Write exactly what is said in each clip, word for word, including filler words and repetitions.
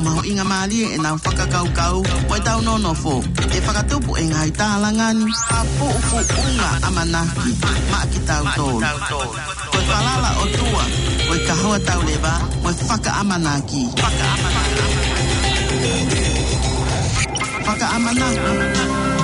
Mahuʻinga mālie ʻenau fakakaukau mo ʻetau nonofo. ʻE fakatupu e ngaahi tālanga ni ha fuʻu fuʻunga ʻamanaki maʻa kitautolu. Ko e falala ʻOtua, ko e kahoa tauleva, mo e fakaʻamanaki. Fakaʻamanaki.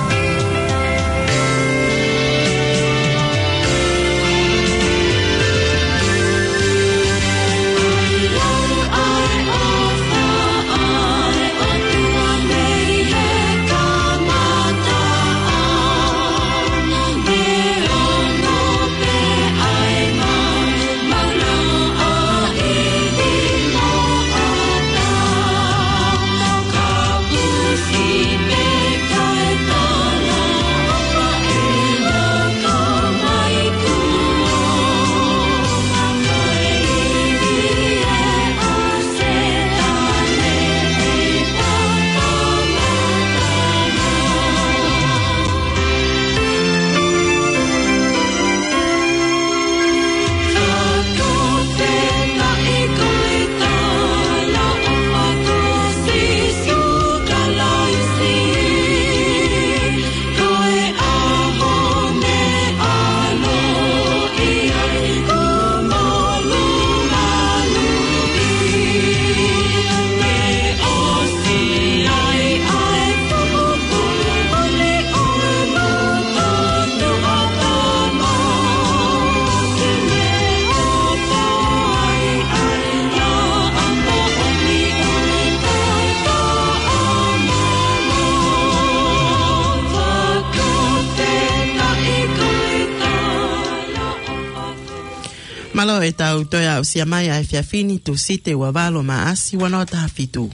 Mālō e tau toe aʻusia mai ʻa e efiafi ni, Tūsite ua valu Maʻasi ua noa taha fitu.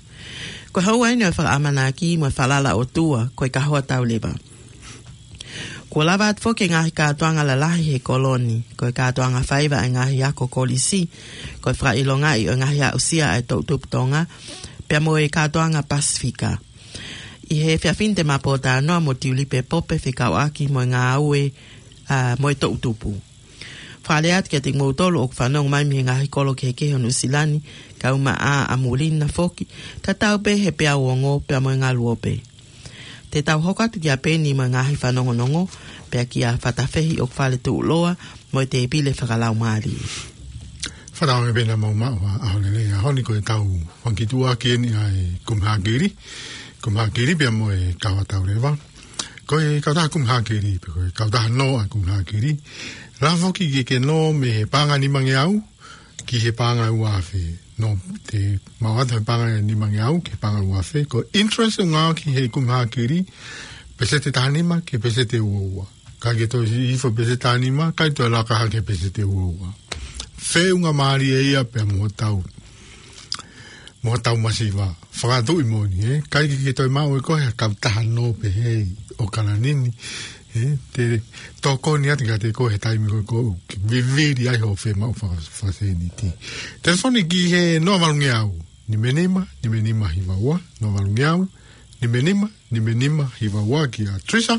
Ko e houa eni ʻo e fakaʻamanaki mo e falala ʻOtua, ko e kahoa tauleva. Kuo lava atu foki e ngaahi kātoanga lalahi he kolo ni, ko e kātoanga faiva ʻa e ngaahi ako kolisi, ko e fakaʻilongaʻi ʻo e ngaahi aʻusia ʻa e toʻutupu Tonga, pea mo e kātoanga Pasifika. ʻI he efiafi ni te ma pōtalanoa mo Tiulipe Pope fekauʻaki mo e ngāue, ʻa, mo e toʻutupu. Fakalea atu kiate kimoutolu ʻoku fanongo mai mei he ngaahi kolo kehekehe ʻo Nuʻusila ni, kae ʻumaʻā ʻa muli na foki, tatau pē he peau ongo pea mo e ngalu ope. Te tau hoko atu kia Peni mo e ngaahi fanongonongo, pea kia Fatafehi ʻoku fale tuʻuloa mo e tēpile fakalaumālie. Fakatauange pē naʻa mou maʻu ha ʻaho lelei he ʻaho ni. Ko e tau fakakituʻaki eni ʻa e Kumi Hākili, Kumi Hākili pea mo e kahoa tauleva. Ko e kautaha Kumi Hākili, pe ko e kautaha nō ʻa e Kumi Hākili, lava foki ke ke nō mei he paʻanga nimangeau ki he paʻanga ua afe. Nō, te maʻu atu he paʻanga nimangeau ki he paʻanga ua afe. Ko e interest ʻoku ngāueʻaki he Kumi Hākili, peseti taha nima ki he peseti ua ua. Ka ke toe siʻi hifo peseti taha nima, kae toe laka hake peseti ua ua. Feʻunga mālie ia pea mo hotau, mo hotau masiva. Fakatuʻi moʻoni, ē? ʻIkai ke ke toe maʻu ʻe koe ha kautaha nō pehē ʻi ʻAokalani ni, ē? Te tokoni atu kiate koe he taimi ko ē ʻoku ke vivili ai hoʻo fiemaʻu faka-, fakasēniti. Telefoni ki he noa valungeau, nima nima, nima nima hiva ua, noa valungeau, nima nima, nima nima hiva ua kia Trisa,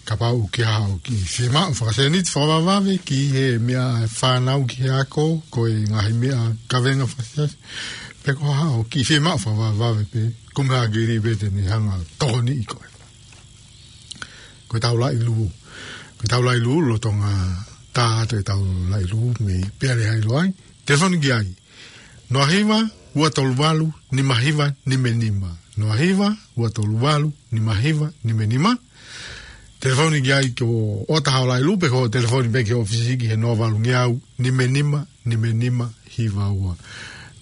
kapau ʻoku ke haʻu ki he fiemaʻu fakasēniti fakavavevave ki he meʻa fānau ki he ako, ko e ngaahi meʻa kavenga fakasiasi, pe ko ha haʻu ki he fiemaʻu fakavavevave pē, Kumi Hākili pē te ne hanga ʻo tokoniʻi koe. Ko e tau laʻi lū. Ko e tau laʻi lū, lolotonga tā atu e tau laʻi lū, mei Peale Hailo ai. Telefoni ki ai. Noa hiva, ua tolu valu, nima hiva, nima nima. Noa hiva, ua tolu valu, nima hiva, nima nima. Telefoni ki ai ko ʻOta Haʻo Lailū pe ko e telefoni pē ki he ʻōfisi ki he noa valungeau, nima nima, nima nima, hiva ua.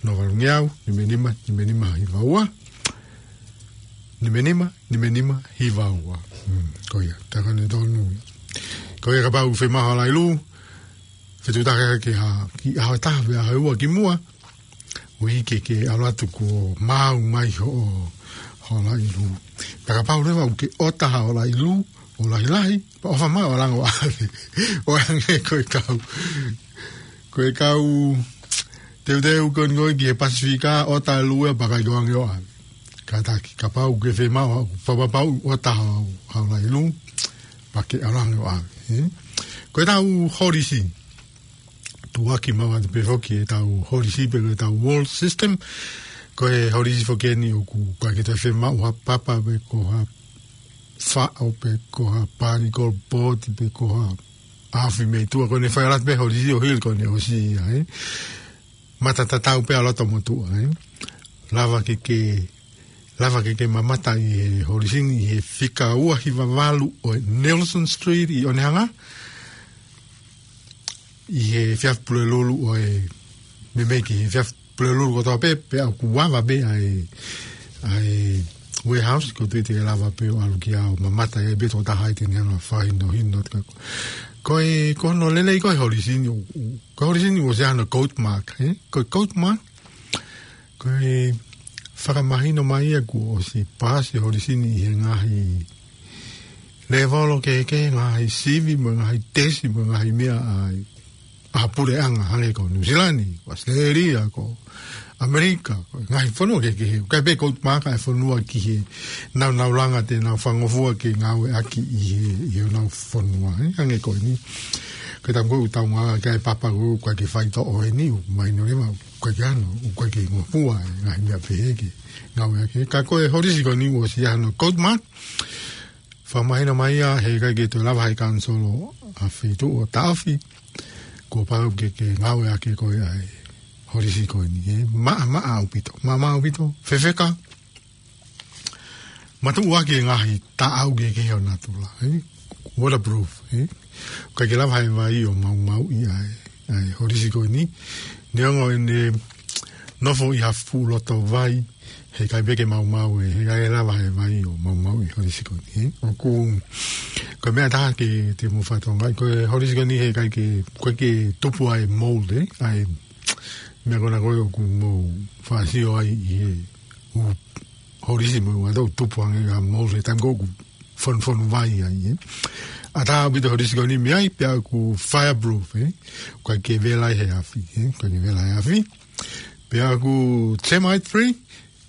Noa valungeau, nima nima, nima nima, hiva ua. Nima nima, nima nima, hiva ua. Hmm, ko ia, tā ko eni tonu. Ko ia kapau ʻoku fiemaʻu haʻo laʻi lū, fetuʻutaki ki ha, ki ʻaho ʻe taha pe ʻaho ʻe ua kimuʻa, ʻo ʻikai ke ke ʻalu atu kuo maau mai hoʻo, hoʻo laʻi lū. Pea kapau leva ʻoku ke ʻota haʻo laʻi lū ʻo lahilahi, pea ʻofa mai ʻo langa ʻo ʻave. ʻO hangē ko e kau, ko e kau teuteu ko eni ko ē ki he Pasifika, ʻota e lū ia pea ʻikai ke ʻoange ʻo ʻave. Kātaki, kapau ʻoku ke fiemaʻu, fakapapauʻi ʻota haʻo, haʻo laʻi lū, pea ke ʻalu ange ʻo ʻave, ē? Ko e tau holisi, tuʻuaki maʻu atu pē foki e tau holisi pe ko e tau world system. Ko e holisi foki eni ʻoku ʻikai ke toe fiemaʻu ha papa pe ko ha faʻo pe ko ha pani ko poti pe ko ha afi mei tuʻa, ko ʻene fai ʻalu atu pē holisi ʻo hili ko ʻene ʻosi ia, ē. Mata tatau pē ʻa loto mo tuʻa, ē. Lava ke ke, lava ke ke mamata ʻi he holisi ni ʻi he fika ua hiva valu ʻo e Nelson Street ʻi Onehunga. ʻI he efiafi Pulelulu ʻo e, meimei ki he efiafi Pulelulu kotoa pē, pea ʻoku ava pē ʻa e, ʻa e warehouse, ko e toe te ke lava pē ʻo ʻalu ki ai ʻo mamata ai pē tokotaha ʻi heʻene anga fakahinohino atu ka ko. Ko e, ko hono lelei ko e holisi ni, ʻo, ʻo, ko e holisi ni ʻoku ʻosi ʻi ai hano code mark, ē? Ko e code mark, ko e fakamahino mai ia kuo ʻosi paasi e holisi ni ʻi he ngaahi lēvolo kehekehe, ngaahi sivi, mo e ngaahi tesi, mo e ngaahi meʻa ʻa e ʻa e puleʻanga hangē ko Nuʻu Sila ni, ko ʻAositelēlia, ko ʻAmelika, ko e ngaahi fonua kehekehe. ʻIkai pē code mark ʻa e fonua ki he nāunau langa te nau fangofua ke ngāueʻaki ʻi he, ʻi honau fonua, ē, hangē ko eni. Ko e taimi ko ē ʻoku tau ngāueʻaki ʻa e papa ko ē ʻoku ʻikai ke faitoʻo eni, ʻoku mahino leva, ʻoku ʻikai ke ʻi ai hano, ʻoku ʻikai ke ngofua e ngaahi meʻa pehē ke ngāueʻaki. Ka ko e holisi ko eni ʻoku ʻosi ʻi ai hano code mark, fakamahino mai ia he ʻikai ke toe lava ʻe he kanisolo ʻa e feituʻu ʻo taʻofi, kuo pau ke ke ngāueʻaki ʻe koe ʻa e holisi ko eni, ē. Maʻamaʻa ʻaupito, maʻamaʻa ʻaupito, fefeka, matuʻuaki e ngaahi taʻau kehekehe ʻo natula, ē. Waterproof, ē. ʻIkai ke lava ʻe he vai ʻo maumauʻi ʻa e, ʻa e holisi ko eni. Neongo ʻene nofo ʻi ha fuʻu loto vai, he ʻikai pē ke maumau ē, he ʻikai lava ʻe he vai ʻo maumauʻi e holisi ko eni, ē. ʻOku, ko e meʻa ʻe taha ke te mou fakatokangaʻi, ko e holisi ko eni he ʻikai ke, ʻoku ʻikai ke tupu ʻa e mold, ē, ʻa e meʻa ko ena ko ē ʻoku mou faʻasio ai ʻi he ʻū holisi mo e ʻū ʻato ʻoku tupu ange ʻa e mold he taimi ko ē ʻoku fonufonu vai ai, ē. ʻAtā ʻaupito e holisi ko eni mei ai, pea ʻoku fireproof, ē. ʻOku ʻikai ke vela ʻi he afi, ē. ʻOku ʻikai ke vela ʻi he afi. Pea ʻoku termite free,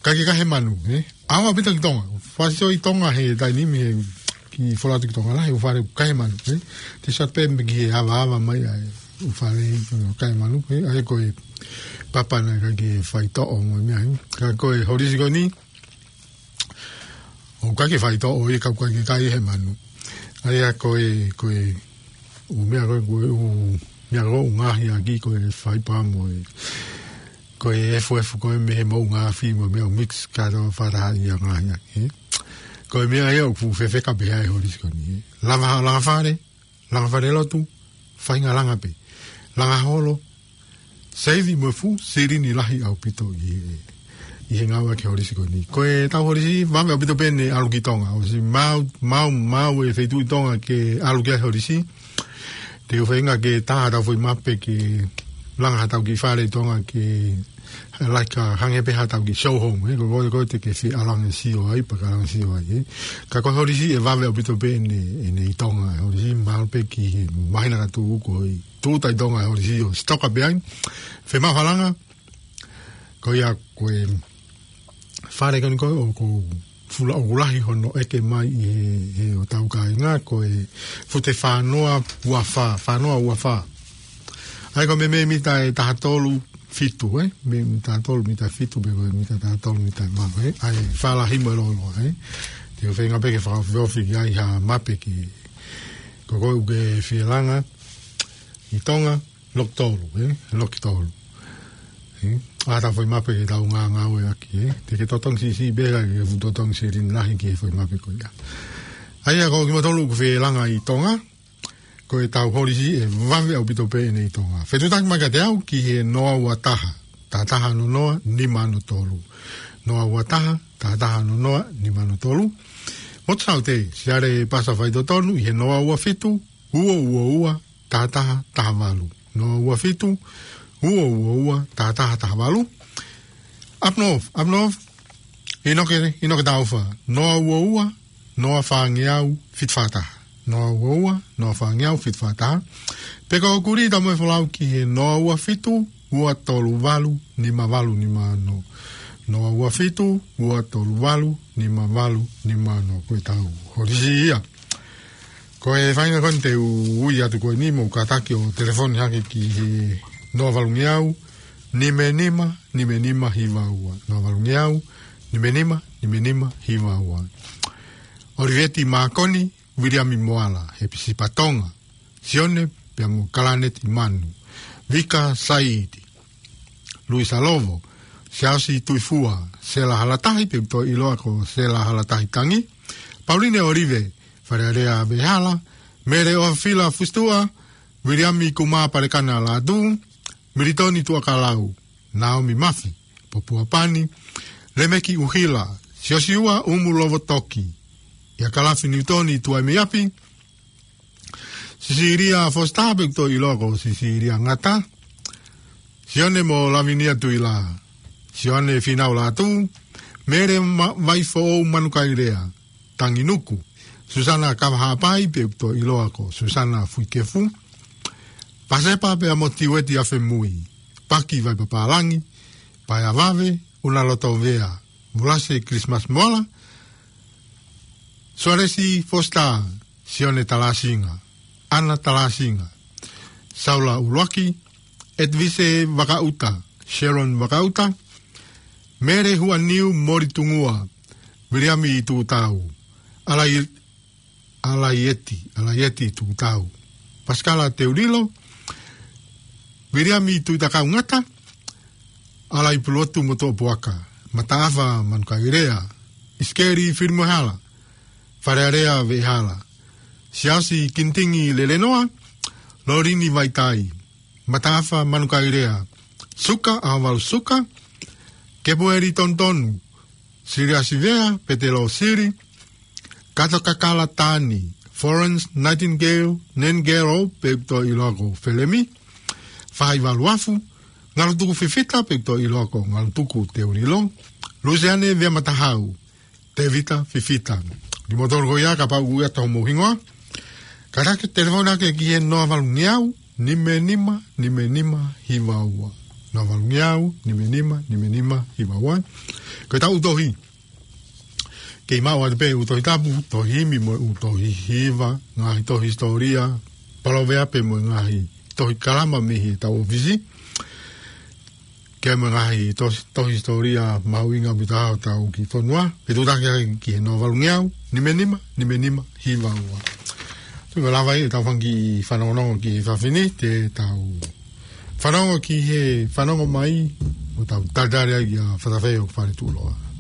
ʻikai ke kahe manu, ē. ʻAo ʻaupito ki Tonga. Faʻasio ʻi Tonga he taimi ni he kiʻi fola atu ki Tonga lahi, ʻū fale ʻoku kahe manu, ē. Te sat pē mei he avaava mai ai, ʻū fale ʻoku kahe manu, ē. ʻA ia ko e papa naʻe ʻikai ke faitoʻo mo e meʻa, ē. Ka ko e holisi ko eni, ʻoku ʻikai ke faitoʻo ia ka ʻoku ʻikai ke kai he manu. ʻA ia ko e, ko e, ʻū meʻa ko e, ko e, ʻū meʻa ko ē ʻoku ngaohi ʻaki ko e faipa mo e, ko e efuefu ko ē mei he moʻunga afi mo e meʻa ʻoku mix kātoa fakataha ia ʻo ngaohi ʻaki, ē. Ko e meʻa ia ʻoku fuʻu fefeka pehē ai e holisi ko eni, ē. Langa, langa fale, langa falelotu, faʻahinga langa pē. Langa holo, seivi mo e fuʻu silini lahi ʻaupito ʻi he, ʻi he ngāueʻaki e holisi ko eni. Ko ʻetau holisi, vave ʻaupito pē ʻene ʻalu ki Tonga. ʻOsi maau, maau, maau e feituʻu ʻi Tonga ke ʻalu ki ai e holisi. Te u feinga ke tā haʻatau foʻi mape ke langa haʻatau kiʻi fale ʻi Tonga ke, like, hangē pē haʻatau kiʻi show home, ē, ko e, ko e, ko e te ke fie ʻalu ange ʻo sio ai, pea ke ʻalu ange ʻo sio ai, ē. Ka ko e holisi ʻe vave ʻaupito pē ʻene, ʻene ʻi Tonga, e holisi, mahalo pē ki he māhina ka tuʻu ko e tūʻuta ʻi Tonga e holisi ʻo sitoka pē ai. Fiemaʻu ha langa, ko ia ko e fale ko eni ko ē ʻoku fuʻu lahi hono ʻeke mai ʻi he, he ʻo tau kāinga, ko e fute fānoa ua fā, fānoa ua fā. ʻA ia ko e meimei mita ʻe taha tolu fitu, ē? Mei mita taha tolu, mita fitu, pe ko e mita taha tolu, mita ʻe valu, ē? ʻA e fālahi mo e lōloa, ē? Te u feinga pē ke fakaofiofi ki ai ha mape ki, ko koe ʻoku ke fie langa ʻi Tonga, loki tolu, ē? Loki tolu. Ē? ʻAtā foʻi mape ke tau ngāngāueʻaki, ē? Te ke totongi siʻisiʻi pē ka ke fuʻu totongi silini lahi ki he foʻi mape ko ia. ʻA ia ko kimautolu ʻoku fie langa ʻi Tonga, ko ʻetau holisi ʻe vave ʻaupito pē ʻene ʻi Tonga. Fetuʻutaki mai kiate au ki he noa ua taha, taha taha ono noa, nima ono tolu. Noa ua taha, taha taha ono noa, nima ono tolu. Motu Saute, Siale Pasa Faitotonu, ʻi he noa ua fitu, ua ua ua, taha taha taha valu. Noa ua fitu, ua ua ua, taha taha taha valu. Up North, Up North, ʻInoke, ʻInoke Taufa. Noa ua ua, noa fāngeau, fitu fā taha. Noa ua ua, noa fāngeau, fitu fā taha. Pe ko Kuri Tamoefolau ki he noa ua fitu, ua tolu valu, nima valu nima ono. Noa ua fitu, ua tolu valu, nima valu nima ono. Ko ʻetau holisi ia. Ko e faʻahinga ko eni te u ui atu ko eni mo kātaki ʻo telefoni hake ki he noa valungeau, nima nima, nima nima hiva ua. Noa valu ngeau, nima nima, nima nima hiva ua. ʻOliveti Mākoni, Viliami Moala, Hepisipa Tonga, Sione, pea mo Kalaneti Manu, Vika Saiti, Luisa Lovo, Siaosi Tuifua, Sela Halatahi, pe ʻoku toe ʻiloa ko Sela Halatahi Tangi, Pauline ʻOlive, Falealea Vehala, Mele ʻOfila Fusitua, Viliami Kumā Palekana Lātū, Militoni Tuʻakalau, Naomi Mafi, Popua Pani, Lemeki ʻUhila, Siosiua ʻUmu Lovotoki, ʻIa Kalafi Niutoni Tuaimiapi, Sisilia Fositā, pe ʻoku toe ʻiloa ko Sisilia Ngata, Sione mo Lavinia Tuila, Sione Finau Lātū, Mele Ma-, Vaifoʻou Manukaelea, Tangi Nuku, Susana Kavahaʻapai, pe ʻoku toe ʻiloa ko Susana Fuikefu, Pasepa pea mo Tiueti Afemui, Paki Vaipapālangi, Paea Vave, ʻUna Lotovea, Mulase Christmas Moala, Sualesi Fositā, Sione Talasinga, ʻAna Talasinga, Saula ʻUluaki, Edvise Vakaʻuta, Sharon Vakaʻuta, Mele Huaniu Moli Tungua, Viliami Tuʻutau, Alai-, Alaieti, Alaieti Tuʻutau, Pasikala Teulilo, Viliami Tuʻitakau Ngata, Alai Puluotu Motuʻapuaka, Mataʻafa Manukaelea, ʻIsikeli Filimoehala, Falealea Vehala, Siaosi Kinitingi Lelenoa, Lolini Vaitai, Mataʻafa Manukaelea, Suka, ʻAhovalu Suka, Kepueli Tonutonu, Siliasi Vea, Petelo Sili, Kato Kakala Tani, Florence Nightingale, Nengelo, pe ʻoku toe ʻiloa ko Felemi, Fai Valuafu, Ngalutuku Fifita, pe ʻoku toe ʻiloa ko Ngalutuku Teulilo, Luseane Vea Matahau, Tevita Fifita. Kimoutolu ko ia, kapau ʻoku ʻi ai haʻamou hingoa, kātaki telefoni ake ki he noa valu ngeau, nima nima, nima nima, hiva ua. Noa valu ngeau, nima nima, nima nima, hiva ua. Ko ʻetau tohi. Kei maʻu atu pē ʻū Tohi Tapu, tohi himi mo e ʻū tohi hiva, ngaahi tohi hisitōlia, palōveape mo e ngaahi tohi kalama mei heʻetau ʻōfisi. Kei maʻu ngaahi tohi, tohi hisitōlia mahuʻinga ʻoku ʻi ai hotau kiʻi fonua, pea tuʻutaki ai ki he noa valu ngeau, nima nima, nima nima, hiva ua. Tuku lava ʻetau fanga kiʻi fanongonongo ki he efiafi ni, te tau fanongo ki he fanongo mai, ʻo tau talitali ai kia Fatafeio Faletuʻuloa.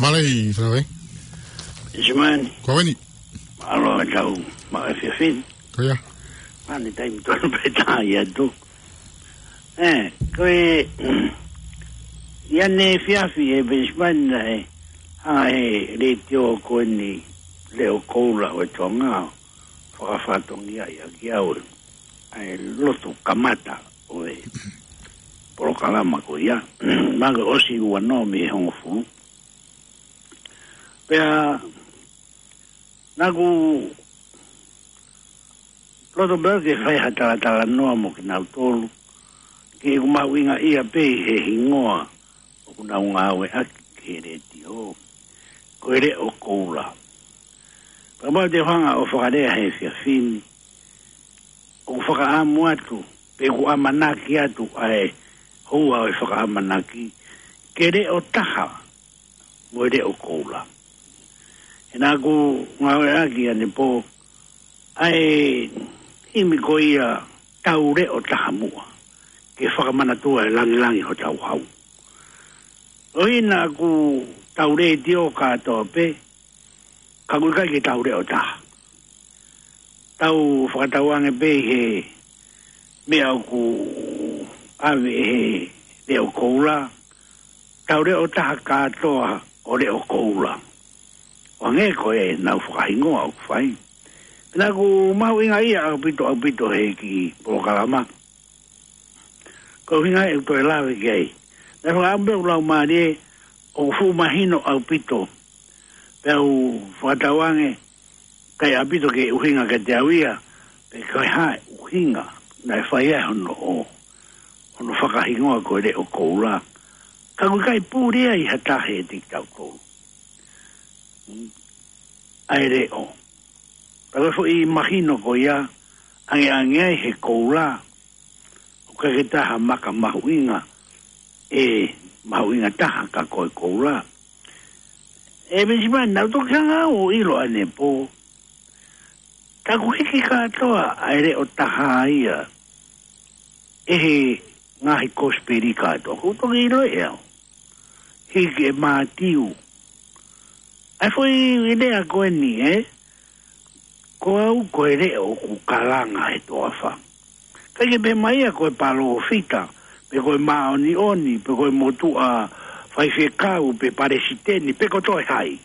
Mālō, Falawe. Simani. Ko eni. Mālō e tau, mālō e efiafi ni. Ko ia. Mani taimi tonu pē tā ia tu. Ē, ko e, ia ne efiafi e Benjamin na e, ʻa e letiō ko eni Leʻo Koula ʻo e Tonga, fakafatongia ia ki au ʻa e lotu kamata ʻo e polokalama ko ia. Maka ʻosi ua noa mei he hongofulu. Pea naʻa ku loto pē ke fai ha talatalanoa mo kinautolu, ke ʻoku mahuʻinga ia pē ʻi he hingoa ʻoku nau ngāueʻaki he letiō, ko e Leʻo Koula. Pea mau te hanga ʻo fakalea he efiafi ni, ʻoku fakaʻamu atu, pe ʻoku ʻamanaki atu ʻa e houa ʻo e fakaʻamanaki, ke leʻo taha mo e Leʻo Koula. He naʻa ku ngāueʻaki ʻanepō ʻa e himi ko ia Tau Leʻo Taha Muʻa, ke fakamanatua e langilangi hotau hau. ʻOi naʻa ku tau letiō kātoa pē, ka ʻoku ʻikai ke tau leʻo taha. Tau fakatauange pē ʻi he meʻa ʻoku ʻave ʻe he Leʻo Koula, tau leʻo taha kātoa ʻo Leʻo Koula. ʻO hangē ko ʻenau fakahingoa ʻoku fai. Pea naʻa ku mahuʻinga ia ʻaupito, ʻaupito he kiʻi polokalama. Ko e ʻuhinga ʻeku toe lave ki ai. Naʻe fakaʻamu pē ʻeku laumālie ʻoku fuʻu mahino ʻaupito. Pea u fakatauange, ʻikai ʻaupito ke ʻuhinga kiate au ia, pe ko e hā e ʻuhinga naʻe fai ai hono ʻo, hono fakahingoa ko e Leʻo Koula. Ka ʻoku ʻikai puli ia ʻi ha taha ʻiate kitautolu. ʻA e leʻo. Pea ko e foʻi mahino ko ia, angeange ai he koula, ʻoku ʻikai ke taha maka mahuʻinga, ʻe mahuʻinga taha ka ko e koula. ʻE Benjamin, naʻa ku toki hanga ʻo ʻilo ʻanepō, ka ʻoku hiki kātoa ʻa e leʻo taha ia ʻe he ngaahi kosipeli kātoa. ʻOku toki ʻilo ʻe au. Hiki ʻe Mātiu. ʻA e foʻi lea ko eni, ē? Ko au ko e leʻo ʻoku kalanga he toafa. ʻIkai ke pehē mai ia ko e palōfita, pe ko e māʻoniʻoni, pe ko e motuʻa faifekau, pe palesiteni, pe ko toe hai.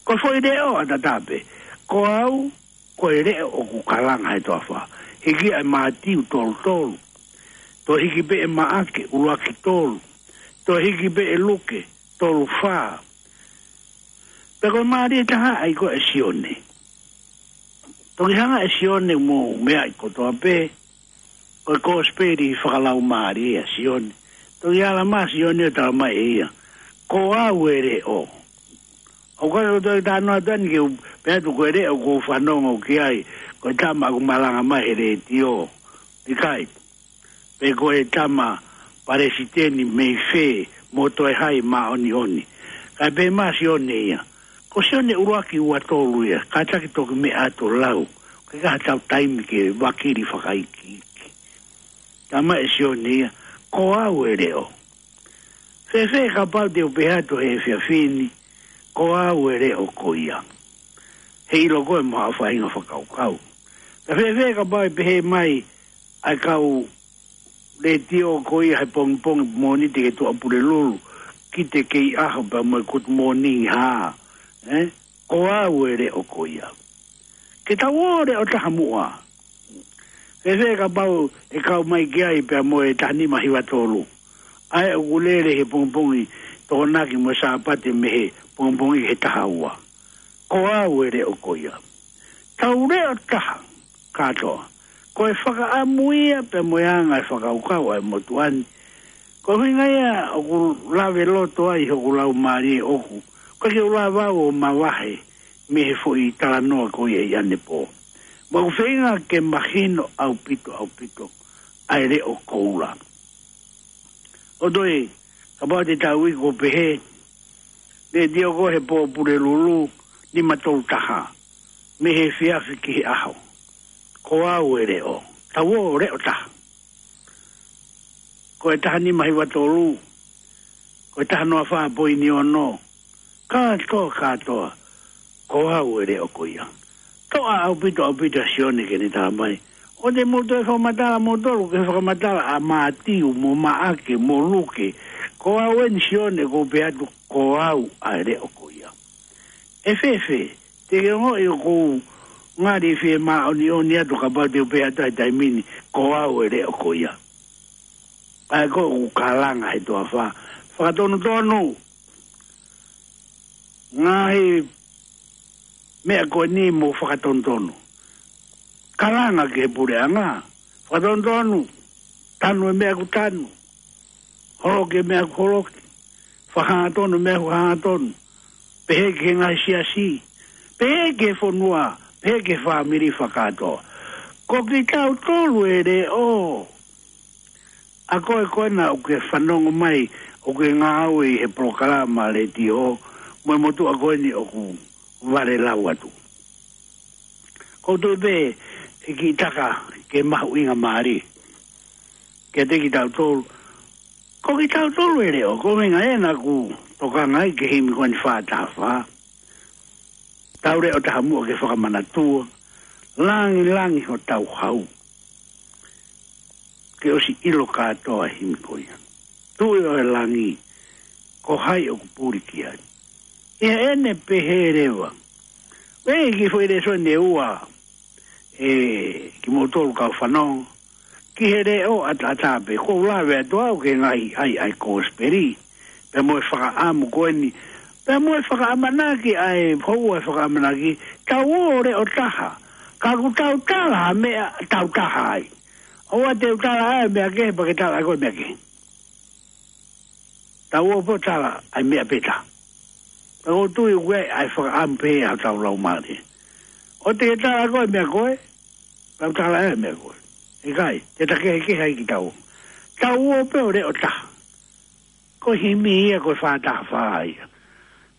Ko e foʻi leʻo ʻataʻatā pē. Ko au ko e leʻo ʻoku kalanga he toafa. Hiki ʻe Mātiu tolu tolu. Toe hiki pē ʻe Maʻake ʻuluaki tolu. Toe hiki pē ʻe Luke tolu fā. Pea ko e mālie taha ai ko ē ʻa Sione. Toki hanga ʻe Sione mo meʻa ʻi kotoa pē, ko e kosipeli fakalaumālie ʻa Sione. Toki ala mai Sione ʻo tala mai ʻe ia, ko au e leʻo. ʻOku ʻikai ko e toe talanoa atu eni ke u pehē atu ko e leʻo ʻoku ou fanongo ki ai, ko e tama ʻoku malanga mai he letiō. ʻIkai. Pe ko e tama palesiteni mei fē mo toe hai māʻoniʻoni. Kae pehē mai Sione ia. Ko Sione ʻuluaki ua tolu ia, kātaki toki meʻa atu lau. Ko e kaha tau taimi ke vakili fakaikiiki. Tala mai ʻe Sione ia, ko au e leʻo. Fēfē kapau te u pehē atu he efiafi ni, ko au e leʻo ko ia. He ʻilo ko ē mo haʻo faʻahinga fakakaukau. Ka fēfē kapau ʻe pehē mai ʻa e kau letiō ko ia he pongipongi Mōnite ki he Tuʻapulelulu, Kite Kei ʻAho pea mo e Good Morning hā, ē? Ko au e leʻo ko ia. Ke tau ō leʻo taha muʻa. Fēfē kapau ʻe kau mai ki ai pea mo e taha nima hiva tolu. ʻA ē ʻoku lele he pongipongi Tokonaki mo e Sāpate mei he pongipongi ki he taha ua. Ko au e leʻo ko ia. Tau leʻo taha kātoa. Ko e fakaʻamu ia pea mo e anga e fakakaukau ʻa e motuʻa ni. Ko e ʻuhinga ia ʻoku lave loto ai hoku laumālie ʻoku. ʻOku ʻikai ke u lava au ʻo mavahe mei he foʻi talanoa ko ia ʻi ʻanepō. Mo ʻeku feinga ke mahino ʻaupito, ʻaupito ʻa e Leʻo Koula. ʻO toe, kapau te tau iku ʻo pehē, letiō ko ē he pō Pulelulu, nima tolu taha, mei he efiafi ki he ʻaho. Ko au e leʻo, tau ō leʻo taha. Ko e taha nima hiva tolu, ko e taha noa fā poini ono, Kātoa, kātoa, ko au e leʻo ko ia. Toʻa ʻaupito, ʻaupito ʻa Sione ke ne tala mai. ʻOua te mou toe fakamatala moutolu ki he fakamatala ʻa Mātiu mo Maʻake mo Luke. Ko au eni Sione ʻoku ou pehē atu ko au ʻa e leʻo ko ia. ʻE fēfē, te ke ongoʻi ʻoku ou ngali fiemāʻoniʻoni atu kapau te u pehē atu he taimi ni, ko au e leʻo ko ia. ʻA ia ko ʻeku kalanga he toafa. Fakatonutonu. Ngaahi meʻa ko eni mou fakatonutonu. Kalanga ki he puleʻanga. Fakatonutonu. Tanu e meʻa ʻoku tanu. Holoki e meʻa ʻoku holoki. Fakahangatonu e meʻa ʻoku hangatonu. Pehē ki he ngaahi siasi. Pehē ki he fonua. Pehē ki he fāmili fakakātoa. Ko kitautolu e leʻo. ʻA koe ko ena ʻoku ke fanongo mai, ʻoku ke ngāue ʻi he polokalama letiō, mo e motuʻa ko eni ʻoku vale lau atu. ʻOku ou tui pē ʻe kiʻi taka ke mahuʻingamālie kiate kitautolu. Ko kitautolu e leʻo, ko e meʻa ena ʻoku tokanga ai ki he himi ko eni fā taha fā. Tau leʻo taha muʻa ke fakamanatua, langilangi hotau hau. Ke ʻosi ʻilo kātoa e himi ko ia. Tuʻi ʻo e langi, ko hai ʻoku puli ki ai. ʻI heʻene pehē leva. ʻOku ʻi ai e kiʻi foʻi lēsoni ʻe ua, ʻe kimoutolu kau fanongo. Ki he leʻo ʻataʻatā pē, ʻoku ou lave atu au ki he ngaahi ʻai ʻa e kosipeli. Pea mo e fakaʻamu ko eni. Pea mo e fakaʻamanaki ʻa e, houa e fakaʻamanaki, tau ō leʻo taha. Ka ʻoku tau tala ha meʻa tau taha ai. ʻOua te u tala ʻa e meʻa kehe, pea ke tala ʻa koe meʻa kehe. Tau ō pē ʻo tala ʻa e meʻa pē taha. Pea ʻoku ou tui ʻoku ʻi ai ʻa e fakaʻamu pē ʻa hotau laumālie. ʻOua te ke tala ʻa koe meʻa ko ē, pea u tala ʻa e meʻa ko ē. ʻIkai, te ta kehekehe ai kitaua. Tau ō pē ʻo leʻo taha. Ko e himi ia, ko e fā taha fā ia.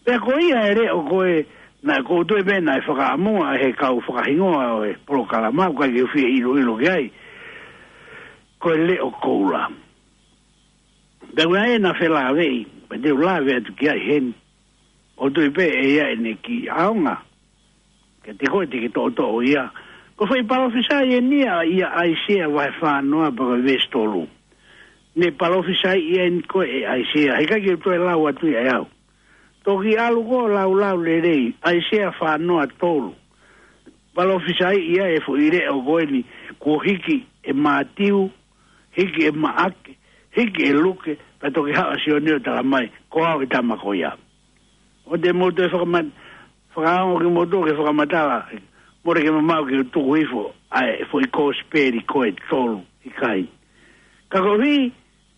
Pea ko ia e leʻo ko ē, naʻe ʻoku ou tui pē naʻe fakaʻamua ʻe he kau fakahingoa ʻo e polokalama, ʻoku ʻikai ke u fie ʻiloʻilo ki ai. Ko e leʻo koula. Pea ʻoku ʻi ai ʻena felāveʻi, pea te u lave atu ki ai heni. ʻOku ou tui pē ʻe ʻi ai ʻene kiʻi ʻaonga. Kiate koe te ke toʻotoʻo ia. Ko e foʻi palōfisai eni ia ʻa ʻAisea vahe fā noa pea ko e veesi tolu. Ne palōfisaiʻi eni ko ē ʻe ʻAisea. Heʻikai ke u toe lau atu ia ʻe au. Toki ʻalu koe ʻo laulau lelei. ʻAisea fā noa tolu. Palōfisaiʻi ia e foʻi leʻo ko eni. Kuo hiki ʻe Mātiu, hiki ʻe Maʻake, hiki ʻe Luke, pea toki haʻu ʻa Sione ʻo tala mai, ko au e tama ko ia. ʻOua te mou toe fakama-, fakaongo kimoutolu ke fakamatala, mole ke mamaʻo ke u tuku hifo ʻa e foʻi kosipeli ko ē tolu, ʻikai. Ka koeʻuhi,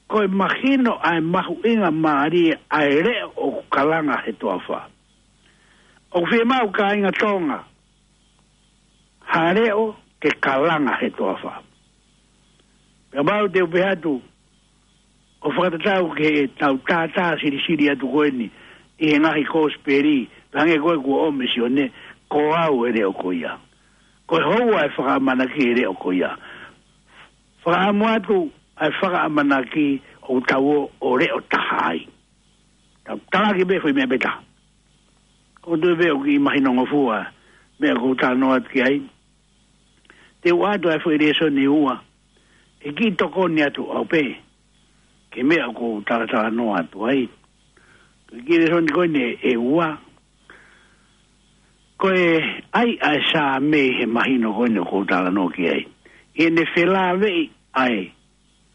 ko e mahino ʻa e mahuʻingamālie ʻa e leʻo ʻoku kalanga he toafa. ʻOku fiemaʻu kāinga Tonga ha leʻo ke kalanga he toafa. Pea mau te u pehē atu, ʻo fakatatau ki heʻetau tātā silisili atu ko eni ʻi he ngaahi kosipeli, pea hangē ko ē kuo ʻomi ʻe Sione, ko au e leʻo ko ia. Ko e houa e fakaʻamanaki e leʻo ko ia. Fakaʻamu atu ʻa e fakaʻamanaki ʻoku tau ō ʻo leʻo taha ai. Tau talaki pē foʻi meʻa pē taha. ʻOku ou tui pē ʻoku kiʻi mahinongofua, meʻa ʻoku ou talanoa atu ki ai. Te u ʻoatu ʻa e foʻi lēsoni ʻe ua. ʻE kiʻi tokoni atu au pē. Ki he meʻa ʻoku ou talatalanoa atu ai. Ko e kiʻi lēsoni ko eni ʻe ua. Ko e ʻai ʻa e Saame he mahino ko eni ʻoku ou talanoa ki ai. ʻI heʻene felāveʻi ʻa e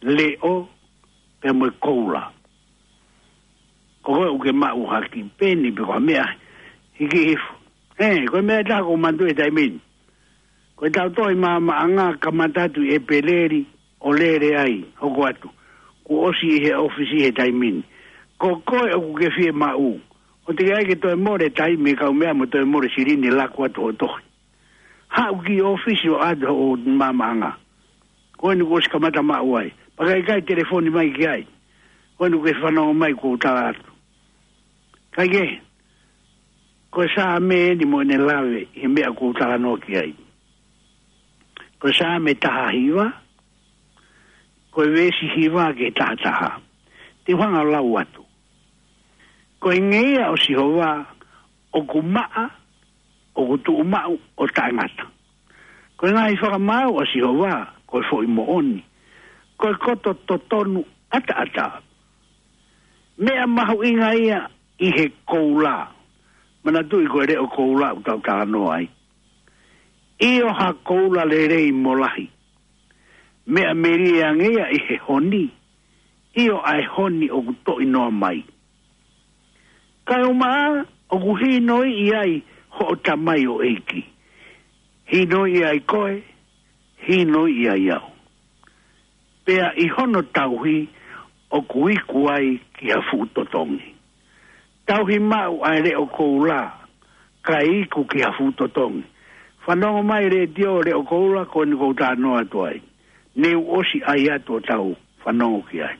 leʻo, pea mo e koula. Ko koe ʻoku ke maʻu ha kiʻi peni pe ko ha meʻa hiki hifo. Ē, ko e meʻa ʻe taha ʻoku ou manatuʻi he taimi ni. Ko ʻetau tohi maamaʻanga kamata atu ʻi ʻEpeleli ʻo lele ai, hoko atu. Kuo ʻosi ʻi he ʻōfisi he taimi ni. Ko koe ʻoku ke fiemaʻu. ʻOua te ke ʻai ke toe mole taimi kau meʻa mo toe mole silini laku atu hoʻo tohi. Haʻu ki ʻōfisi ʻo ʻoatu hoʻo maamaʻanga. Ko eni kuo ʻosi kamata maʻu ai. Pea ka ʻikai telefoni mai ki ai. Ko eni kuo ke fanongo mai kuo u tala atu. Kae kehe, ko e Saame eni mo ʻene lave ʻi he meʻa kuo u talanoa ki ai. Ko e Saame taha hiva, ko e veesi hiva ki he taha taha. Te u hanga ʻo lau atu. Ko e ngeia ʻo Sihova ʻoku maʻa, ʻoku tuʻumaʻu ʻo taʻengata. Ko e ngaahi fakamaau ʻa Sihova ko e foʻi moʻoni, ko e koto totonu ʻataʻatā. Meʻa mahuʻinga ia ʻi he koula. Manatuʻi ko e leʻo koula ʻoku tau talanoa ai. ʻIo, ha koula lelei mo lahi. Meʻa melie ange ia ʻi he honi. ʻIo, ʻa e honi ʻoku toʻi noa mai. Kae ʻumaʻā ʻoku hinoiʻi ai hoʻo tamaioʻeiki. Hinoiʻi ai koe, hinoiʻi ai au. Pea ʻi hono tauhi ʻoku iku ai ki ha fuʻu totongi. Tauhi maʻu ʻa e leʻo koula, kae iku ki ha fuʻu totongi. Fanongo mai letiō, leʻo koula, ko eni ʻoku ou talanoa atu ai. Ne u ʻosi ʻai atu ʻo tau fanongo ki ai.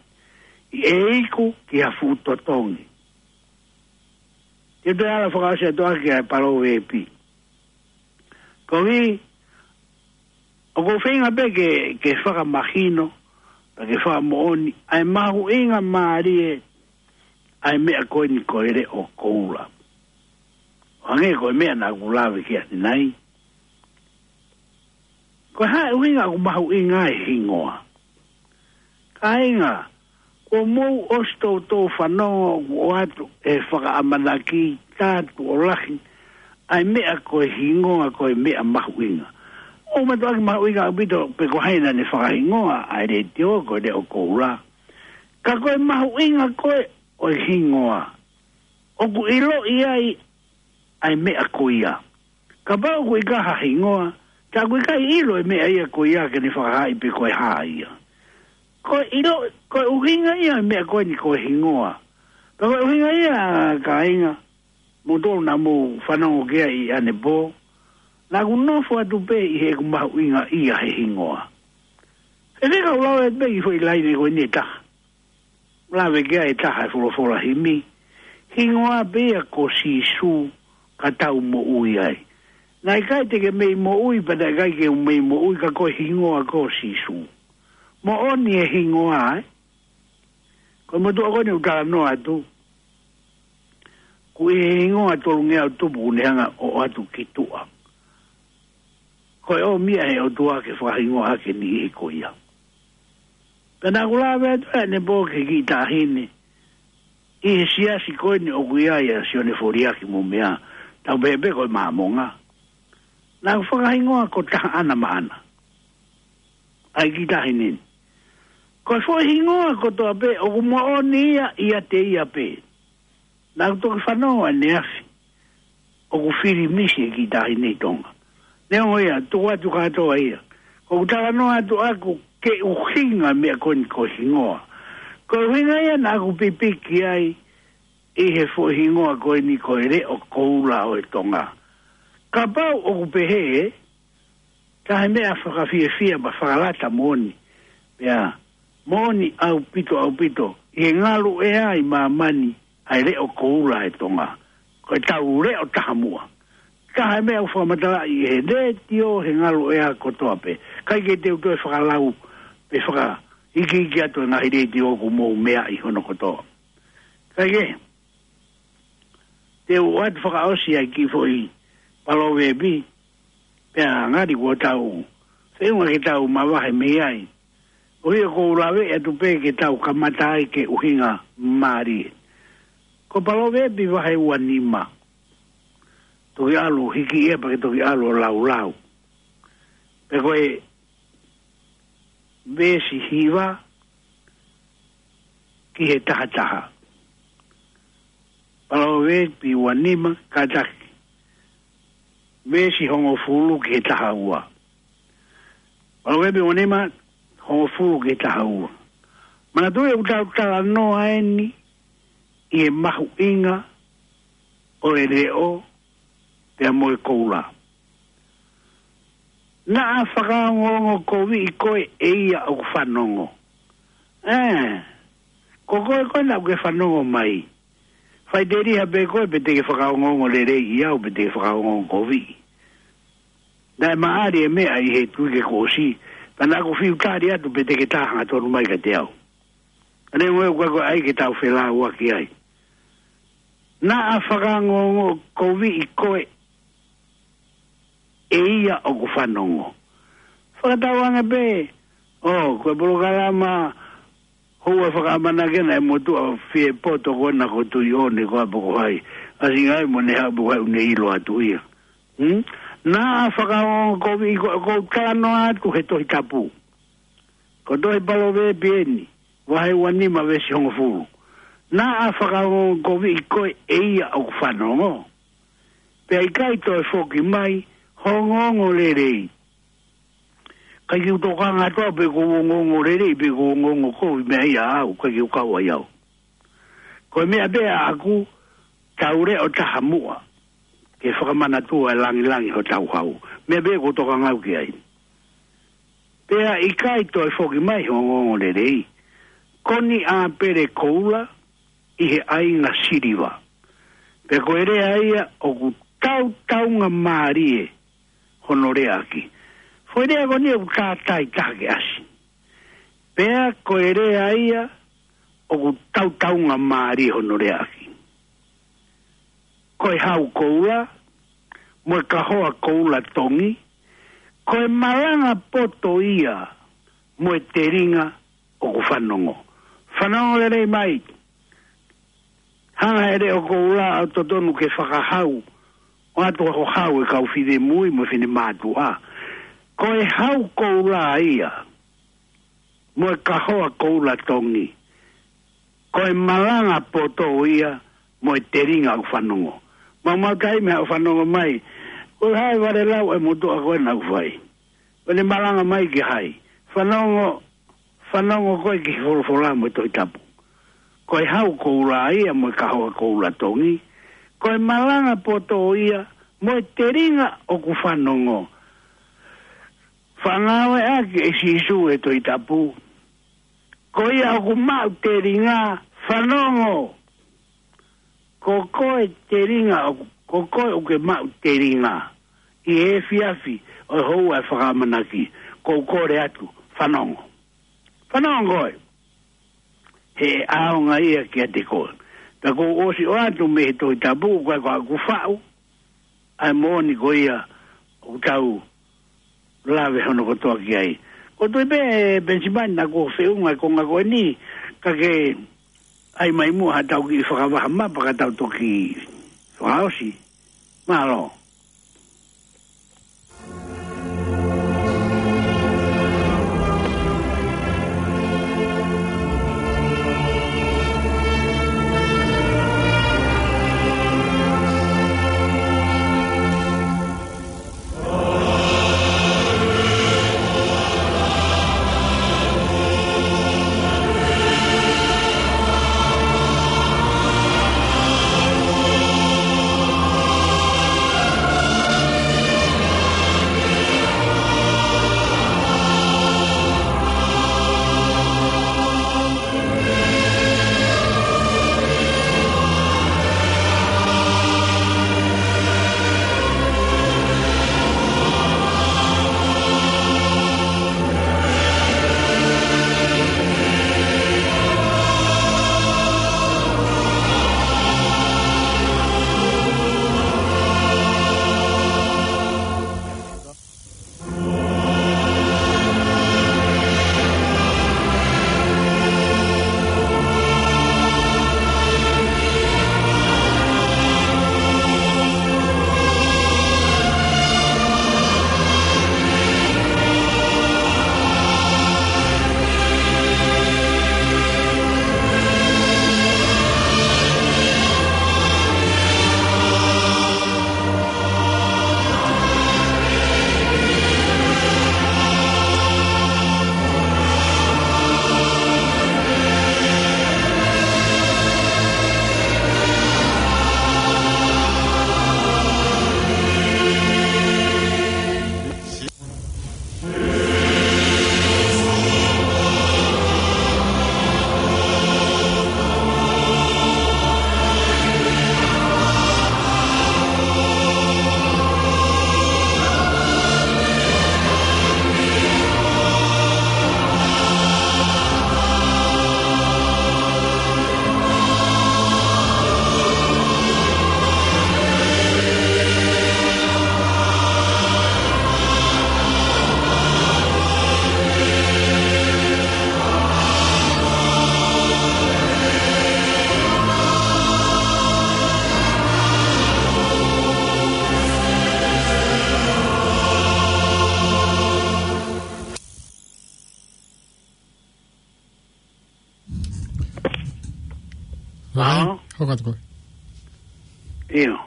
ʻE iku ki ha fuʻu totongi. Te u toe ala fakaʻosi atu ʻaki ʻa e Palōveepi. Koeʻuhi, ʻoku ou feinga pē ke, ke fakamahino, pe ke fakamoʻoni, ʻa e mahuʻinga mālie ʻa e meʻa ko eni ko e leʻo koula. ʻO hangē ko e meʻa naʻa ku lave ki ai ʻanenai. Ko e hā e ʻuhinga ʻoku mahuʻinga ai e hingoa? Kāinga, kuo mou ʻosi toutou fanongo ʻoku ʻoatu e fakaʻamanaki tā tuʻo lahi ʻa e meʻa ko e hingoa ko e meʻa mahuʻinga. ʻOku mātuʻaki mahuʻinga ʻaupito pe ko hai naʻa ne fakahingoa ʻa e letiō ko e leʻo koula. Ka ko e mahuʻinga ko ē ʻo e hingoa, ʻoku ʻiloʻi ai ʻa e meʻa ko ia. Kapau ʻoku ʻikai ha hingoa, tā ʻoku ʻikai ʻilo e meʻa ia ko ia ke ne fakahaaʻi pe ko e hā ia. Ko e ʻilo, ko e ʻuhinga ia e meʻa ko eni ko e hingoa. Pea ko e ʻuhinga ia, kāinga, mou tolu naʻa mou fanongo ki ai ʻanepō, naʻa ku nofo atu pē ʻi heʻeku mahuʻingaʻia he hingoa. He fekau lau atu pē ʻi he foʻi laine ko eni ʻe taha. Lave ki ai e taha e folofola himi. Hingoa pē ia ko Sīsū ka tau moʻui ai. Naʻe ʻikai te ke mei moʻui, pea naʻe ʻikai ke u mei moʻui, ka ko e hingoa ko Sīsū. Moʻoni e hingoa, ē? Ko e motuʻa ko eni ʻoku talanoa atu. Ko e hingoa tolungeau tupu ʻoku ne hanga ʻo ʻoatu ki tuʻa. Ko e ʻomi ia ʻe he ʻOtua ke fakahingoa ʻaki e niʻihi ko ia. Pea naʻa ku lave atu ʻanepō ki he kiʻi taʻahine ʻi he siasi ko eni ʻoku ʻi ai ʻa Sione Foliaki mo meʻa, tau pehē pē ko e Māmonga. Naʻa ku fakahingoa ko Tahaʻana Maʻana. ʻA e kiʻi taʻahine ni. Ko e foʻi hingoa kotoa pē ʻoku moʻoni ia ʻiate ia pē. Naʻa ku toki fanongo ʻaneafi ʻoku fili misi e kiʻi taʻahine ʻi Tonga. Neongo ia, tuku atu kātoa ia. Ko ʻeku talanoa atu ʻaku ke ʻuhinga e meʻa ko eni ko e hingoa. Ko e ʻuhinga ia naʻa ku pipiki ai ʻi he foʻi hingoa ko eni ko e leʻo koula ʻo e Tonga. Kapau ʻoku pehē, ka he meʻa fakafiefia mo fakalata moʻoni. Pea moʻoni ʻaupito, ʻaupito ʻi he ngalu ʻea ʻi māmani ʻa e leʻo koula ʻa e Tonga. Ko e tau leʻo taha muʻa. Ka he meʻa ʻoku fakamatalaʻi ʻe he letiō he ngalu ʻea kotoa pē. ʻIkai ke te u toe fakalau pe fakaikiiki atu e ngaahi letiō ʻoku mou meaʻi hono kotoa. ʻIkai ke te u ʻoatu fakaʻosi ʻa e kiʻi foʻi Palōveepi, pea ngali kuo tau feʻunga ke tau mavahe mei ai. ʻOku ou lave atu pē ke tau kamata ai ke ʻuhinga mālie. Ko Palōveepi vahe ua nima. Toki ʻalu hiki ia pea ke toki ʻalu ʻo laulau. Pea ko e veesi hiva ki he taha taha. Palōveepi ua nima, kātaki. Veesi hongofulu ki he taha ua. Palōveepi ua nima, hongofulu ki he taha ua. Manatuʻi ʻoku tau talanoa eni ʻi he mahuʻinga ʻo e leʻo pea mo e koula. Naʻa fakaongoongo koviʻi koe ʻe ia ʻoku fanongo. Ē, ko koe koe naʻa ke fanongo mai. Faʻiteliha pē koe pe te ke fakaongoongo lelei ʻi au pe te ke fakaongoongo koviʻi. Naʻe maʻali e meʻa ʻi he tuʻi ke kuo ʻosi, ka naʻa ku fiu tali atu pe te ke tā hangatonu mai kiate au. Ka neongo ʻoku ʻikai ko e ʻai ke tau felāuaki ai. Naʻa fakaongoongokoviʻi koe ʻe ia ʻoku fanongo. Fakatauange pē, ʻo, ko e polokalama houa fakaʻamanaki ena ʻe motuʻa fie poto ko ena ko Tuʻiʻone ko ā pe ko hai. ʻAsi ngai mo ne haʻu pe ko hai ʻoku ne ʻilo atu ia. Hmm? Naʻa fakaongoongokoviʻi koe, ʻoku ou talanoa atu he Tohi Tapu. Ko e tohi Palōveepi eni, vahe ua nima veesi hongofulu. Naʻa fakaongoongokoviʻi koe ʻe ia ʻoku fanongo. Pea ʻikai toe foki mai ho ongoongo lelei. ʻIkai ke u tokanga atu au pe ʻoku ou ongoongo lelei pe ʻoku ou ongoongo kovi meia au, ʻikai ke u kau ai au. Ko e meʻa pē ʻaʻaku, tau leʻo taha muʻa ke fakamanatua e langilangi hotau hau. Meʻa pē ʻoku ou tokanga au ki ai. Pea ʻikai toe foki mai ho ongoongo lelei. Ko eni ʻāpele koula ʻi he ʻainga siliva. Pea ko e lea ia ʻoku tautaunga mālie hono leaʻaki. Foʻi lea ko eni ʻoku tātai taha ke ʻasi. Pea ko e lea ia ʻoku tautaunga mālie hono leaʻaki. Ko e hau koula, mo e kahoa koula tongi, ko e malanga poto ia mo e telinga ʻoku fanongo. Fanongo lelei mai. Hanga ʻe he leʻo koula ʻo totonu ke fakahau, ʻoatu ʻa e hau ʻa e kau finemui mo e finemātuʻa. Ko e hau koula ia, mo e kahoa koula tongi. Ko e malanga poto ia mo e telinga ʻoku fanongo. Maumau taimi haʻu ʻo fanongo mai. Ko e hā e valelau ʻa e motuʻa ko ena ʻoku fai. Ko ʻene malanga mai ki hai. Fanongo, fanongo koe ki he folofola mo e Tohi Tapu. Ko e hau koula ia mo e kahoa koula tongi. Ko e malanga poto ia mo e telinga ʻoku fanongo. Faʻa ngāueʻaki ʻe Sīsū e Tohi Tapu. Ko ia ʻoku maʻu telinga, fanongo. Ko koe telinga, ʻoku, ko koe ʻoku ke maʻu telinga. ʻI he efiafi ʻo e houa ʻe fakaʻamanaki, ʻoku ou kole atu, fanongo. Fanongo koe. He ʻaonga ia kiate koe. Pea ʻoku ou ʻosi ʻoatu mei he Tohi Tapu, ʻoku ʻikai ko haʻaku faʻu, ʻa e moʻoni ko ia ʻoku tau lave hono kotoa ki ai. Ko e tui pē, Penisimani, naʻa kuo feʻunga e konga ko eni, ka ke ʻai mai muʻa haʻatau kiʻi fakavaha mapa ka tau toki fakaʻosi. Mālō. Ai, ʻAo? Hoko atu koe. ʻIo.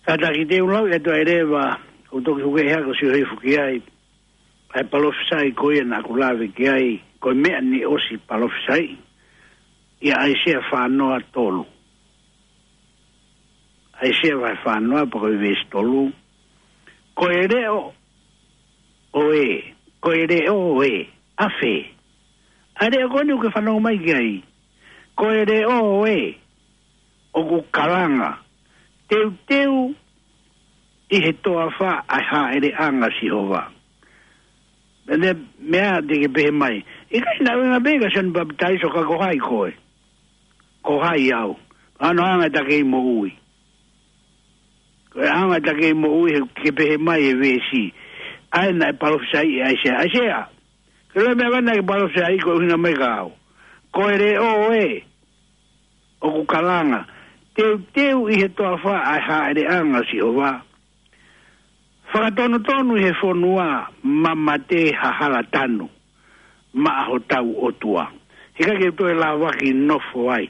Kātaki te u lau ʻe toe leva, ʻoku toki huke hea ko sio hifo ki ai. ʻA e palofisai ko ia naʻa ku lave ki ai, ko e meʻa ni ʻosi palofisai, ʻia ʻAisea fā noa tolu. ʻAisea vahe fā noa pea ko e veesi tolu. Ko e leʻo ʻo ē, ko e leʻo ʻo ē, ʻafē. ʻA e leʻo ko eni ʻoku ke fanongo mai ki ai. Ko e leʻo ʻo ē, ʻoku kalanga. Teuteu ʻi he toafa ʻa e hāʻeleʻanga ʻo Sihova. Pea ne meʻa te ke pehē mai. ʻIkai naʻa ʻuhinga pē kia Sione Papitaiso ka ko hai koe. Ko hai au. Ano anga ta kei moʻui. Ko e anga ta kei moʻui he ke pehē mai e veesi. ʻA ē naʻe palofisai ʻe ʻAisea. ʻAisea. Ke lea meʻa vana ke palofisai ko e ʻuhinga mai ka au. Ko e leʻo ʻo ē. ʻOku kalanga. Teuteu ʻi he toafa ʻa e hāʻeleʻanga ʻo Sihova. Fakatonutonu ʻi he fonua mamate ha hala tanu. Maʻa hotau ʻOtua. He ʻikai ke toe lava ke nofo ai.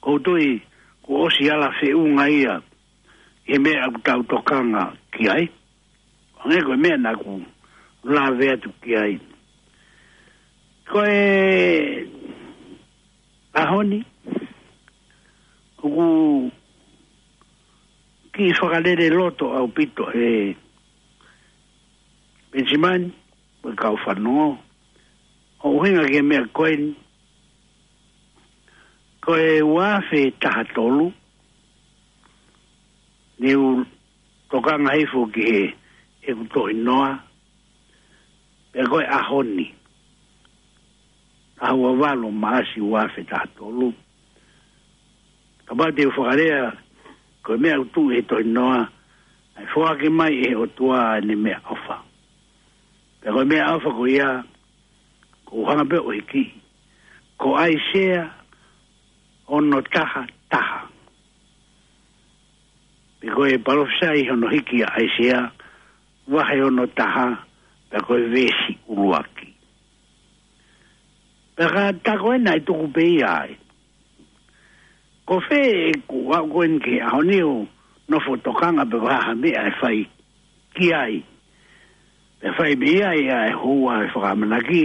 Ko u tui, kuo ʻosi ala feʻunga ia. ʻI he meʻa ʻoku tau tokanga ki ai. Hangē ko e meʻa naʻa ku lave atu ki ai. Ko e ʻaho ni, ʻoku kiʻi fakalele loto ʻaupito ʻe Penisimani, mo e kau fanongo. ʻO ʻuhinga ki he meʻa ko eni, ko e ua afe taha tolu, ne u tokanga hifo ki he, ʻeku tohinoa, pea ko e ʻaho ni. ʻAho ua valu Maʻasi ua afe taha tolu. Kapau te u fakalea, ko e meʻa ʻoku tuʻu he tohinoa, ʻa e foaki mai ʻe he ʻOtua ʻene meʻaʻofa. Pea ko e meʻaʻofa ko ia, ko u hanga pē ʻo hiki. Ko ʻAisea ono taha taha. Pea ko e palofisai hono hiki ʻa ʻAisea, vahe ono taha, pea ko e veesi ʻuluaki. Pea ka ta ko ena ʻe tuku pē ia ai. Ko fē ʻeku aʻu ko eni ki he ʻaho ni ʻo nofo tokanga pe ko e hā ha meʻa ʻe fai ki ai. Pea fai mei ai ʻa e houa ʻo e fakaʻamanaki.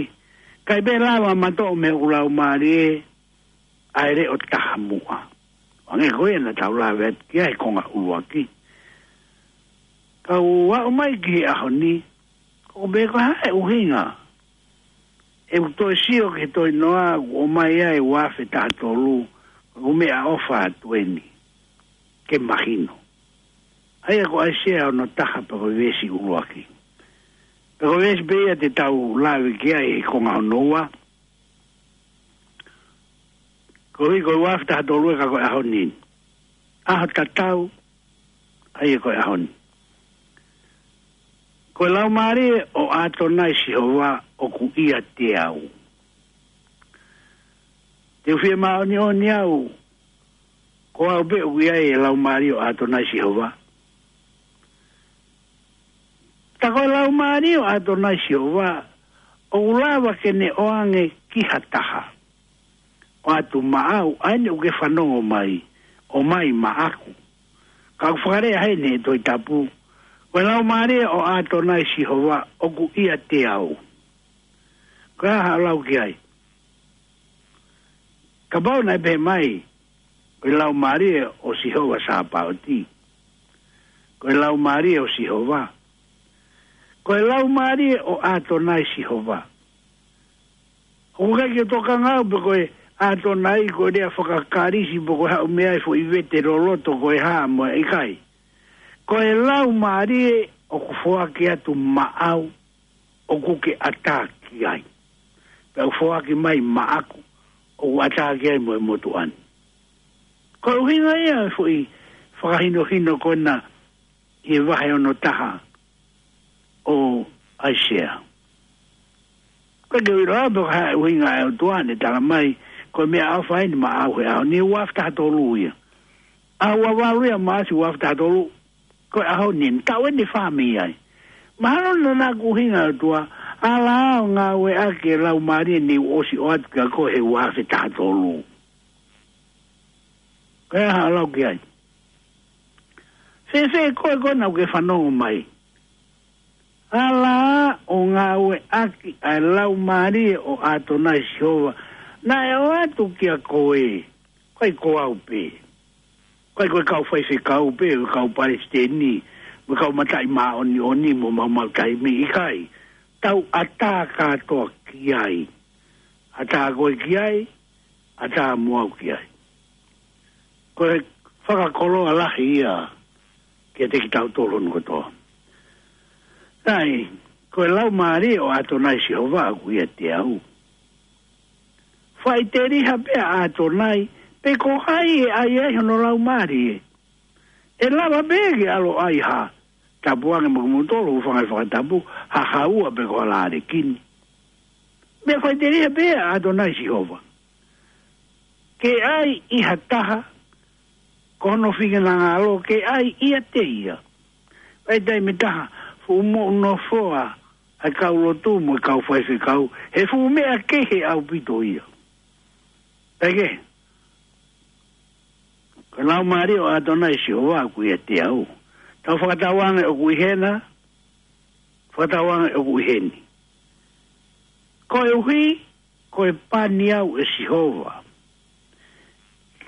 ʻIkai pē lava matoʻo mei hoku laumālie ʻa e leʻo taha muʻa. Hangē ko ia naʻa tau lave atu ki ai he konga ʻuluaki. Ka u aʻu mai ki he ʻaho ni, ko u pehē ko e hā e ʻuhinga. ʻE u toe sio ki he tohinoa, ʻoku ʻomai ai ua afe taha tolu, ʻoku meʻaʻofa atu eni. Ke mahino. ʻA ia ko ʻAisea ono taha pea ko e veesi ʻuluaki. Pea ko e veesi pē ia te tau lave ki ai he konga hono ua. Ko e ʻuhi ko e ua afe taha tolu ē ka ko e ʻaho ni. ʻAho tatau, ʻa ia ko e ʻaho ni. Ko e laumālie ʻo ʻAtonai Sihova ʻoku ʻiate au. Te u fie māʻoniʻoni au, ko au pē ʻoku ʻi ai e laumālie ʻo ʻAtonai Sihova. Ta ko e laumālie ʻo ʻAtonai Sihova, ʻoku lava ke ne ʻoange ki ha taha. ʻOatu maʻau, ʻa eni ʻoku ke fanongo mai, ʻomai maʻaku. Ka ʻoku fakalea heni he Tohi Tapu, ko e laumālie ʻo ʻAtonai Sihova, ʻoku ʻiate au. Ko e hā haʻo lau ki ai. Kapau naʻe pehē mai, ko e laumālie ʻo Sihova Sāpaoti. Ko e laumālie ʻo Sihova. Ko e laumālie ʻo ʻAtonai Sihova. ʻOku ʻikai ke tokanga au pe ko e ʻAtonai ko e lea fakaKalisi pe ko e haʻu mei ai foʻi vete loloto ko e hā mo e ʻikai. Ko e laumālie ʻoku foaki atu maʻau ʻoku ke ʻatā ki ai. Pea ʻoku foaki mai maʻaku, ʻoku ʻatā ki ai mo e motuʻa ni. Ko e ʻuhinga ia e foʻi fakahinohino ko ena ʻi he vahe ono taha ʻo ʻAisea. Ko e ke ʻilo pe ko e hā e ʻuhinga e ʻOtua ne tala mai, ko e meʻaʻofa eni maʻau he ʻaho ni ua afe taha tolu ia. ʻAho ua valu ia Maʻasi ua afe taha tolu, ko e ʻaho ni, taʻu eni fā mei ai. Mahalo naʻa na kuhinga ʻOtua, ʻAlā ʻo ngāueʻaki e laumālie ni ʻosi ʻoatu kia koe he ua afe taha tolu. Ko e hā ʻoku lau ki ai? Fēfē koe ko ena ʻoku ke fanongo mai? ʻAlā ʻo ngāueʻaki ʻa e laumālie ʻo ʻAtonai Sihova naʻe ʻoatu kia koe. ʻIkai ko au pē. ʻIkai ko e kau faifekau pē, ko e kau palesiteni, mo e kau mataʻi māʻoniʻoni, mo maumau taimi, ʻikai. Tau ʻatā kātoa ki ai. ʻAtā koe ki ai, ʻatā mo au ki ai. Ko e fakakoloa lahi ia kiate kitautolu hono kotoa. Sai, ko e laumālie ʻo ʻAtonai Sihova ʻoku ʻiate au. Faʻiteliha pē ʻa ʻAtonai, pe ko hai ʻe ʻai ai hono laumālie. ʻE lava pē ke ʻalu ʻo ʻai ha tapuange mo kimoutolu, hūfanga he fakatapu, ha haua pe ko ha lālekini. Meʻa faʻiteliha pē ʻa ʻAtonai Sihova. Ke ʻai ʻi ha taha, ko hono finangalo ke ʻai ʻiate ia. ʻAi taimi taha, fuʻu moʻunofoa ʻa e kau lotu mo e kau faifekau, he fuʻu meʻa kehe ʻaupito ia. Peke, ko e laumālie ʻo ʻAtonai Sihova ʻoku ʻiate au. Tau fakatauange ʻoku ʻi hena, fakatauange ʻoku ʻi heni. Koeʻuhi, ko e pani au ʻe Sihova,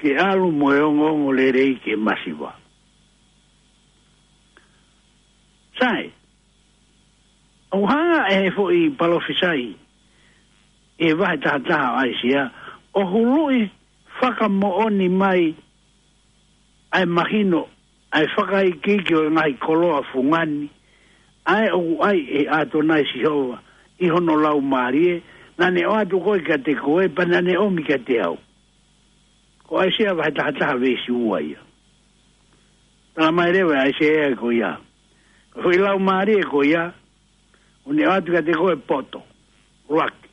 ke ʻalu mo e ongoongolelei ki he masiva. Sai, ʻoku hanga ʻe he foʻi palōfisai ʻi he vahe taha taha ʻo ʻAisea, ʻo huluʻi fakamoʻoni mai ʻa e mahino, ʻa e fakaikiiki ʻo e ngaahi koloa fungani, ʻa ē ʻoku ʻai ʻe ʻAtonai Sihova ʻi hono laumālie, naʻa ne ʻoatu ko ē kiate koe, pea naʻa ne ʻomi kiate au. Ko ʻAisea vahe taha taha veesi ua ia. Tala mai leva ʻe ʻAisea ko ia. Ko e foʻi laumālie ko ia, ʻoku ne ʻoatu kiate koe poto, ʻuluaki,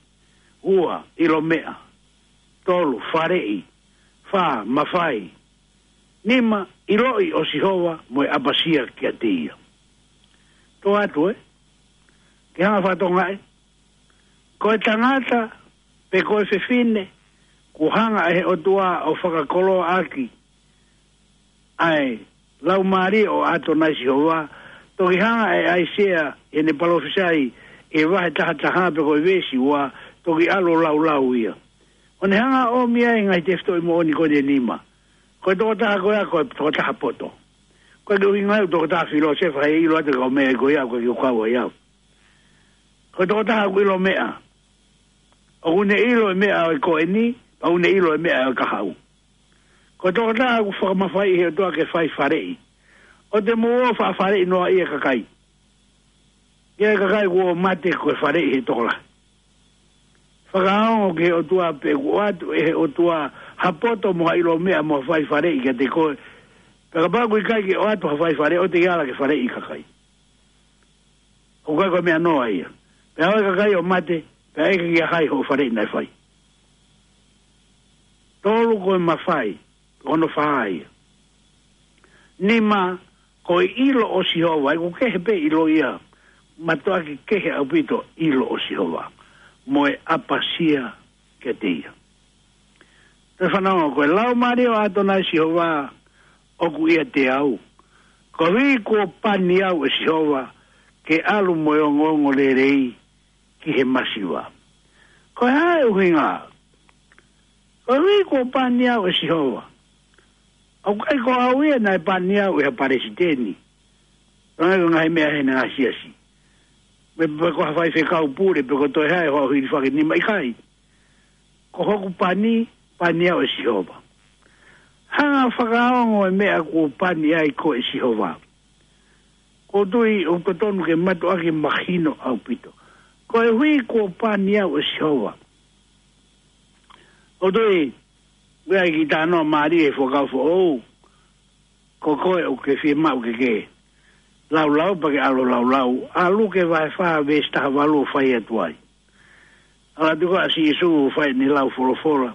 ua, ʻilo meʻa, tolu, faleʻi, fā, mafai, nima, ʻiloʻi ʻo Sihova mo e ʻapasia kiate ia. Tō atu ē, ke hanga fakatonga ē, ko e tangata, pe ko e fefine, kuo hanga ʻe he ʻOtua ʻo fakakoloaʻaki ʻa e laumālie ʻo ʻAtonai Sihova, toki hanga ʻe ʻAisea ʻi heʻene palōfisai ʻi he vahe taha taha pe ko e veesi ua, toki ʻalu ʻo laulau ia. ʻO ne hanga ʻo ʻomi ai e ngaahi tefitoʻi moʻoni ko eni ʻe nima. Ko e tokotaha ko ia, ko e tokotaha poto. Ko e ʻuhinga ia ʻoku tokotaha filōsefa he ʻilo atu e kau meʻa ko ia, ko e kiʻi kau ai au. Ko e tokotaha ʻoku ʻilo meʻa. ʻOku ne ʻilo e meʻa ʻo e ko eni, pea ʻoku ne ʻilo e meʻa ʻo e kahaʻu. Ko e tokotaha ʻoku fakamafaiʻi ʻe he ʻOtua ke fai faleʻi. ʻOua te mou ō ʻo faʻa faleʻi noaʻia e kakai. Ke ʻai e kakai kuo mate ko e faleʻi ʻe he tokolahi. Fakaongo ki he ʻOtua pe ʻoku ʻoatu ʻe he ʻOtua ha poto mo ha ʻilo meʻa mo ha fai faleʻi kiate koe. Pea kapau ʻoku ʻikai ke ʻoatu ha fai faleʻi, ʻoua te ke ala ke faleʻi e kakai. ʻOku ʻikai ko e meʻa noa ia. Pea ō e kakai ʻo mate, pea ʻeke kia hai hoʻo faleʻi naʻe fai. Tolu, ko e mafai, ko hono fā ia. Nima, ko e ʻilo ʻo Sihova, ʻoku kehe pē ʻilo ia, mātuʻaki kehe ʻaupito ʻilo ʻo Sihova, mo e ʻapasia kiate ia. Toe fanongo, ko e laumālie ʻo ʻAtonai Sihova ʻoku ʻiate au. Koeʻuhi kuo pani au ʻe Sihova, ke ʻalu mo e ongoongolelei ki he masiva. Ko e hā e ʻuhinga? Koeʻuhi kuo pani au ʻe Sihova. ʻOku ʻikai ko au ia naʻe pani au ʻe ha palesiteni. Pangai ko e ngaahi meʻa ʻi he ngaahi siasi. Pe, pe ko ha faifekau pule, pe ko e toe hā e hoa ʻo hilifaki nima, ʻikai. Ko hoku pani, pani au ʻe Sihova. Hanga ʻo fakaongo e meʻa kuo pani ai koe ʻe Sihova. ʻOku ou tui ʻoku totonu ke mātuʻaki mahino ʻaupito. Koeʻuhi kuo pani au ʻe Sihova. ʻOku ou tui, ʻoku ʻi ai e kiʻi talanoa mālie he Fuakava Foʻou. Ko koe ʻoku ke fiemaʻu ke ke laulau, pea ke ʻalu ʻo laulau ʻa Luke vahe fā veesi taha valu ʻo fai atu ai. ʻAlu atu ko ē ʻa Sīsū ʻo fai ʻene lau folofola.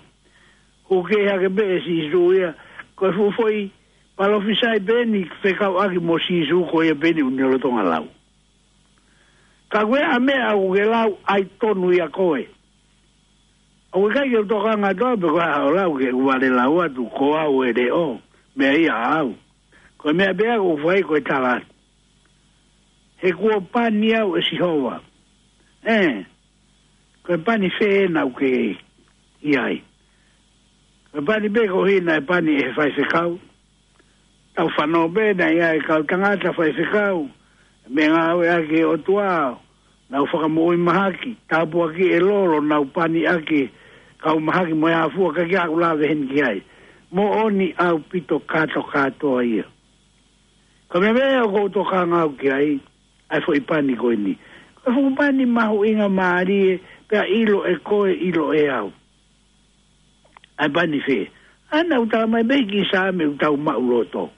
Hū kē hake pē ʻe Sīsū ia, ko e fuʻu foʻi palōfisai pē eni fekauʻaki mo Sīsū ko ia pē eni ʻoku ne lolotonga lau. Ka ko e hā e meʻa ʻoku ke lau ai tonu ia koe? ʻOku ʻikai ke u tokanga atu au pe ko e hā hoʻo lau ke u vale lau atu ko au e leʻo, meʻa ia ʻaʻau. Ko e meʻa pē ʻoku ou fai ko e tala atu. He kuo pani au ʻe Sihova. ʻE, ko e pani fē ena ʻoku ke ʻi ai? Ko e pani pē ko ē naʻe pani ʻe he faifekau. Tau fanongo pē naʻe ʻi ai e kau tangata faifekau, meʻangāueʻaki ʻe he ʻOtua, nau fakamoʻui mahaki, tāpuakiʻi e lolo, nau pani ʻaki e kau mahaki mo e ʻāfua, ʻikai ke u lave heni ki ai. Moʻoni ʻaupito kātokātoa ia. Ko e meʻa pē ʻoku ou tokanga au ki ai, ʻa e foʻi pani ko eni. Ko e fuʻu pani mahuʻinga mālie, pea ʻilo ʻe koe, ʻilo ʻe au. ʻA e pani fē? ʻA ia naʻa ku tala mai pē ki he Saame ʻoku tau maʻuloto.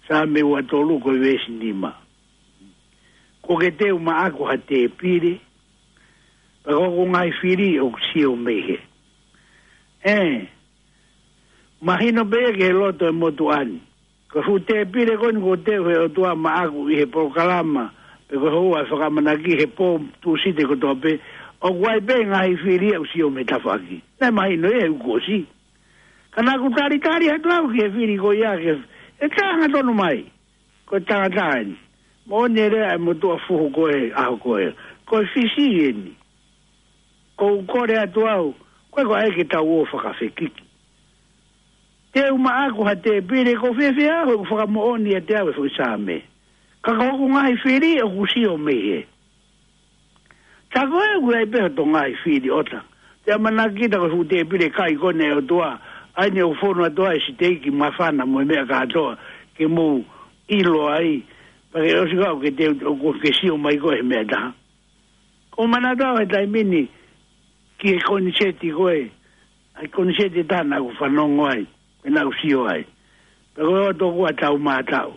Saame ua tolu ko e veesi nima. Kuo ke teu maʻaku ha tēpile, pea ko hoku ngaahi fili ʻoku sio mei hē. ʻE, mahino pē ia ki he loto ʻo e motuʻa ni. Ko e fuʻu tēpile ko eni kuo teu ʻe he ʻOtua maʻaku ʻi he polokalama, pe ko e houa ʻe fakamanaki he pō Tūsite kotoa pē, ʻoku ʻi ai pē ngaahi fili ia ʻoku sio mei tafaʻaki. Naʻe mahino ia he kuo ʻosi. Ka naʻa ku talitali atu au ki he fili ko ia ke, ʻe tā hangatonu mai. Ko e tangata eni. Moʻoni e lea ʻa e motuʻa fuhu ko ē ʻaho ko ē. Ko e fisi eni. ʻOku ou kole atu au, ko e ko ē ke tau ō fakafekiki. Teu maʻaku ha tēpile, ʻoku ou fiefia au he ʻoku fakamoʻoni ʻiate au e foʻi Saame. Ka ko hoku ngaahi fili ʻoku sio mei hē. Tā ko ē ʻoku ʻi ai pē hoto ngaahi fili ʻota. Te ʻamanaki kita ko e fuʻu tēpile kai ko eni ʻa e ʻOtua. ʻA eni ʻoku fonu atu ai e siteiki, māfana mo e meʻa kātoa ke mou ʻilo ai. Pea ke ʻosi kau ke te, ʻoku ke sio mai koe he meʻa ʻe taha. ʻOku ou manatu au he taimi ni ki he koniseti ko ē, ʻa e koniseti ʻe taha naʻa ku fanongo ai, pea naʻa ku sio ai. Pea ko e ʻotu ʻoku ʻa Taumātaʻu.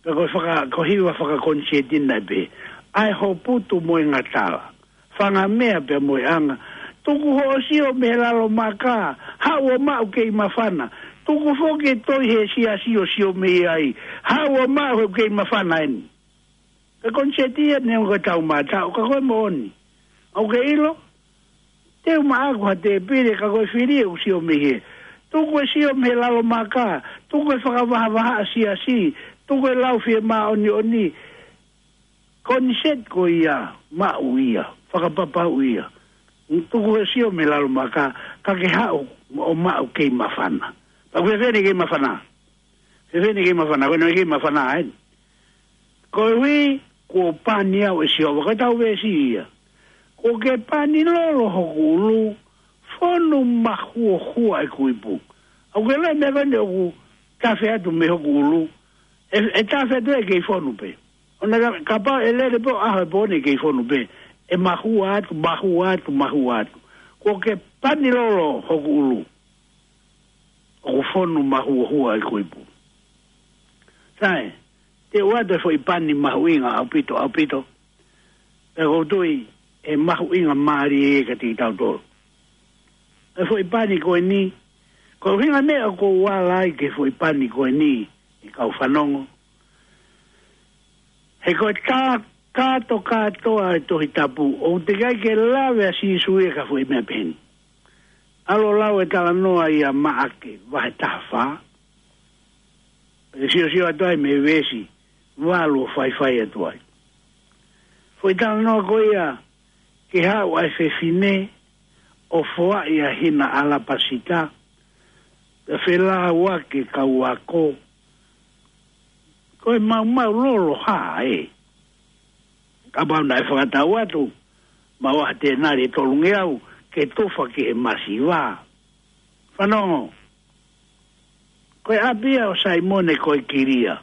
Pea ko e faka-, ko e hiva fakakoniseti naʻe pehē: ʻA e hoputu mo e ngatala, fanga meʻa pea mo e anga. Tuku hoʻo sio mei he lalo maka, haʻu ʻo maʻu kei māfana. Tuku foki e toi he siasi ʻo sio mei ai, haʻu ʻo maʻu he kei māfana eni. Ko e koniseti ia neongo ko e Taumātaʻu, ka ko e moʻoni. ʻOku ke ʻilo? Teu maʻaku ha tēpile, ka ko e fili ʻoku sio mei hē. Tuku e sio mei he lalo maka, tuku e fakavahavahaʻa siasi, tuku e lau fiemāʻoniʻoni. Koniseti ko ia, maʻu ia, fakapapauʻi ia. Tuku e sio mei he lalo maka, ka ke haʻu ʻo maʻu kei māfana. Pea ko e fē eni e kei māfana? Fēfē eni e kei māfana? Ko eni e kei māfana eni. Koeʻuhi kuo pani au ʻe Sihova, ko e tau veesi ia. Kuo ke pani lolo hoku ʻulu, fonu mahuohua ʻeku ipu. ʻOku ke ʻilo e meʻa ko eni ʻoku tafe atu mei hoku ʻulu? ʻE, ʻe tafe atu ʻe kei fonu pē. ʻOua naʻa, kapau ʻe lele pē ʻo ʻaho ʻe pō ni ʻe kei fonu pē. ʻE mahua atu, mahua atu, mahua atu. Kuo ke pani lolo hoku ʻulu, ʻoku fonu mahuohua ʻeku ipu. Sai, te u ʻoatu e foʻi pani mahuʻinga ʻaupito, ʻaupito. Pea ʻoku ou tui ʻe mahuʻinga mālie ia kiate kitautolu. E foʻi pani ko eni, ko e ʻuhinga meʻa ʻoku ou ala ai ki he foʻi pani ko eni, ʻe kau fanongo. He ko e tā kātokātoa e Tohi Tapu, ʻoku teʻeki ai ke lave ʻa Sīsū ia ki ha foʻi meʻa pehē ni. ʻAlu ʻo lau e talanoa ʻia Maʻake, vahe taha fā. Pea ke siosio atu ai mei he veesi valu ʻo faifai atu ai. Foʻi talanoa ko ia, ke haʻu ʻa e fefine ʻo foaʻi ʻa e hina ʻalapasita, pea felāuaki e kau ako. Ko e maumau lolo hā ē? Kapau naʻe fakatau atu, maʻu ha tēnali ʻe tolungeau ke tufa ki he masiva. Fanongo. Ko e ʻapi ia ʻo Saimone ko e Kilia.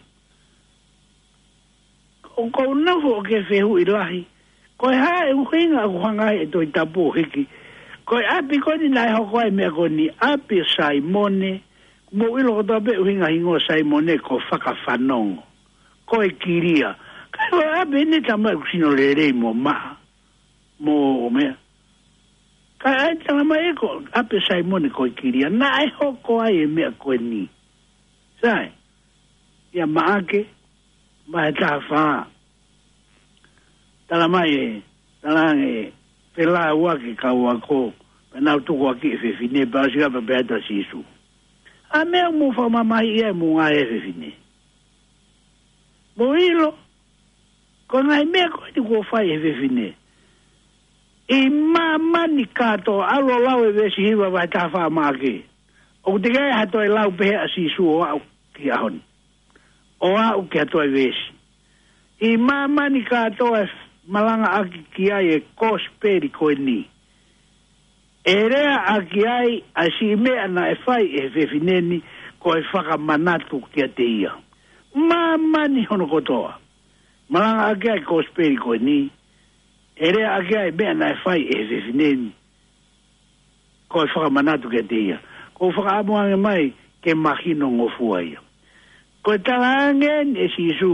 ʻOku ou nofo ʻo ke fehuʻi lahi. Ko e hā e ʻuhinga ʻoku hanga ai e Tohi Tapu ʻo hiki? Ko e ʻapi ko eni naʻe hoko ai e meʻa ko eni, ʻapi ʻo Saimone. Mou ʻilo kotoa pē ʻuhinga hingoa Saimone ko fakafanongo. Ko e Kilia. Ka ko e ʻapi eni talamai ʻoku sino lelei mo maʻa. Mo meʻa. Ka ʻai talamai ē ko e ʻapi ʻo Saimone ko e Kilia. Naʻe hoko ai e meʻa ko eni. Sai. ʻIa Maʻake, vahe taha fā. Tala mai ē, talaange, felāuaki e kau ako, pea nau tukuakiʻi e fefine, pea ʻosi ʻa e pehē atu ʻa Sīsū: ʻA e meʻa ʻoku mou fakamamahiʻi ai ʻa e moʻunga ʻi he fefine. Mou ʻilo, ko e ngaahi meʻa ko eni kuo fai ʻe he fefine. ʻI māmani kātoa, ʻalu ʻo lau e veesi hiva vahe taha fā ʻa Maʻake. ʻOku teʻeki ai ha toe lau pehē ʻa Sīsū ʻo aʻu ki he ʻaho ni. ʻO aʻu ki ha toe veesi. ʻI māmani kātoa ʻe malangaʻaki ki ai e kosipeli ko eni. ʻE leaʻaki ai ʻa e siʻi meʻa naʻe fai ʻe he fefine ni ko e fakamanatu kiate ia. Māmani hono kotoa. Malangaʻaki ai e kosipeli ko eni. ʻE leaʻaki ai e meʻa naʻe fai ʻe he fefine ni ko e fakamanatu kiate ia. ʻOku ou fakaʻamu ange mai ke mahino ngofua ia. Ko e talaange eni ʻe Sīsū,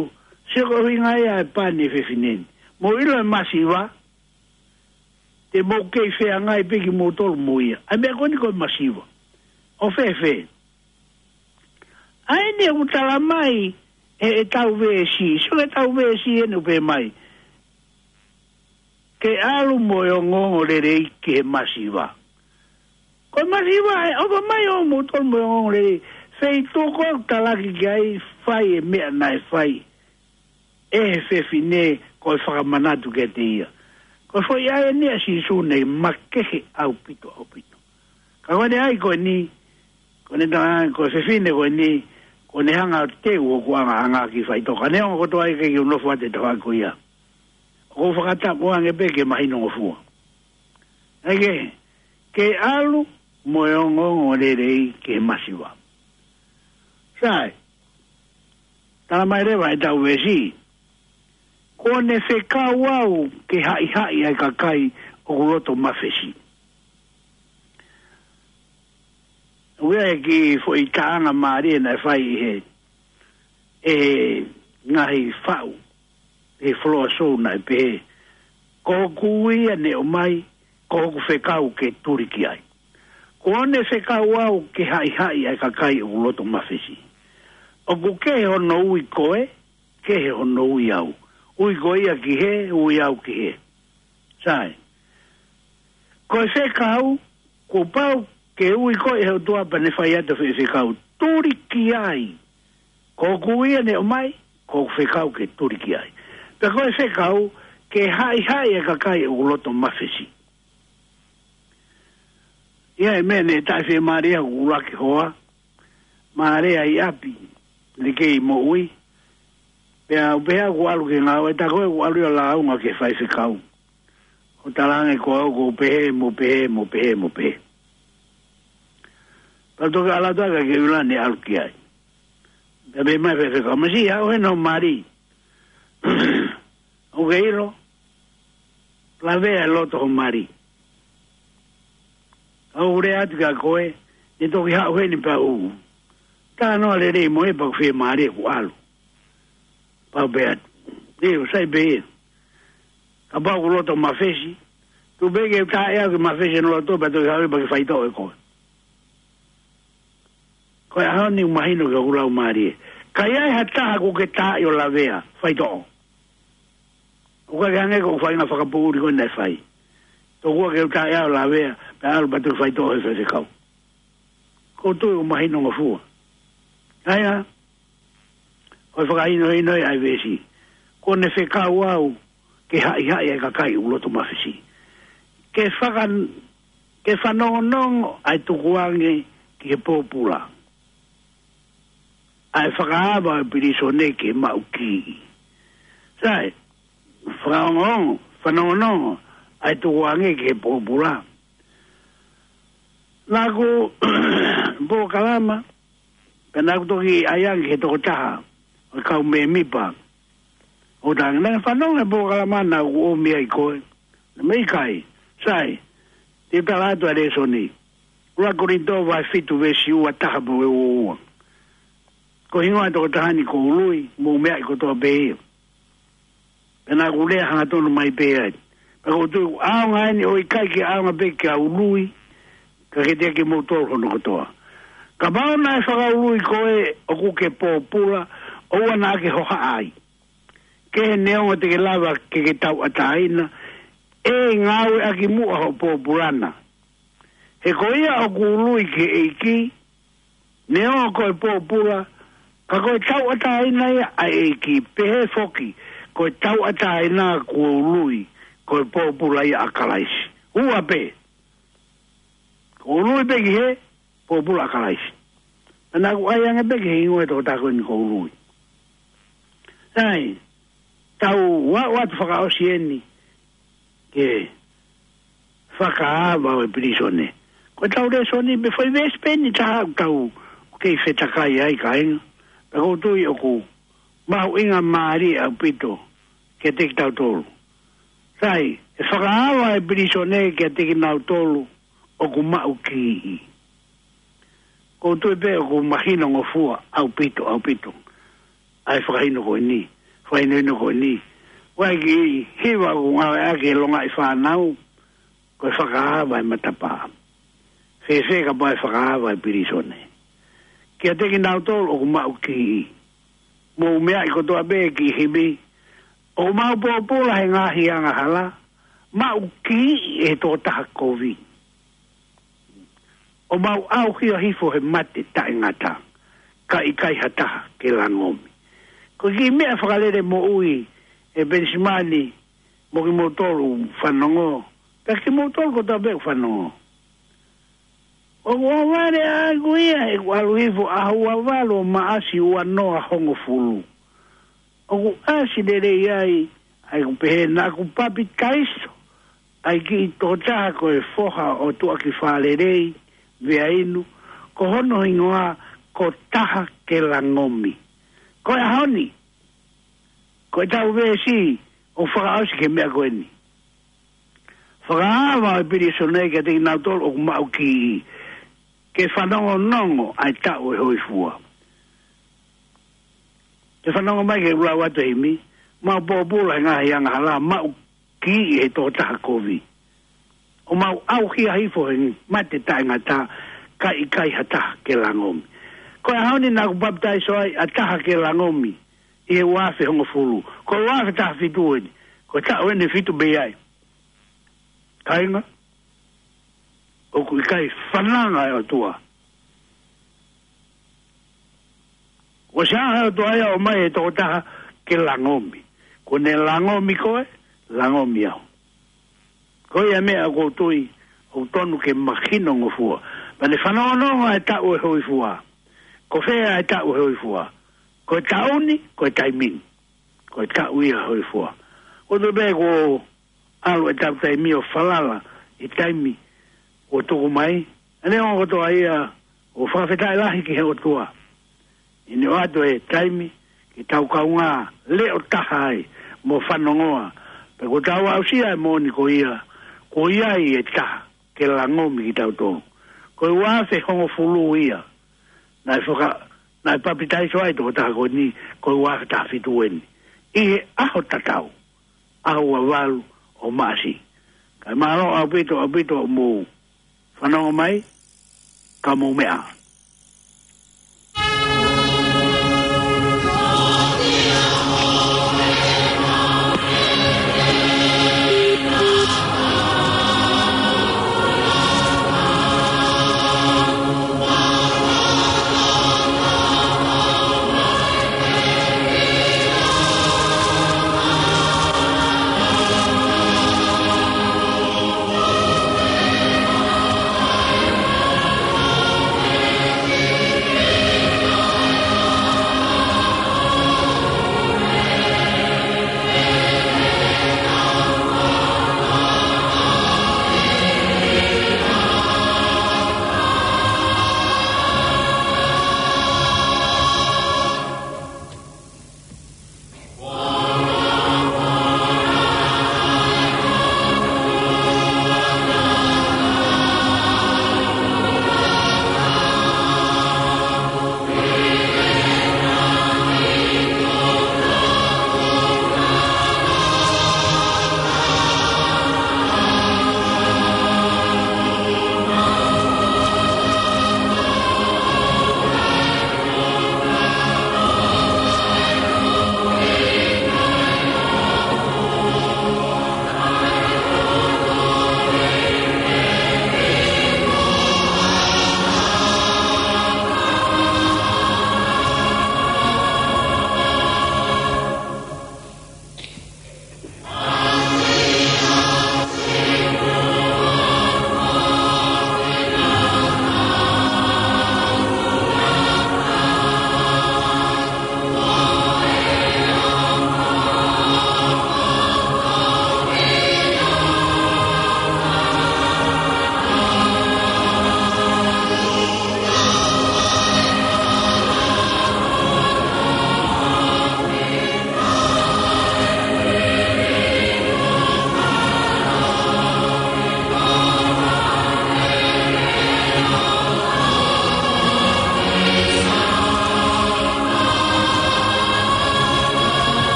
sio ko e ʻuhinga ia ʻa e pani ʻa e fefine ni. Mou ʻilo e masiva, te mou kei feangai pē kimoutolu mo ia. ʻA e meʻa ko eni ko e masiva. ʻO fēfē? ʻA eni ʻoku tala mai ʻe, ʻetau veesi, sio ki heʻetau veesi eni ʻoku pehē mai: Ke ʻalu mo e ongoongolelei ki he masiva. Ko e masiva ē, ʻofa mai ʻo mou ʻalu mo e ongoongolelei. Feituʻu ko ē ʻoku talaki ki ai, fai e meʻa naʻe fai ʻe he fefine ko e fakamanatu kiate ia. Ko e foʻi ʻai eni ʻa Sīsū naʻe makehe ʻaupito, ʻaupito. Ka ko ʻene ʻai ko eni, ko ʻene talaange ko e fefine ko eni, ko ʻene hanga ʻo teu hoku ʻangaʻanga ki he faʻitoka. Neongo kotoa ʻa e ʻikai ke u nofo atu he tafaʻaki ko ia. ʻOku ou fakatapu ange pē ke mahino ngofua. ʻAi ke, ke ʻalu mo e ongoongolelei ki he masiva. Sai, tala mai leva ʻetau veesi: Kuo ne fekau au ke haʻihaʻi ʻa e kakai ʻoku loto mafesi. ʻOku ʻi ai e kiʻi foʻi taʻanga mālie naʻe fai ʻe he, ʻe he ngaahi faʻu ʻi he Foloasōu naʻe pehē: Ko hoku ui ia ne ʻomai, ko hoku fekau ke tuli ki ai. Kuo ne fekau au ke haʻihaʻi ʻa e kakai ʻoku loto mafesi. ʻOku kehe hono ui koe, kehe hono ui au. Ui koe ia ki hē, ui au ki hē. Sai. Ko e fekau, kuo pau ke ui koe ʻe he ʻOtua pea ne fai atu e fekau: Tuli ki ai. Ko hoku ui ia ne ʻomai, ko hoku fekau ke tuli ki ai. Pea ko e fekau, ke haʻihaʻi e kakai ʻoku loto mafesi. ʻI ai e meʻa ne taʻefiemālie hoku ʻuluaki hoa, mālie ʻi ʻapi, ne kei moʻui. Pea u pehē au kuo ʻalu ki he ngāue, tā ko ē kuo ʻalu ia ʻo lāunga ki he faifekau. ʻO talaange ko au ʻoku ou pehē, mo pehē, mo pehē, mo pehē. Pea toki ʻalu atu ʻa e kakai ʻo ʻilo ne ʻalu ki ai. Pea pehē mai e faifekau: Masiʻi, haʻu heni ho mali. ʻOku ke ʻilo, lavea e loto ho mali. ʻOku ou lea atu kia koe, ne toki haʻu heni pea u talanoa lelei mo ia pea ʻoku fiemālie kuo ʻalu. Pea u pehē atu: ʻIo, sai pē ia. Kapau ʻoku loto mafesi, tuku pē ke u taaʻi au ke mafesi hono loto pea toki haʻu pea ke faitoʻo ʻe koe. Ko e ʻaho ni ʻoku mahino ki hoku laumālie. Ka ʻi ai ha taha ʻoku ke taaʻi ʻo lavea, faitoʻo. ʻOku ʻikai ke hangē ko e faʻahinga fakapoʻuli ko ē naʻe fai. Tokua ke u taaʻi au ʻo lavea, pea ʻalu pea toki faitoʻo ʻe he faifekau. ʻOku ou tui ʻoku mahino ngofua. ʻAi ā, ko e fakahinohino ia ʻa e veesi. Kuo ne fekau au ke haʻihaʻi ʻa e kakai ʻoku loto mafesi. Ke faka-, ke fanongonongo ʻa e tukuange ki he pōpula, ʻa e fakaava ʻo e pilīsone ki he maʻukiʻi. Sai, fakaongoongo, fanongonongo ʻa e tukuange ki he pōpula. Naʻa ku polokalama, pea naʻa ku toki ʻai ange ki he tokotaha ʻo e kau mēmipa. ʻO talaange, naʻa ne fanongo he polokalama naʻa ku ʻomi ai koe. Naʻe meʻa ʻikai, sai, te u tala atu ʻa e lēsoni. ʻUluaki Kolinitō vahe fitu veesi ua taha pea mo e ua ua. Ko e hingoa ʻo e tokotaha ni ko Ului, mou meaʻi kotoa pē ia. Pea naʻa ku lea hangatonu mai pē ai. Pea ʻoku ou tui ʻoku ʻaonga eni, ʻo ʻikai ke ʻaonga pē kia Ului, ka kiate kimoutolu hono kotoa. Kapau naʻe fakaului koe ʻoku ke pōpula, ʻoua naʻa ke hohaʻa ai. kehe neongo te ke lava ke ke tauʻatāina, ʻe ngāueʻaki muʻa hoʻo pōpula na. He ko ia ʻoku ului ki he ʻEiki, neongo ko e pōpula, ka ko e tauʻatāina ia ʻa e ʻEiki, pehē foki, ko e tauʻatāina kuo ului, ko e pōpula ia ʻa Kalaisi. Ua pē, kuo ului pē ki he pōpula ʻa Kalaisi. Naʻa ku ʻai ange pē ki he hingoa ʻo e tokotaha ko eni kuo ului. Sai, tau ua ua tu fakaʻosi eni ke fakaava ʻo e pilīsone. Ko e tau lēsoni pē foʻi veesi pē eni taha ʻoku tau kei fetakai ai kāinga. Pea ʻoku ou tui ʻoku mahuʻinga mālie ʻaupito kiate kitautolu. Sai, ʻe fakaava e pilīsone kiate kinautolu ʻoku maʻu kiʻi. ʻOku ou tui pē ʻoku mahino ngofua ʻaupito, ʻaupito ʻa e fakahinohino ko eni, fakahinohino ko eni. ʻOku ʻi ai e kiʻi hiva ʻoku ngāueʻaki ʻe longaʻi fānau, ko e fakaava e matapā. Fēfē kapau ʻe fakaava e pilīsone kiate kinautolu ʻoku maʻu kiʻi? Mou meaʻi kotoa pē e kiʻi himi. ʻOku mau pōpula he ngaahi angahala, maʻu kiʻi ʻe he tokotaha kovi. ʻOku mau ʻauhia hifo he mate taʻengata, ka ʻikai ha taha ke langomi. Ko e kiʻi meʻa fakalele moʻui ʻe Penisimani mo kimoutolu fanongo, pea kimoutolu kotoa pē fanongo. ʻOku ʻohovale ʻaʻaku ia, he ʻoku ʻalu hifo ʻaho ua valu ʻo Maʻasi ua noa hongofulu. ʻOku ʻasi lelei ai ʻa ʻeku pehē naʻa ku papitaiso ʻa e kiʻi tokotaha ko e foha ʻo Tuʻakifālelei Veainu, ko hono hingoa ko Taha ke Langomi. Ko e ʻaho ni, ko e tau veesi ʻoku fakaʻosi ki he meʻa ko eni. Fakaava e pilīsone kiate kinautolu ʻoku maʻu kiʻi, ke fanongonongo ʻa e taʻu ʻo e hōifua. Ke fanongo mai ki he ʻū lau atu e himi, mau pōpula he ngaahi angahala, maʻu kiʻi ʻe he tokotaha kovi. ʻOku mau ʻauhia hifo he mate taʻengata, ka ʻikai ha taha ke langomi. Ko e ʻaho ni naʻa ku papitaiso ai ʻa Taha ke Langomi ʻi he ua afe hongofulu. Ko e ua afe taha fitu eni, ko e taʻu eni ʻe fitu pē ai. Kāinga, ʻoku ʻikai fananga e ʻOtua. ʻOsi ange ʻOtua ia ʻo ʻomai e tokotaha ke langomi. Ko ʻene langomi koe, langomi au. Ko ia e meʻa ʻoku ou tui ʻoku tonu ke mahino ngofua. Pea ne fanongonongo ʻa e taʻu ʻo e hōifua. Ko fē ʻa e taʻu ʻo e hōifua? Ko e taʻu ni, ko e taimi ni. Ko e taʻu ia ʻo e hōifua. ʻOku ou tui pē kuo ʻalu e tau taimi ʻo falala ʻi he taimi kuo tuku mai. ʻA ia ʻoku ou tui ia ʻoku fakafetaʻi lahi ki he ʻOtua ʻi heʻene ʻoatu e taimi ke tau kaungā leʻo taha ai mo fanongoa. Pea kuo tau aʻusia e moʻoni ko ia, kuo ʻi ai e Taha ke Langomi kitautolu. Ko e ua afe hongofulu ia naʻe faka-, naʻe papitaiso ai e tokotaha ko eni, ko e ua afe taha fitu eni. ʻI he ʻaho tatau, ʻaho ua valu ʻo Maʻasi. Kae mālō ʻaupito, ʻaupito hoʻomou fanongo mai, ka mou meʻa.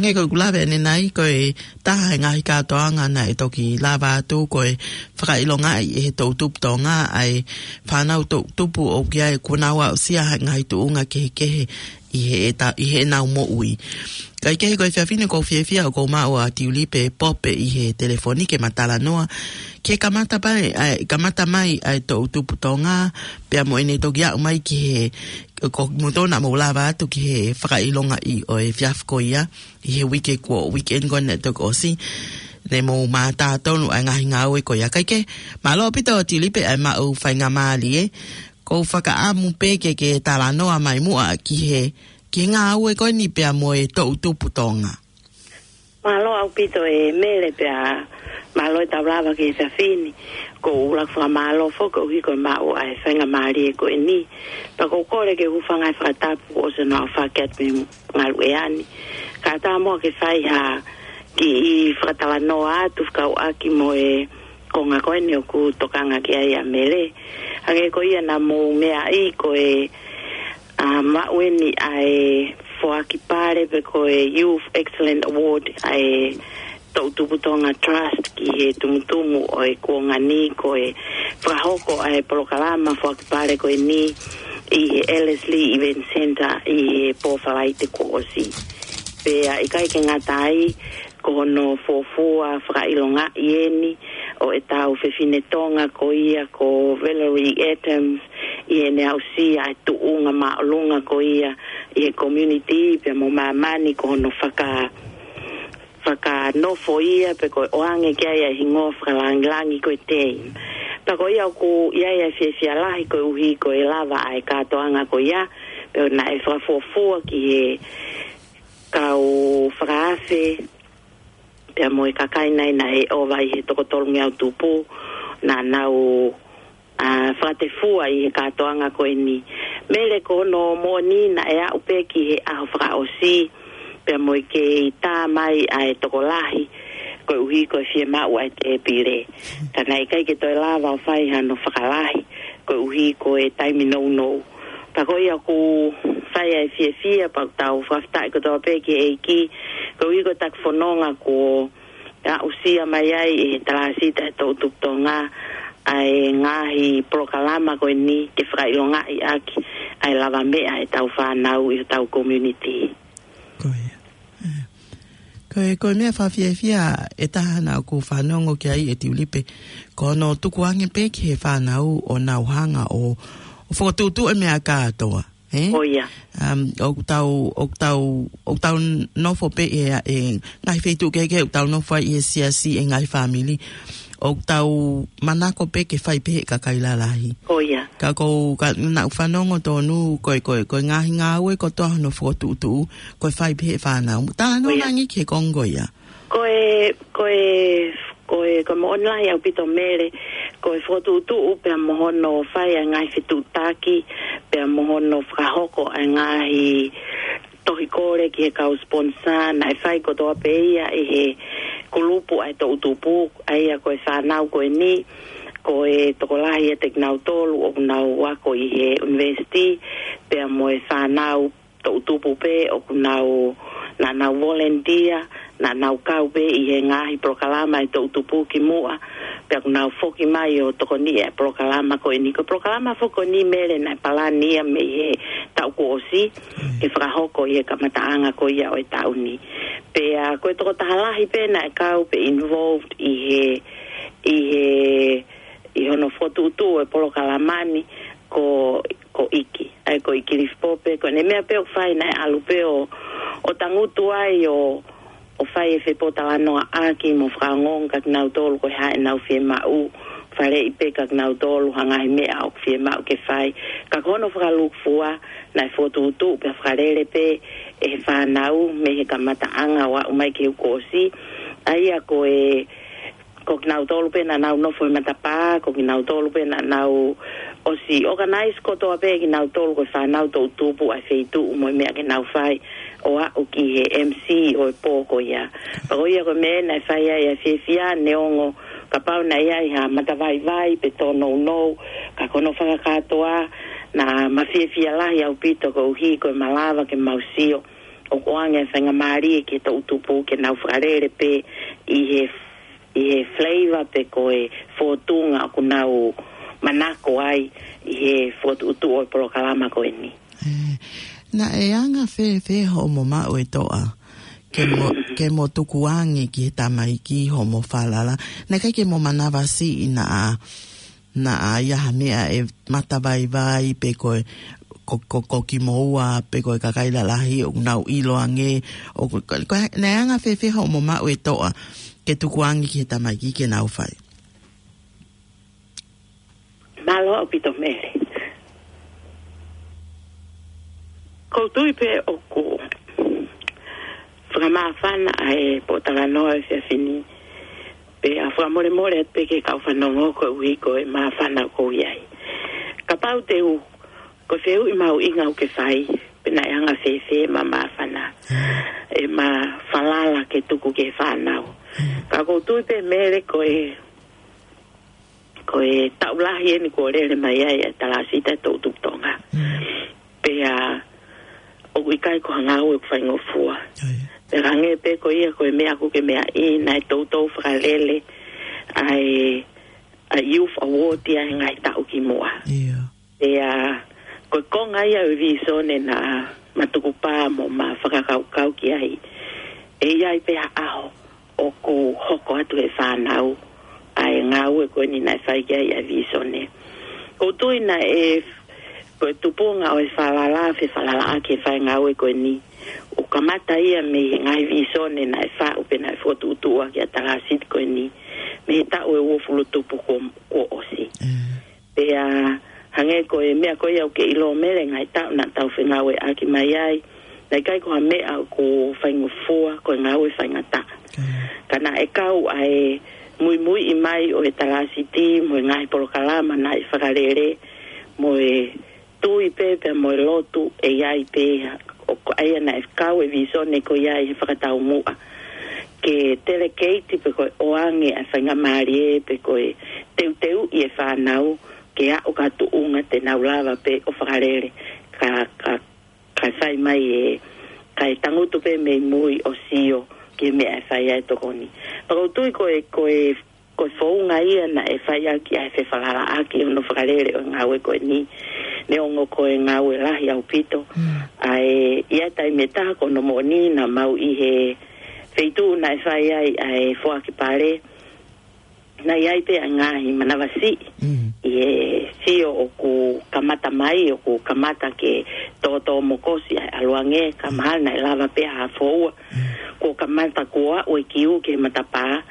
He ko ʻeku lave ʻanenai, ko e taha e ngaahi kātoanga naʻe toki lava atu, ko e fakaʻilongaʻi ʻe he toʻutupu Tonga ʻa e fānau toʻutupu ʻoku ʻi ai, kuo nau aʻusia ha ngaahi tuʻunga kehekehe ʻi he, ʻe ta-, ʻi heʻenau moʻui. Kae kehe, ko e efiafi ni ʻoku ou fiefia ʻoku ou maʻu ʻa Tiulipe Pope ʻi he telefoni ke ma talanoa ki he kamata mai, ʻa e, kamata mai ʻa e toʻutupu Tonga, pea mo ʻene toki aʻu mai ki he, ko mutona mo lava atu ki he fakaʻilongaʻi ʻo e efiafi ko ia, ʻi he uike kuo, weekend ko eni naʻe toki ʻosi, ne mou mātā tonu ʻa e ngaahi ngāue ko ia. Kae kehe, mālō ʻaupito Tiulipe ʻa e maʻu faingamālie, ʻoku ou fakaʻamu pē ke ke talanoa mai muʻa ki he, ki he ngāue ko eni pea mo e toʻutupu Tonga. Mālō ʻaupito ē Mele, pea mālō e tau lava ki he efiafi ni. ʻOku ou ʻuluaki fakamālō foki koeʻuhi ko e maʻu ʻa e faingamālie ko eni. Pea ʻoku ou kole ke u hūfanga he fakatapu kuo ʻosi hono aofaki atu mei Ngaluʻea ni. Kae ʻatā muʻa ke fai ha kiʻi fakatalanoa atu fekauʻaki mo e konga ko eni ʻoku tokanga ki ai ʻa Mele. Hangē ko ia naʻa mou meaʻi, ko e, ʻa, maʻu eni ʻa e foaki pale pe ko e Youth Excellent Award ʻa e Toʻutupu Tonga Trust ki he tumutumu ʻo e kuonga ni, ko e fakahoko ʻa e polokalama foaki pale ko eni ʻi he Ellerslie Event Centre ʻi he pō Falaite kuo ʻosi. Pea ʻikai ke ngata ai, ko hono fuofua fakaʻilongaʻi eni ʻo ʻetau fefine Tonga ko ia ko Valerie Adams, ʻi heʻene aʻusia ʻa e tuʻunga māʻolunga ko ia ʻi he community pea mo māmani, ko hono faka-, fakanofo ia pe ko e ʻoange ki ai ʻa e hingoa fakalangilangi ko e Dame. Pea ko ia ʻoku ʻi ai ʻa e fiefia lahi koeʻuhi ko e lava ʻa e kātoanga ko ia, pea naʻe fakafuofua ki he kau fakaafe, pea mo e kakai nai naʻe ʻova ʻi he toko tolungeau tupu, naʻa nau, ʻa, fakatefua ʻi he kātoanga ko eni. Mele, ko hono moʻoni naʻe aʻu pē ki he ʻaho fakaʻosi, pea mo e kei tā mai ʻa e tokolahi, koeʻuhi ko e fiemaʻu ʻa e tēpile. Ka naʻe ʻikai ke toe lava ʻo fai hano fakalahi, koeʻuhi ko e taimi nounou. Pea ko ia ʻoku fai ʻa e fiefia, pea ʻoku tau fakafetaʻi kotoa pē ki he ʻEiki, koeʻuhi ko e taki fononga kuo aʻusia mai ai ʻe he Talāsita ʻo e Toʻutupu Tonga ʻa e ngaahi polokalama ko eni ke fakaʻilongaʻi ʻaki ʻa e lavameʻa ʻetau fānau ʻi hotau community. Ko ia. ʻE. Ko e, ko e meʻa fakafiefia ʻe taha naʻa ku fanongo ki ai ʻe Tiulipe, ko hono tukuange pē ki he fānau ʻo nau hanga ʻo, ʻo fokotuʻutuʻu e meʻa kātoa, ē? ʻO ia. Um, ʻoku tau, ʻoku tau, ʻoku tau nofo pē ʻi he, ʻi he ngaahi feituʻu kehekehe, ʻoku tau nofo ai ʻi he siasi, ʻi he ngaahi fāmili. ʻOku tau manako pē ke fai pē ʻe he kakai lalahi. ʻO ia. Ka ʻoku ou, ka naʻa ku fanongo tonu, ko e, ko e, ko e ngaahi ngāue kotoa hono fokotuʻutuʻu, ko e fai pē ʻe he fānau. Talanoa ʻo ia. Ange ki he konga ko ia. Ko e, ko e, ko e, ko e moʻoni lahi ʻaupito Mele, ko e fokotuʻutuʻu pea mo hono fai ʻa e ngaahi fetuʻutaki, pea mo hono fakahoko ʻa e ngaahi tohi kole ki he kau sponsor, naʻe fai kotoa pē ia ʻe he kulupu ʻa e toʻutupu, ʻa ia ko e fānau ko eni, ko e tokolahi ʻiate kinautolu ʻoku nau ako ʻi he university, pea mo e fānau toʻutupu pē ʻoku nau, naʻa nau volunteer, naʻa nau kau pē ʻi he ngaahi polokalama ʻa e toʻutupu kimuʻa, pea ʻoku nau foki mai ʻo tokoniʻi ʻa e polokalama ko eni. Ko e polokalama foki ko eni Mele naʻe palani ia mei he taʻu kuo ʻosi, ke fakahoko ʻi he kamataʻanga ko ia ʻo e taʻu ni. Pea ko e tokotaha lahi pē naʻe kau pē involved ʻi he, ʻi he, ʻi hono fokotuʻutuʻu e polokalama ni ko, ko ʻIki. ʻA ia ko ʻIki Lifi Pope, ko ʻene meʻa pē ʻoku fai naʻe ʻalu pē ʻo, ʻo tangutu ai ʻo, ʻo fai e fepōtalanoaʻaki mo fakaongoongo kia kinautolu ko e hā ʻenau fiemaʻu, faleʻi pē kia kinautolu ha ngaahi meʻa ʻoku fiemaʻu ke fai. Ka ko hono fakalūkufua, naʻe fokotuʻutuʻu pea fakalele pē ʻe he fānau mei he kamataʻanga ʻo aʻu mai ki he uike kuo ʻosi. ʻA ia ko e, ko kinautolu pē naʻa nau nofo he matapā, ko kinautolu pē naʻa nau ʻosi organize kotoa pē kinautolu ko e fānau toʻutupu ʻa e feituʻu mo e meʻa ke nau fai ʻo aʻu ki he M C ʻo e pō ko ia. Pea ko ia ko e meʻa naʻe fai ai ʻa e fiefia neongo kapau naʻe ʻi ai ha matavaivai pe tōnounou, ka ko hono fakakātoa naʻa ma fiefia lahi ʻaupito koeʻuhi ko e malava ke mau sio ʻoku ʻoange faingamālie ki he toʻutupu ke nau fakalele pē ʻi he, ʻi he flavor pe ko e fōtunga ʻoku nau manako ai ʻi he fokotuʻutuʻu ʻo e polokalama ko eni. Ē, naʻe anga fēfē hoʻomo maʻu e toʻa ke mo, ke mo tukuange ki he tamaiki hoʻomo falala? Naʻe ʻikai ke mo manavasiʻi naʻa, naʻa ʻi ai ha meʻa ʻe matavaivai pe ko e, ko, ko, ko kimoua pe ko e kakai lalahi ʻoku nau ʻilo ange, ʻoku, ko, ko, naʻe anga fēfē hoʻomo maʻu e toʻa ke tukuange ki he tamaiki ke nau fai? Mālō ʻaupito Mele. ʻOku ou tui pē ʻoku fakamāfana ʻa e pōtalanoa ʻo e efiafi ni. Pea fakamolemole atu pē ki he kau fanongo koeʻuhi ko e māfana ʻoku ou ʻi ai. Kapau te u, ko e fehuʻi mahuʻinga ʻoku ke fai, pe naʻe anga fēfē ʻema māfana, ʻema falala ke tuku ki he fānau. Ka ʻoku ou tui pē Mele ko e, ko e taʻu lahi eni kuo lele mai ai ʻa e talāsiti ʻa e toʻutupu Tonga. Pea ʻoku ʻikai ko ha ngāue ʻoku faingofua. Pea hangē pē ko ia ko e meʻa ʻoku ke meaʻi, naʻe toutou fakalele ʻa e, ʻa e Youth Award ia he ngaahi taʻu kimuʻa. Pea ko e konga ia ʻo e vīsone naʻa ma tukupā mo ma fakakaukau ki ai, ʻe ʻi ai pē ha ʻaho ʻoku hoko atu he fānau ʻa e ngāue ko eni naʻe fai ki ai ʻa e vīsone. ʻOku ou tui naʻe, ko e tupunga ʻo e falala, fefalalaʻaki e fai ngāue ko eni, ʻoku kamata ia mei he ngaahi vīsone naʻe faʻu pe naʻe fokotuʻutuʻu ʻaki ʻa e talāsiti ko eni mei he taʻu ʻe uofulu tupu kuo, kuo ʻosi. Pea hangē ko e meʻa ko ia ʻoku ke ʻilo Mele, ngaahi taʻu naʻa tau fengāueʻaki mai ai, naʻe ʻikai ko ha meʻa ʻoku faingofua, ko e ngāue faingataʻa. Ka naʻe kau ʻa e muimuiʻi mai ʻo e talāsiti mo e ngaahi polokalama naʻe fakalele mo e tui pē pea mo e lotu ʻe ʻi ai pē, ʻoku ʻa ia naʻe kau e vīsone ko ia ʻi he fakataumuʻa ke teleketi pe ko e ʻoange ʻa e faingamālie pe ko e teuteuʻi e fānau ke aʻu ki ha tuʻunga te nau lava pē ʻo fakalele, ka, ka, ka fai mai e, kae tangutu pē mei mui ʻo sio ki he meʻa ʻe fai ai e tokoni. Pea ʻoku ou tui ko e, ko e, ko e founga ia naʻe fai ʻaki ʻa e fefalalaʻaki hono fakalele ʻo e ngāue ko eni, neongo ko e ngāue lahi ʻaupito. ʻA e, ʻi he taimi ʻe taha ko hono moʻoni naʻa mau ʻi he feituʻu naʻe fai ai ʻa e foaki pale, naʻe ʻi ai pē ʻa e ngaahi manavasiʻi ʻi he sio ʻoku kamata mai, ʻoku kamata ke tōtōmokosi ʻa e ʻaluange, ka mahalo naʻe lava pē ha foua kuo kamata kuo aʻu e kiu ki he matapā.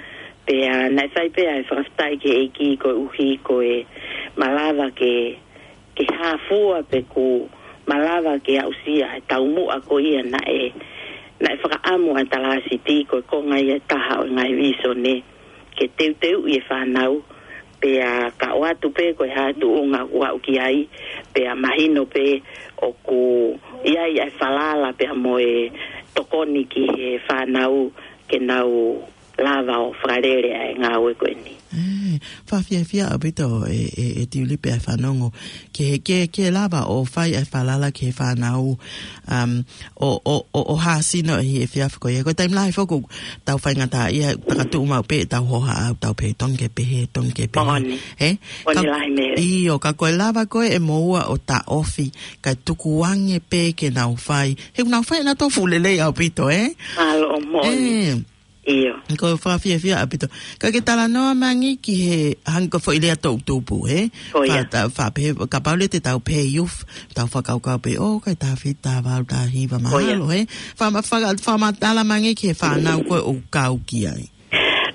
Pea naʻe fai pē ʻa e fakafetaʻi ki he ʻEiki koeʻuhi ko e malava ke, ke hāfua pe kuo malava ke aʻusia e taumuʻa ko ia naʻe, naʻe fakaʻamu ʻa e talāsiti, ko e konga ia ʻe taha ʻo e ngaahi vīsone ke teuteuʻi e fānau, pea ka ʻoatu pē ko e hā e tuʻunga ʻoku aʻu ki ai, pea mahino pē ʻoku ʻi ai ʻa e falala pea mo e tokoni ki he fānau ke nau lava ʻo fakalele ʻa e ngāue ko eni. Ē, fakafiefia ʻaupito e, e, e Tiulipe ʻa e fanongo ke, ke, ke lava ʻo fai ʻa e falala ki he fānau, um, ʻo, ʻo, ʻo, ʻo hāsino ʻi he efiafi ko ia. Ko e taimi lahi foki ʻoku tau faingataʻaʻia, takatuʻu maʻu pē ʻetau hohaʻa, ʻoku tau pehē tongi ke pehē, tongi ke pehē. Moʻoni. Ē? Moʻoni lahi Mele. ʻIo, ka ko e lava ko ē ʻe moua ʻo taʻofi, kae tukuange pē ke nau fai. He ʻoku nau fai ʻenautolu fuʻu lelei ʻaupito, ē? Mālō, moʻoni. Ē. ʻIo. Ko e fakafiefia ʻaupito. Ka ke talanoa mai ange ki he hangē ko e foʻi lea toʻutupu, ē? Ko ia. Fa-, ta-, fa-, pehē, kapau leva te tau pehē youth, tau fakakaukau pē, ʻo, ʻikai taha fitu, taha valu, taha hiva, mahalo, ē? Fa-, ma-, fa-, fakamatala mai ange ki he fānau ko ē ʻoku kau ki ai.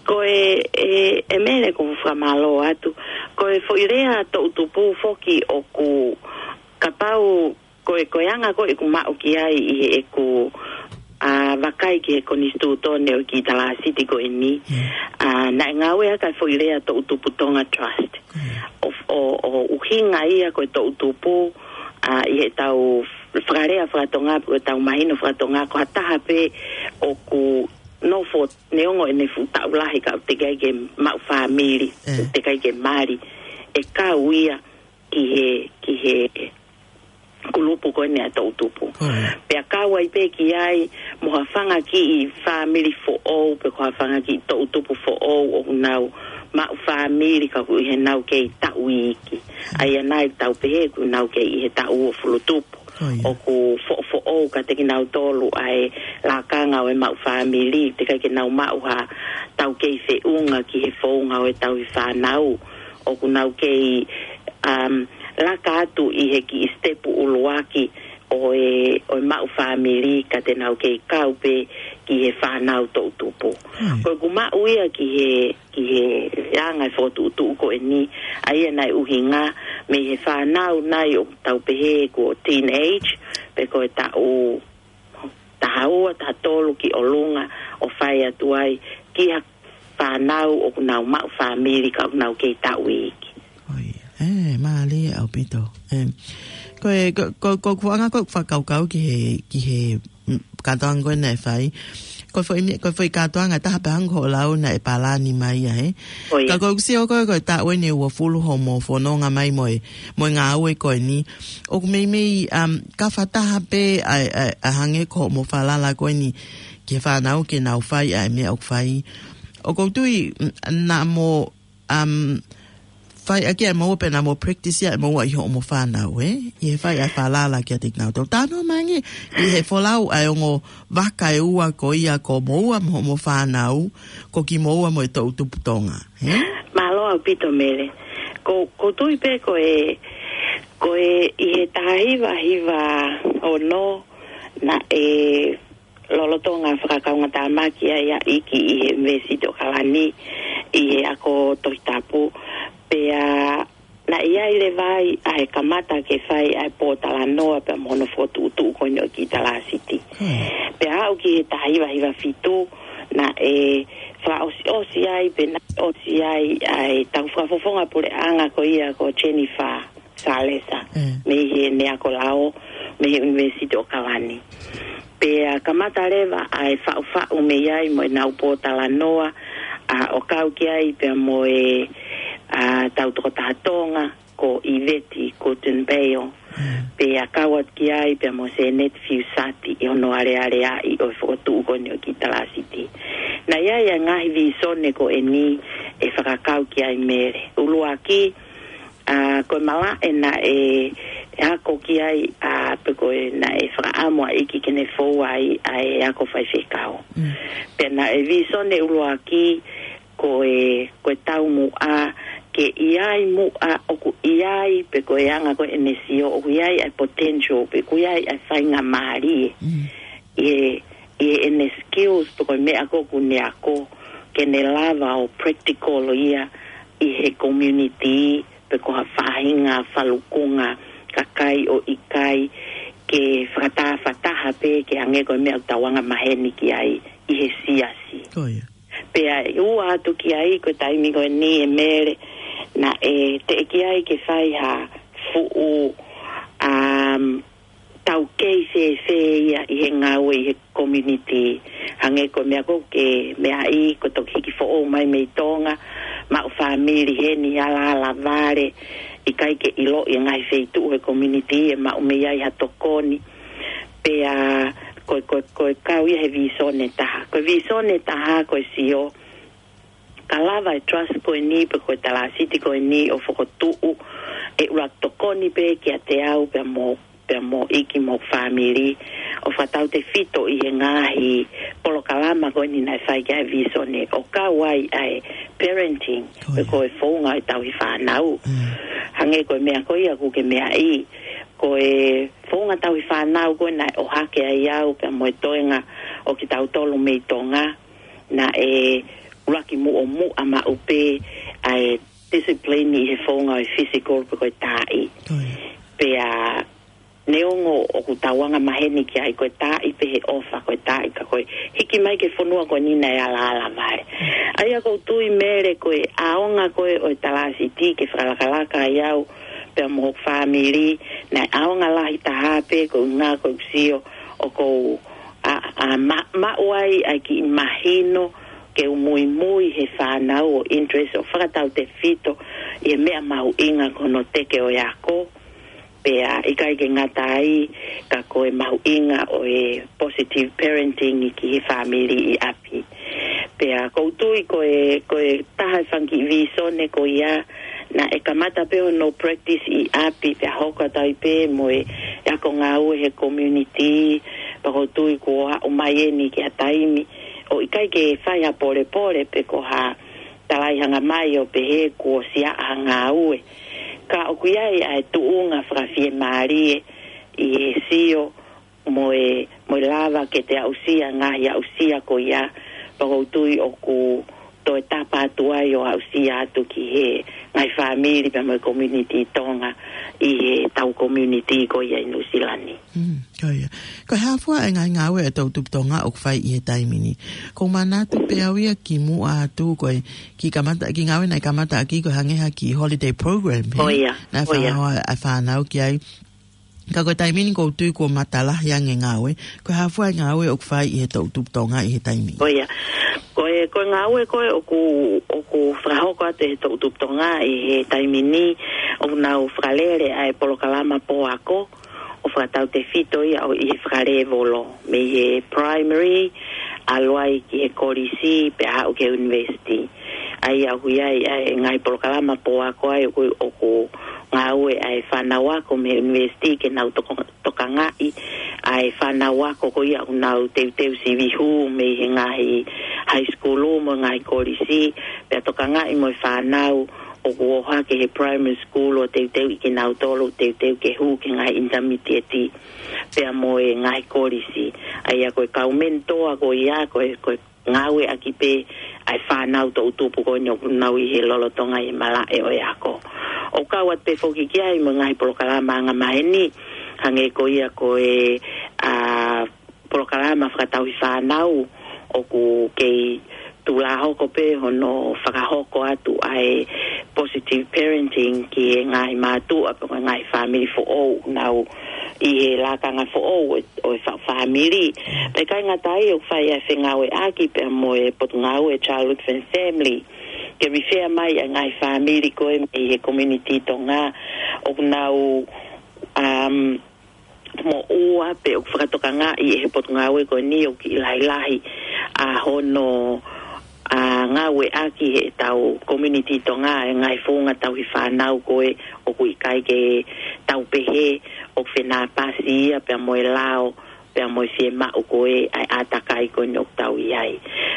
Ko e, e, e Mele, ʻoku ou fakamālō atu. Ko e foʻi lea toʻutupu foki ʻoku, kapau ko e, ko e anga ko ē ʻeku maʻu ki ai ʻi heʻeku, ʻa, vakai ki he konisitūtone ʻo e kiʻi talāsiti ko eni. ʻA, naʻe ngāueʻaki ʻa e foʻi lea toʻutupu Tonga Trust. ʻO, ʻo, ʻo ʻuhinga ia ko e toʻutupu, ʻa, ʻi heʻetau fakalea fakatonga, ko ʻetau mahino fakatonga, ko ha taha pē ʻoku nofo neongo ʻene fuʻu taʻu lahi ka ʻoku teʻeki ai ke maʻu fāmili, teʻeki ai ke mali. ʻE kau ia ki he, ki he kulupu ko eni ʻa e toʻutupu. Pea kau ai pē ki ai mo ha fanga kiʻi fāmili foʻou, pe ko ha fanga kiʻi toʻutupu foʻou ʻoku nau maʻu fāmili ka ʻoku ʻi heʻenau kei taʻu iiki. ʻA ia naʻa tau pehē ʻoku nau kei ʻi he taʻu uofulu tupu. ʻOku foʻofoʻou kiate kinautolu ʻa e lakanga ʻo e maʻu fāmili, teʻeki ke nau maʻu ha taukei feʻunga ki he founga ʻo e tauhi fānau. ʻOku nau kei, um, laka atu ʻi he kiʻi sitepu ʻuluaki ʻo e, ʻo e maʻu fāmili ka te nau kei kau pē ki he fānau toʻutupu. Ko ʻeku maʻu ia ki he, ki he anga e fokotuʻutuʻu ko eni, ʻa ia naʻe ʻuhinga mei he fānau nai ʻoku tau pehē ko e teenage, pe ko e taʻu taha ua, taha tolu ki ʻolunga ʻo fai atu ai ki ha fānau ʻoku nau maʻu fāmili ka ʻoku nau kei taʻu iiki. ʻE, mālie ʻaupito. ʻE, ko e, ko, ko, ko ʻeku anga ko ʻeku fakakaukau ki he, ki he, mm, kātoanga ko ē naʻe fai. Ko e foʻi mea, ko e foʻi kātoanga taha pē hangē ko hoʻo lau naʻe palani mai ia, ē. Ka ko ʻeku sio ko ē, ko e taʻu eni ʻe uofulu hoʻomo fononga mai mo e, mo e ngāue ko eni. ʻOku meimei, um, ka fakataha pē ʻa, ʻa, ʻa hangē ko hoʻomo falala ko eni ki he fānau ke nau fai ʻa e meʻa ʻoku fai. ʻOku ou tui, mm, naʻa mo um, fai ʻaki ʻa e moua pe naʻa mo practice ʻa e moua ʻi hoʻomo fānau, ē? ʻI he fai ʻa e falala kiate kinautolu. Tānaki mai ange, ʻi he folau ʻa e ongo vaka ʻe ua ko ia ko moua mo hoʻomo fānau, ko kimoua mo e toʻutupu Tonga, ē? Mālō ʻaupito Mele. Ko, ʻoku ou tui pē ko e, ko e ʻi he taha hiva hiva ono naʻe lolotonga fakakaungātāmaki ai ʻa ʻIki ʻi he ʻUnivēsiti ʻAokalani ʻi he ako Tohi Tapu. Pea naʻe ʻi ai leva ai ʻa e kamata ke fai ʻa e pōtalanoa pea mo hono fokotuʻutuʻu ko eni ʻo e kiʻi talāsiti. Pea aʻu ki he taha hiva hiva fitu, naʻe fakaʻosiʻosi ai, pe naʻe ʻosi ai ʻa e tau fakafofonga puleʻanga ko ia ko Jennifer Salesa, mei he Neakolao, mei he ʻUnivēsiti ʻAokalani. Pea kamata leva ʻa e faʻufaʻu mei ai mo ʻenau pōtalanoa, ʻa, ʻo kau ki ai pea mo e, ʻa, tau tokotaha Tonga, ko ʻIveti Guttenbeil. Pea kau atu ki ai pea mo Seneti Fiusati ʻi hono alealeaʻi ʻo e fokotuʻu ko eni ʻo e kiʻi talāsiti. Naʻe ʻi ai ʻa e ngaahi vīsone ko eni ʻe fakakau ki ai Mele. ʻUluaki, ʻa, ko e malaʻe naʻe ako ki ai, ʻa, pe ko e naʻe fakaʻamu ʻa ʻIki ke ne fou ai ʻa e ako faifekau. Pea naʻe vīsone ʻuluaki ko e, ko e taumuʻa ke ʻi ai muʻa ʻoku ʻi ai, pe ko e anga ko ē ʻene sio ʻoku ʻi ai ʻa e potential, pe ʻoku ʻi ai ʻa e faingamālie ʻi he, ʻi heʻene skills, pe ko e meʻa ko ē ʻoku ne ako, ke ne lava ʻo practical ia ʻi he community, pe ko ha faʻahinga falukunga kakai ʻoku ʻikai ke fakatafataha pē ke hangē ko e meʻa ʻoku tau anga maheni ki ai ʻi he siasi. Pea ʻe ua atu ki ai, ko e taimi ko eni ʻe Mele, naʻe teʻeki ai ke fai ha fuʻu, um, taukei fēfē ia ʻi he ngāue ʻi he community. Hangē ko e meʻa ko ē ke meaʻi, ko e toki hiki foʻou mai mei Tonga, maʻu fāmili heni, ala, ala vale, ʻikai ke ʻiloʻi e ngaahi feituʻu he community ʻe maʻu mei ai ha tokoni. Pea ko, ko, ko e kau ia he vīsone taha. Ko e vīsone taha ko e sio, ka lava e trust ko eni pe ko e talāsiti ko eni ʻo fokotuʻu, ʻe ʻuluaki tokoni pē kiate au pea mo, pea mo ʻIki mo fāmili, ʻo fakatautefito ʻi he ngaahi polokalama ko eni naʻe fai ki ai e vīsone, ʻo kau ai ʻa e parenting, pe ko e founga ʻo e tauhi fānau. Hangē ko e meʻa ko ia ʻoku ke meaʻi, ko e founga tauhi fānau ko ē naʻe ʻohake ai au pea mo e toenga ʻo kitautolu mei Tonga, naʻe ʻuluaki muʻomuʻa maʻu pē ʻa e discipline ʻi he founga ʻo e physical pe ko e taaʻi. Pea neongo ʻoku tau anga maheni ki ai ko e taaʻi pē he ʻofa ko e taaʻi ka ko e hiki mai ki he fonua ko eni naʻe ala, ala vale. ʻA ia ʻoku ou tui Mele ko e ʻaonga ko ē ʻo e talāsiti ke fakalakalaka ai au pea mo hoku fāmili, naʻe ʻaonga lahi taha pē ko e ʻuhinga ko ʻeku sio ʻoku ou, ʻa, ʻa, ma-, maʻu ai ʻa e kiʻi mahino ke u muimui he fānau ʻo interest ʻo fakatautefito ʻi he meʻa mahuʻinga ko hono teke ʻo e ako. Pea ʻikai ke ngata ai, ka ko e mahuʻinga ʻo e positive parenting ki he fāmili ʻi ʻapi. Pea ʻoku ou tui ko e, ko e taha e fanga kiʻi vīsone ko ia, naʻe kamata pē hono practice ʻi ʻapi, pea hoko atu ai pē mo e ako ngāue he community, pea ʻoku ou tui kuo aʻu mai eni ki ha taimi ʻoku ʻikai ke fai ha polepole pe ko ha talaʻehanga mai ʻo pehē kuo siʻi ʻa e ngāue. Ka ʻoku ʻi ai ʻa e tuʻunga fakafiemālie ʻi he sio mo e, mo e lava ke te aʻusia ngaahi aʻusia ko ia, pea ʻoku ou tui ʻoku toe tapa atu ai ʻo aʻusia atu ki he ngaahi fāmili pea mo e community Tonga ʻi he tau community ko ia ʻi Nuʻusila ni. Mm, ko ia. Ko e hā fua e ngaahi ngāue ʻa e toʻutupu Tonga ʻoku fai ʻi he taimi ni? ʻOku ou manatu pē au ia kimuʻa atu ko e kiʻi kamata, kiʻi ngāue naʻe kamata ʻaki ko e hangē ha kiʻi holiday program, ʻe? ʻIo, naʻe ʻio. Fanongo ʻa e fānau ki ai. Ka ko e taimi ni ʻoku ou tui kuo matalahi ange ngāue. Ko e hā fua e ngāue ʻoku fai ʻi he toʻutupu Tonga ʻi he taimi? ʻIo. Ko e, ko e ngāue ko ē ʻoku, ʻoku fakahoko atu ʻe he toʻutupu Tonga ʻi he taimi ni, ʻoku nau fakalele ʻa e polokalama pōako, ʻo fakatautefito ia ʻo ʻi he fakalēvolo, mei he primary, ʻalu ai ki he kolisi, pea haʻu ki he university. ʻA ia ʻoku ʻi ai ʻa e ngaahi polokalama pōako ai ʻoku, ʻoku ngāue ʻa e fānau ako mei he university ke nau toko-, tokangaʻi ʻa e fānau ako ko ia ʻoku nau teuteu sivi hū mei he ngaahi high school mo e ngaahi kolisi, pea tokangaʻi mo e fānau ʻoku ō hake he primary school ʻo teuteuʻi kinautolu, teuteu ke hū ki he ngaahi intermediate, pea mo e ngaahi kolisi. ʻA ia ko e kau mentor ko ia, ko e, ko e ngāueʻaki pē ʻa e fānau toʻutupu ko eni ʻoku nau ʻi he lolotonga ʻi he malaʻe ʻo e ako. ʻOku kau atu pē foki ki ai mo e ngaahi polokalama angamaheni, hangē ko ia ko e, ʻa, polokalama fakatauhi fānau ʻoku kei tulahoko pē hono fakahoko atu ʻa e positive parenting ki he ngaahi mātuʻa pe ko e ngaahi fāmili foʻou ʻoku nau ʻi he lakanga foʻou ʻo e fa-, fāmili. Pea ʻikai ngata ai ʻoku fai ʻa e fengāueʻaki pea mo e Potungāue Childhood and Family, ke refer mai ʻa e ngaahi fāmili ko ē mei he community Tonga ʻoku nau, um, moʻua pe ʻoku fakatokangaʻi ʻe he Potungāue ko eni ʻoku kiʻi lahilahi ʻa hono, ʻa, ngāueʻaki ʻe he tau community Tonga ʻa e ngaahi founga tauhi fānau ko ē ʻoku ʻikai ke tau pehē ʻoku fenāpasi ia pea mo e lao, pea mo e fiemaʻu ko ē ʻa e ʻātakai ko eni ʻoku tau ʻi ai.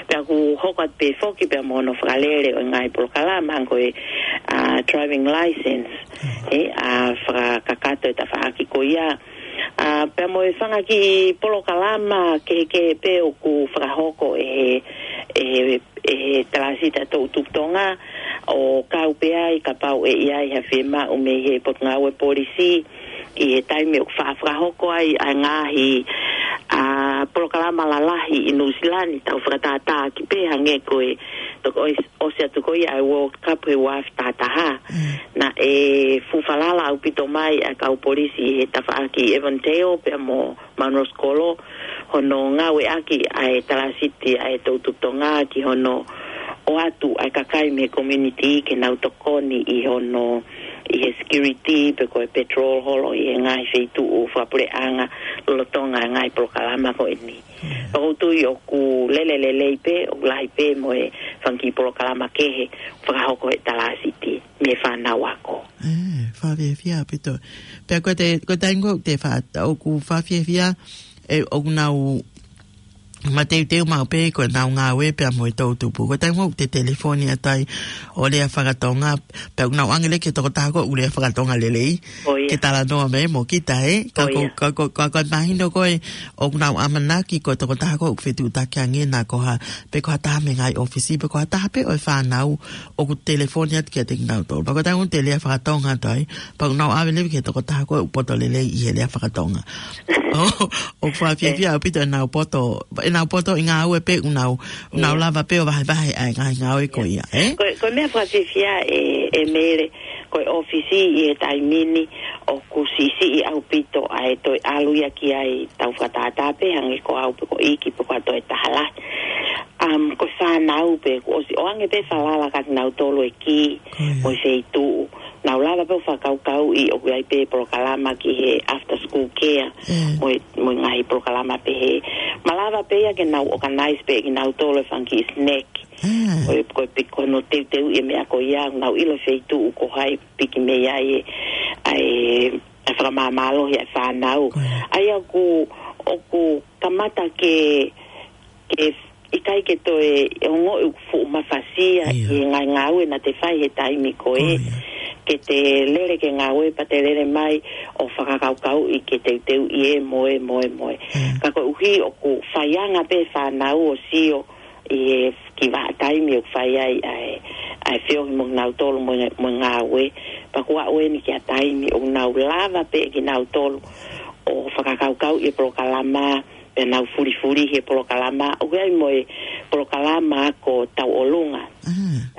Pea ʻoku hoko atu pē foki pea mo hono fakalele ʻo e ngaahi polokalama hangē ko e, ʻa, driving license, ʻe, ʻa, fakakakato e tafaʻaki ko ia. ʻA, pea mo e fanga kiʻi polokalama kehekehe pē ʻoku fakahoko ʻe he, ʻe he, ʻe he Talāsiti ʻa e Toʻutupu Tonga, ʻo kau pē ai kapau ʻe ʻi ai ha fiemaʻu mei he Potungāue Polisi, ʻi he taimi ʻoku faʻa fakahoko ai ʻa e ngaahi, ʻa, polokalama lalahi ʻi Nuʻusila ni, tau fakatātā ki pē hangē ko e, toki ʻosi, ʻosi atu ko ia ʻa e World Cup he ua afe taha taha. Mm. Naʻe fuʻu falala ʻaupito mai ʻa e kau polisi ʻi he tafaʻaki Avondale pea mo Munros Kolo, hono ngāueʻaki ʻa e Talāsiti ʻa e Toʻutupu Tonga ki hono ʻoatu ʻa e kakai mei he community ke nau tokoni ʻi hono, ʻi he security pe ko e patrol holo ʻi he ngaahi feituʻu fakapuleʻanga lolotonga e ngaahi polokalama ko eni. Mm. Pea ʻoku ou tui ʻoku lele lelei pē, ʻoku lahi pē mo e fanga kiʻi polokalama kehe fakahoko ʻe he Talāsiti mei he fānau ako. ʻE, fakafiefia ʻaupito. Pea ko e te, ko e taimi ko ē te fa-, ʻoku fakafiefia, ʻe, ʻoku nau mateuteu maʻu pē ko ʻenau ngāue pea mo e toʻutupu. Ko e taimi ko ē te telefoni atu ai ʻo lea fakatonga, pea ʻoku nau ʻoange leva ki he tokotaha ko ē ʻoku lea fakatonga lelei. ʻIo. Ke talanoa mai mo kita, ʻe? Ka ko, ʻio, ka ko, ka ko e mahino ko ē ʻoku nau ʻamanaki ko e tokotaha ko ē ʻoku fetuʻutaki ange na ko ha, pe ko ha taha mei he ngaahi ʻōfisi, pe ko ha taha pē ʻo e fānau ʻoku telefoni atu kiate kinautolu. Pea ko e taimi ko ē te lea fakatonga atu ai, pea ʻoku nau ʻave leva ki he tokotaha ko ē ʻoku poto lelei ʻi he lea fakatonga. ʻO, ʻoku fakafiefia ʻaupito ʻenau poto, ʻenau poto ʻi he ngāue pea ʻoku nau, ʻoku nau lava pē ʻo vahevahe ʻa e ngaahi ngāue ko ia, ʻe? Ko, ko e meʻa fakafiefia ʻe, ʻe Mele, ko e ʻōfisi ʻi he taimi ni ʻoku siʻisiʻi ʻaupito ʻa e toe ʻalu ia ki ai, tau fakatātā pē hangē ko au pe ko ʻEiki pe ko ha toe taha lahi. Um, ko e fānau pē, kuo ʻosi ʻoange pē falala kiate kinautolu e kī, ko ia, mo e feituʻu. Nau lava pē ʻo fakakaukauʻi ʻoku ʻi ai pē polokalama ki he after school care. Mo e, mo e ngaahi polokalama pehē. Malava pē ia ke nau organize pē kinautolu e fanga kiʻi snack. Ko e, ko e piko no teuteu e meʻa ko ia, nau ʻilo feituʻu ko hai piki mei ai e, ʻa e, ʻa e fakamāmālohi ʻa e fānau. ʻA ia ʻoku, ʻoku kamata ke, ke ʻikai ke toe ongoʻi ʻoku fuʻu mafasia ʻi he ngaahi ngāue naʻa te fai he taimi ko ē. Ke te lele ke ngāue pea te lele mai ʻo fakakaukauʻi ke teuteuʻi e mo e mo e mo e. Ka koeʻuhi ʻoku faianga pē fānau ʻo sio ʻi he kiʻi vahaʻa taimi ʻoku fai ai ʻa e, ʻa e feohi mo kinautolu mo e, mo e ngāue. Pea kuo aʻu eni ki ha taimi ʻoku nau lava pē kinautolu ʻo fakakaukauʻi e polokalama, pea nau fulifulihi e polokalama, ʻoku ʻi ai mo e polokalama ako tauʻolunga.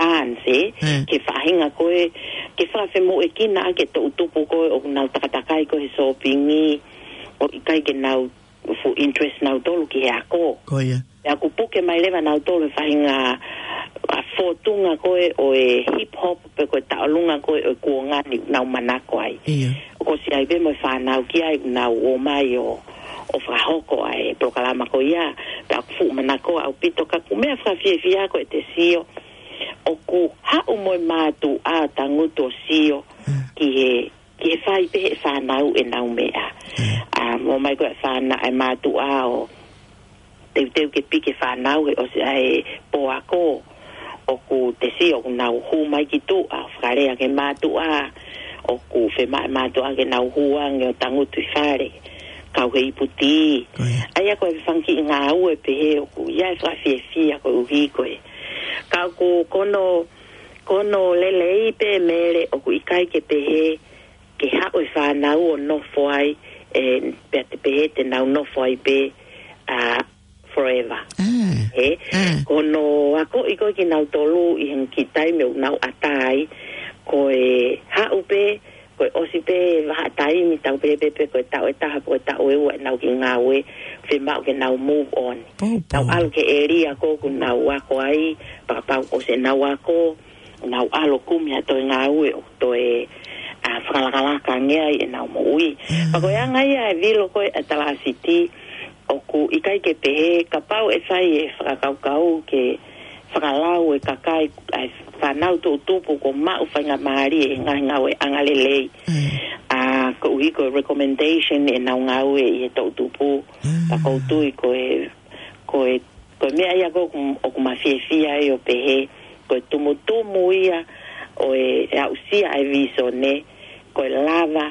Dance, ke faʻahinga ko ē, ke fakafemoʻuekina ʻa e toʻutupu ko ē ʻoku nau takatakai ko ē he sōpingi, ʻoku ʻikai ke nau fuʻu interest nautolu ki he ako. Pea ʻoku puke mai leva nautolu he faʻahinga, ʻa, fōtunga ko ē ʻo e hip hop pe ko e tauʻolunga ko ē ʻo e kuonga ni nau manako ai. ʻOku ʻosi ʻi ai pē mo e fānau ki ai nau ō mai ʻo, ʻo fakahoko ʻa e polokalama ko ia, pea ʻoku fuʻu manako ʻaupito ka ʻoku meʻa fakafiefia ko e te sio, ʻoku haʻu mo e mātuʻa tangutu ʻo sio ki he, ki he fai pē he fānau ʻenau meʻa. ʻA, mo mai ko e fānau ʻa e mātuʻa ʻo teuteu ke piki e fānau he ʻosi ʻa e pō ako, ʻoku te sio ʻoku nau hū mai ki tuʻa, fakalea ki he mātuʻa, ʻoku fiemaʻu ʻe he mātuʻa ke nau hū ange ʻo tangutu ʻi fale, kau he ipu tī. ʻA ia ko e fanga kiʻi ngāue pehē ʻoku ʻi ai e fakafiefia koeʻuhi ko e. Ka ʻoku ko hono, ko hono lelei pē Mele ʻoku ʻikai ke pehē ke haʻu e fānau ʻo nofo ai, ē, pea te pehē te nau nofo ai pē, ʻa, forever. He, ko hono akoʻi ko ē kinautolu ʻi he ngaahi taimi ʻoku nau ʻatā ai, ko e haʻu pē, ko e ʻosi pē vahaʻa taimi tau pehē pē, pē ko e taʻu ʻe taha, ko e taʻu ʻe ua ʻenau kiʻi ngāue, fiemaʻu ke nau move on. Nau ʻalu ki he ʻēlia ko ē ʻoku nau ako ai, pea kapau ʻosi ʻenau ako, nau ʻalu ʻo kumi ha toe ngāue ʻo toe, ʻa, fakalakalaka ange ai ʻenau moʻui. Pea ko e anga ia e vilo ko ē ʻa e Talāsiti, ʻoku ʻikai ke pehē, kapau ʻe fai e fakakaukau ke fakalau e kakai, ʻa e fānau toʻutupu kuo maʻu faingamālie he ngaahi ngāue angalelei. ʻA, koeʻuhi ko e recommendation ʻenau ngāue ʻi he toʻutupu. Pea ʻoku ou tui ko e, ko e, ko e meʻa ia ko ē ʻoku, ʻoku ma fiefia ai ʻo pehē, ko e tumutumu ia ʻo e, e aʻusia ʻa e vīsone, ko e lava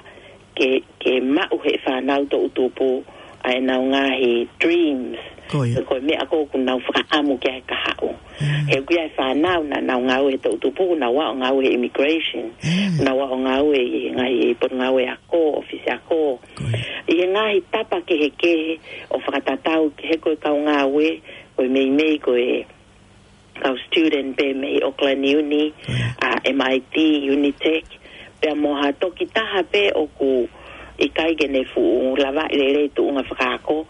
ke, ke maʻu ʻe he fānau toʻutupu ʻa ʻenau ngaahi dreams. Ko e meʻa ko ē ʻoku nau fakaʻamu ki ai he kahaʻu. He ʻoku ʻi ai e fānau naʻa nau ngāue he toʻutupu, nau ō ʻo ngāue he immigration, nau ō ʻo ngāue ʻi he ngaahi potungāue ako, ʻōfisi ako. ʻI he ngaahi tapa kehekehe ʻo fakatatau ki he ko e kau ngāue, ko e meimei ko e kau student pē mei Auckland Uni, ʻa, M I T, Unitec, pea mo ha toki taha pē ʻoku ʻikai ke ne fuʻu lavaʻi lelei tuʻunga fakaako,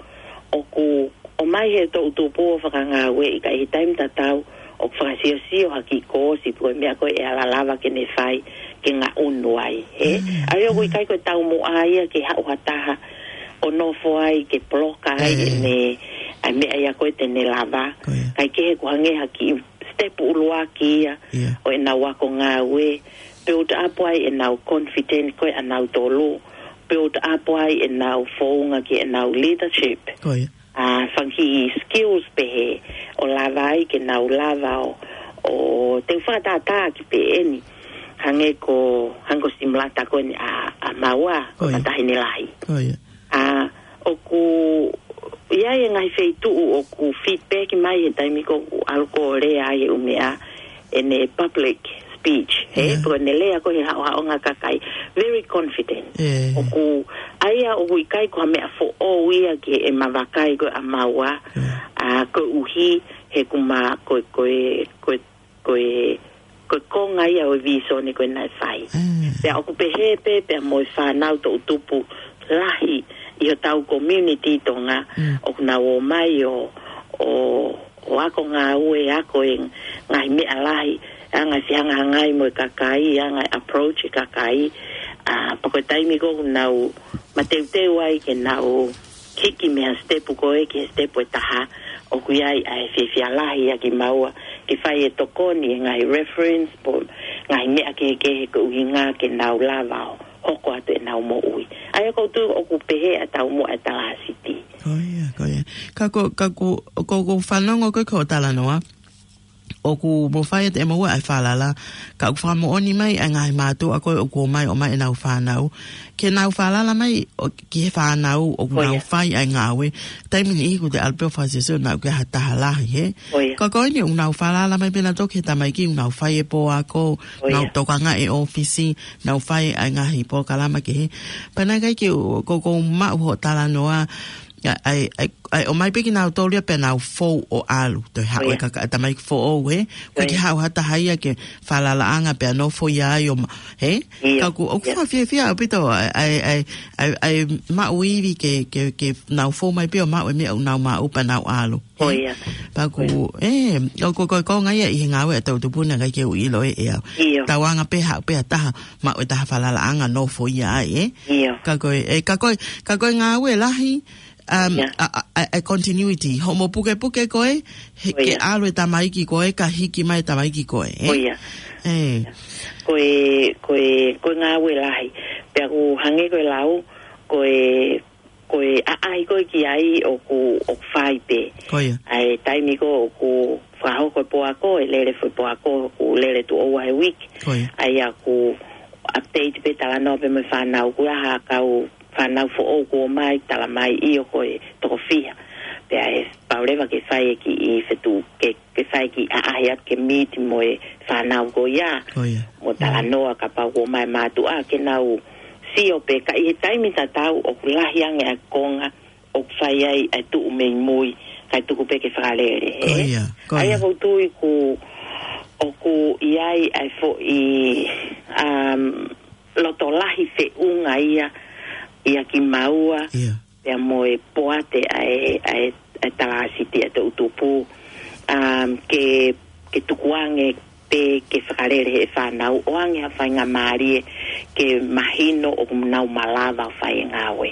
ʻoku ʻomai he toʻutupu ʻo fakangāueʻi ka ʻi he taimi tatau ʻoku fakasiosio ha kiʻi koosi pe ko e meʻa ko ē ʻe ala lava ke ne fai ke ngaʻunu ai, ē? ʻA ia ʻoku ʻikai ko e taumuʻa ia ke haʻu ha taha ʻo nofo ai ke poloka ai ʻene, ʻa e meʻa ia ko ē te ne lava. Kae kehe ʻoku hangē ha kiʻi step ʻuluaki ia ʻo ʻenau ako ngāue, build up ai ʻenau confident ko ē ʻanautolu, build up ai ʻenau founga ki heʻenau leadership. ʻA, fanga kiʻi skills pehē ʻo lava ai ke nau lava ʻo, ʻo teu fakatātā ki pē eni. Hangē ko, hangē ko Simulata ko eni ʻa, ʻa Maua, ko Matahine Lahi. ʻA, ʻoku ʻi ai e ngaahi feituʻu ʻoku feedback mai he taimi ko ē ʻoku ʻalu ko ē ʻo lea ai he ʻū meʻa ʻene public speech, he, pe ko ʻene lea ko ē he haʻohaʻonga kakai, very confident. ʻOku, ʻa ia ʻoku ʻikai ko ha meʻa foʻou ia ki heʻema vakai ko ē ʻa Maua, ʻa, koeʻuhi he ʻoku ma, ko e, ko e, ko e, ko e, ko e konga ia ʻo e vīsone ko ē naʻe fai. Pea ʻoku pehē pē, pea mo e fānau toʻutupu lahi ʻi hotau community Tonga, ʻoku nau ō mai ʻo, ʻo, ʻo ako ngāue, ako e ngaahi meʻa lahi, anga e fehangahangai mo e kakai, anga e approach e kakai, ʻa, pea ko e taimi ko ē ʻoku nau mateuteu ai ke nau hiki mei he sitepu ko ē ki he sitepu ʻe taha, ʻoku ʻi ai ʻa e fiefia lahi ʻa kimaua, ke fai e tokoni e ngaahi reference, pe ngaahi meʻa kehekehe ko e ʻuhinga ke nau lava ʻo hoko atu ʻenau moʻui. ʻA ia ʻoku ou tui ʻoku pehē ʻa e taumuʻa ʻa e Talāsiti. Ko ia, ko ia. Ka ko, ka ko, ko, ko e fanongo ko ē ki hoʻo talanoa, ʻoku mou fai atu ʻe moua ʻa e falala, ka ʻoku fakamoʻoni mai ʻa e ngaahi mātuʻa ko ē ʻoku ʻomai, ʻomai ʻenau fānau, ke nau falala mai ʻo, ki he fānau ʻoku nau fai ʻa e ngāue. Taimi ʻe niʻihi ʻoku te ʻalu pē ʻo fakaseseo naʻa ʻoku ʻi ai ha taha lahi, hē? Ka ko eni ʻoku nau falala mai pē nautolu ki he tamaiki, ʻoku nau fai e pō ako, nau tokangaʻi e ʻōfisi, nau fai ʻa e ngaahi polokalama kehe. Pea naʻe ʻikai ke u, ko, ko u maʻu hoʻo talanoa, ʻa, ʻa, ʻa, ʻa, ʻomai pē kinautolu ia pea nau fou ʻo ʻalu. Toe haʻu e kaka-, tamaiki foʻou, hē? ʻOku ʻikai ke haʻu ha taha ia ki he falalaʻanga pea nofo ia ai ʻo ma-, hē? Ka ʻoku, ʻoku fakafiefia ʻaupito ʻa e, ʻa e, ʻa e, ʻa e, ʻa e maʻu ivi ke, ke, ke nau fou mai pē ʻo maʻu e meʻa ʻoku nau maʻu pea nau ʻalu. Ko ia. Pea ʻoku, ʻe, ʻoku, ko, ko, ko e ngaahi ia ʻi he ngāue ʻa e toʻu tupu naʻe ʻikai ke u ʻilo ʻe, ʻe au. ʻIo. Tauange pē haʻu pē ha taha, maʻu e taha falalaʻanga nofo ia ai, ē? ʻIo. Ka ko e, ʻe, ka ko e, ka ko e ngāue lahi, um, ʻa, ʻa, ʻa, ʻa e continuity. Hoʻomo pukepuke ko ē, he, ke ʻalu e tamaiki ko ē, ka hiki mai e tamaiki ko ē, ē? Ko ia. ʻE. Ko e, ko e, ko e ngāue lahi. Pea ʻoku hangē ko e lau, ko e, ko e ʻaʻahi ko ē ki ai ʻoku, ʻoku fai pē. Ko ia. ʻA e taimi ko ē ʻoku fakahoko e pō ako, ʻe lele foʻi pō ako, ʻoku lele tuʻo ua he uike. Ko ia. ʻA ia ʻoku update pē talanoa pē mo e fānau, ʻoku ʻi ai ha kau fānau foʻou kuo ʻomai, talamai ʻio ko e toko fiha. Pea ʻe pau leva ke fai e kiʻi fetuʻu, ke, ke fai e kiʻi ʻaʻahi atu ke meet mo e fānau ko ia. Ko ia. Mo talanoa kapau kuo ʻomai e mātuʻa ke nau sio pē ka ʻi he taimi tatau ʻoku lahi ange ʻa e konga ʻoku fai ai ʻa e tuʻu mei mui, kae tuku pē ke fakalele, ē? Ko ia, ko ia. ʻA ia ʻoku ou tui ʻoku, ʻoku ʻi ai ʻa e foʻi, um, loto lahi feʻunga ia, ia kimaua, pea mo e poate ʻa e, ʻa e, ʻa e Talāsiti ʻa e toʻu tupu, um, ke, ke tukuange pē ke fakalele he fānau ʻoange ha faingamālie ke mahino ʻoku nau malava ʻo fai e ngāue.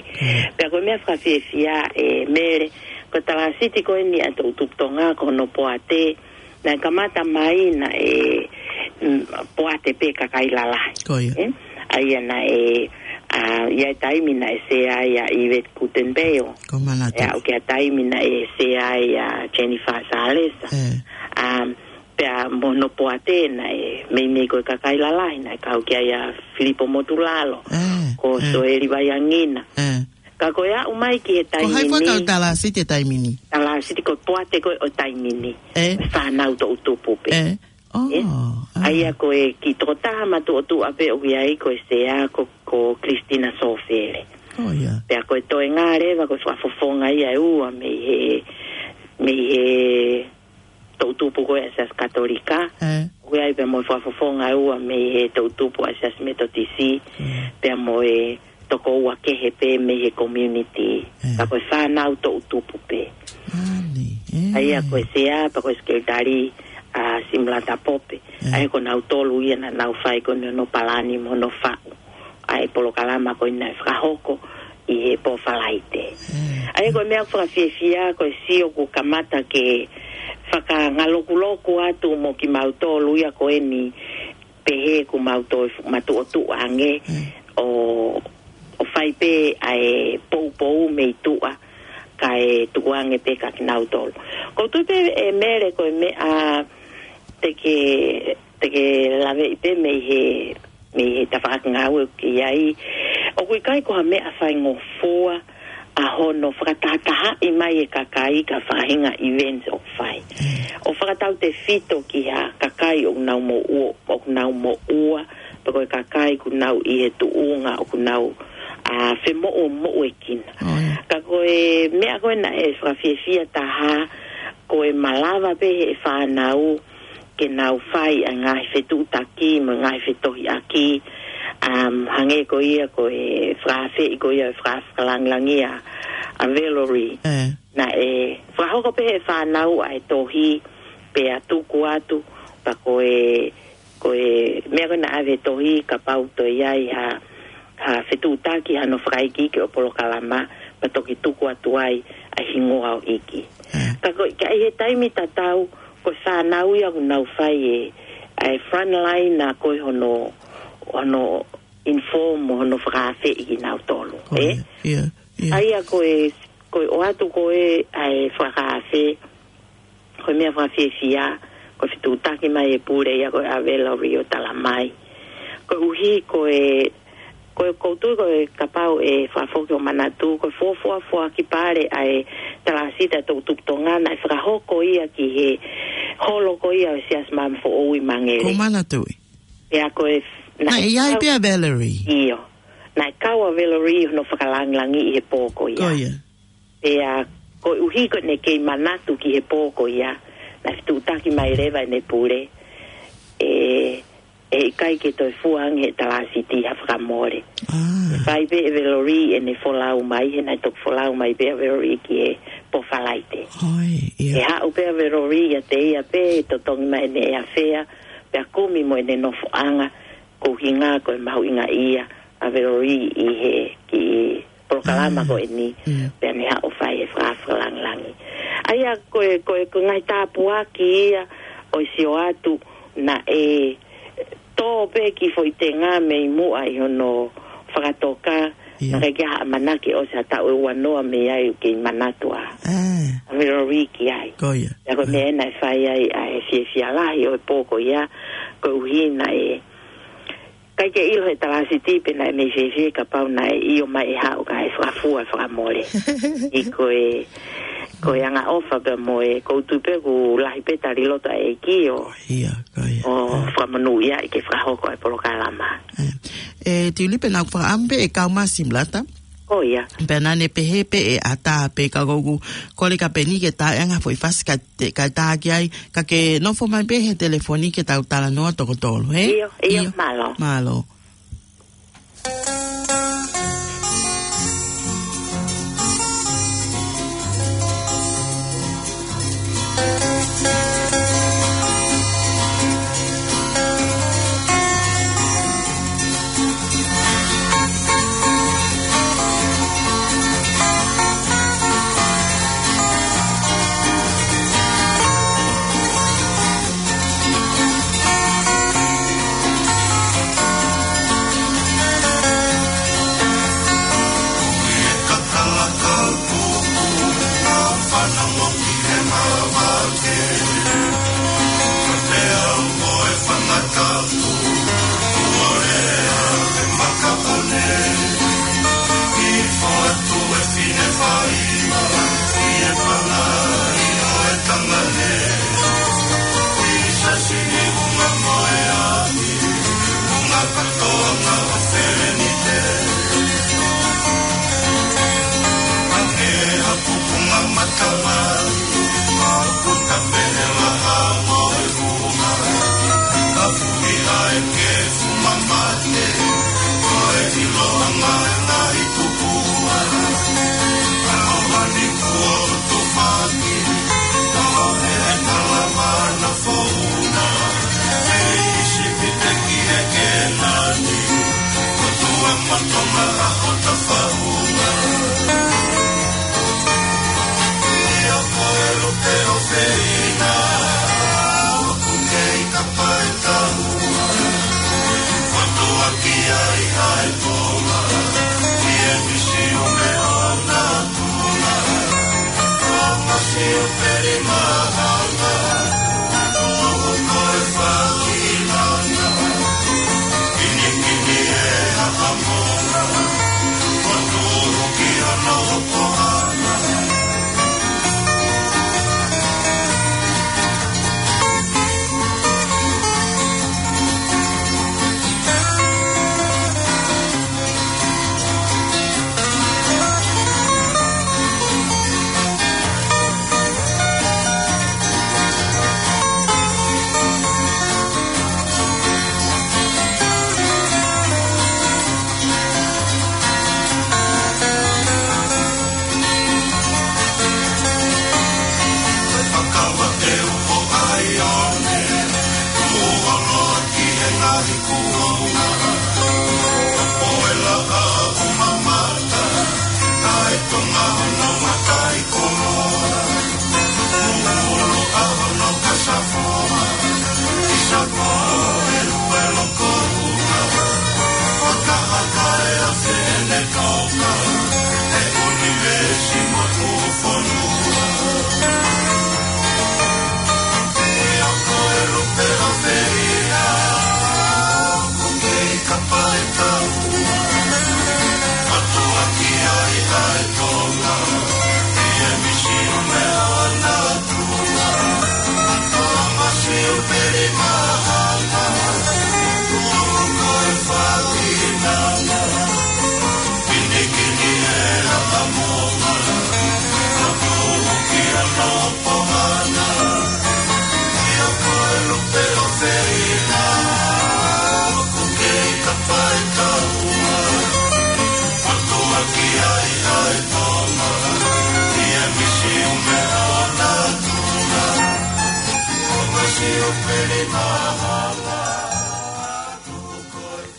Pea ko e meʻa fakafiefia ʻe Mele, ko e Talāsiti ko eni ʻa e toʻu tupu Tonga ko hono poate, naʻe kamata mai naʻe, mm, poate pē kakai lalahi. Ko ia. Ē? ʻA ia naʻe, ʻa, ʻi ai e taimi naʻe sea ai ʻa Yvette Guttenbeil. Ko Manatu. ʻE aʻu ki ha taimi naʻe sea ai ʻa Jennifer Salesa. Um, pea mo hono poate naʻe meimei ko e kakai lalahi, naʻe kau ki ai ʻa Filipo Motulalo, ko Soeli Vaiangina. Ka ko e aʻu mai ki he taimi ni. Ko hai fua kau Talāsiti he taimi ni? Talāsiti ko e poate ko ē ʻo e taimi ni. Fānau toʻu tupu pē. ʻE? ʻA ia ko e kiʻi tokotaha matuʻotuʻa pē ʻoku ʻi ai ko e sea ko, ko Christina Sofele. Pea ko e toenga leva ko e fakafofonga ia ʻe ua mei he, mei he toʻu tupu ko ē ʻa e Siasi Katolika. ʻOku ʻi ai pea mo e fakafofonga ʻe ua mei he toʻu tupu ʻa e Siasi Metotisi. Pea mo e toko ua kehe pē mei he community. Ka ko e fānau toʻu tupu pē. ʻA ia ko e sea pea ko e sekelitali ʻa Simulata Pope. ʻA ia ko nautolu ia naʻa nau fai ko eni hono palani mo hono faʻu ʻa e polokalama ko eni naʻe fakahoko ʻi he pō Falaite. ʻA ia ko e meʻa ʻoku fakafiefia ko e sio ʻoku kamata ke fakangalokuloku atu mo kimautolu ia ko eni pehē ʻoku mau toe fu-, matuʻotuʻa ange ʻo, ʻo fai pē ʻa e poupou mei tuʻa kae tukuange pē kia kinautolu. ʻOku ou tui pē ʻe Mele ko e meʻa te ke, te ke laveʻi pē mei he, mei he tafaʻaki ngāue ʻoku ke ʻi ai. ʻOku ʻikai ko ha meʻa faingofua ʻa hono fakatahatahaʻi mai e kakai ki ha faʻahinga events ʻoku fai. ʻO fakatautefito ki ha kakai ʻoku nau moʻua, ʻoku nau moʻua, pe ko e kakai ʻoku nau ʻi he tuʻunga ʻoku nau, ʻa, femoʻumoʻuekina. Ka ko e meʻa ko ē naʻe fakafiefia taha, ko e malava pē he fānau ke nau fai ʻa e ngaahi fetuʻutaki mo e ngaahi fetohiʻaki, um, hangē ko ia ko e fakaafeʻi ko ia e faka-, fakalāngilangi ʻa, ʻa Valerie. Naʻe fakahoko pē he fānau ʻa e tohi pea tuku atu, pea ko e ko e meʻa ko ē naʻe ʻave he tohi kapau toe ʻi ai ha, ha fetuʻutaki hano fakaikiiki ʻo e polokalama, pea toki tuku atu ai ʻa e hingoa ʻo e ʻEiki. Ka ko, ka ʻi he taimi tatau, ko e fānau ia ʻoku nau fai e, ʻa e frontline ʻa ko ē hono, hono inform, hono fakaafeʻi kinautolu, ʻe? ʻA ia ko e, ko e ʻoatu ko ē ʻa e fakaafe, ko e meʻa fakafiefia, ko e fetuʻutaki mai e pule ia ko ē ʻa Valerie ʻo talamai. Koeʻuhi ko e, ko e koutu ko e kapau ʻe fakafoki ho manatu, ko e fuofua foaki pale ʻa e talāsiti ʻa e toʻu tupu Tonga naʻe fakahoko ia ki he holo ko ia ʻo e Siasi Maama Foʻou ʻi Mangere. Ko manatu ʻi. Pea ko e, naʻe ʻi ai pea Valerie. ʻIo. Naʻe kau ʻa Valerie hono fakalangilangiʻi he pō ko ia. Pea koeʻuhi ko ʻene kei manatu ki he pō ko ia, naʻe fetuʻutaki mai leva ʻene pule, ʻe, ʻe ʻikai ke toe fua ange he talāsiti ha fakamole. Fai pē ʻe Valerie ʻene folau mai, he naʻe toki folau mai pē ʻa Valerie ki he pō Falaite. ʻE haʻu pē ʻa Valerie ʻiate ia pē, totongi mai ʻene ʻea fea, pea kumi mo ʻene nofoʻanga, ko e ʻuhinga ko e mahuʻinga ia ʻa Valerie ʻi he kiʻi polokalama ko eni, pea ne haʻu ʻo fai e fakalangilangi. ʻA ia ko e, ko e, ko e ngaahi tāpuaki ia ʻo e sio atu naʻe tō pē kiʻi foʻi tenga mei muʻa ʻi hono fakatoka, naʻe ʻikai ke ʻi ai ha ʻamanaki ʻosi ha taʻu ʻe uanoa mei ai ʻoku kei manatu ʻa Valerie ki ai. Pea ko e meʻa naʻe fai ai ʻa e fiefia lahi ʻo e pō ko ia, koeʻuhi naʻe ʻikai ke ʻilo he talāsiti pe naʻe mei fēfē kapau naʻe ʻio mai ʻe haʻu kae fakafua fakamole. ʻI ko e, ko e angaʻofa pea mo e, ʻoku ou tui pē ʻoku lahi pē tali loto ʻa e ʻEiki ʻo, ʻo fakamonūʻia ʻi ke fakahoko ʻa e polokalama. ʻE, Tiulipe, naʻa ku fakaʻamu pē ʻe kau masi Malata. Pea naʻa ne pehē pē ʻe ʻatā pē, ka ʻoku ou kole kia Peni ke tā ʻe anga foʻi fasi ka te, ka tā ki ai, ka ke nofo mai pē he telefoni ke tau talanoa toko tolu, ʻe? ʻIo, ʻio, mālō. Mālō.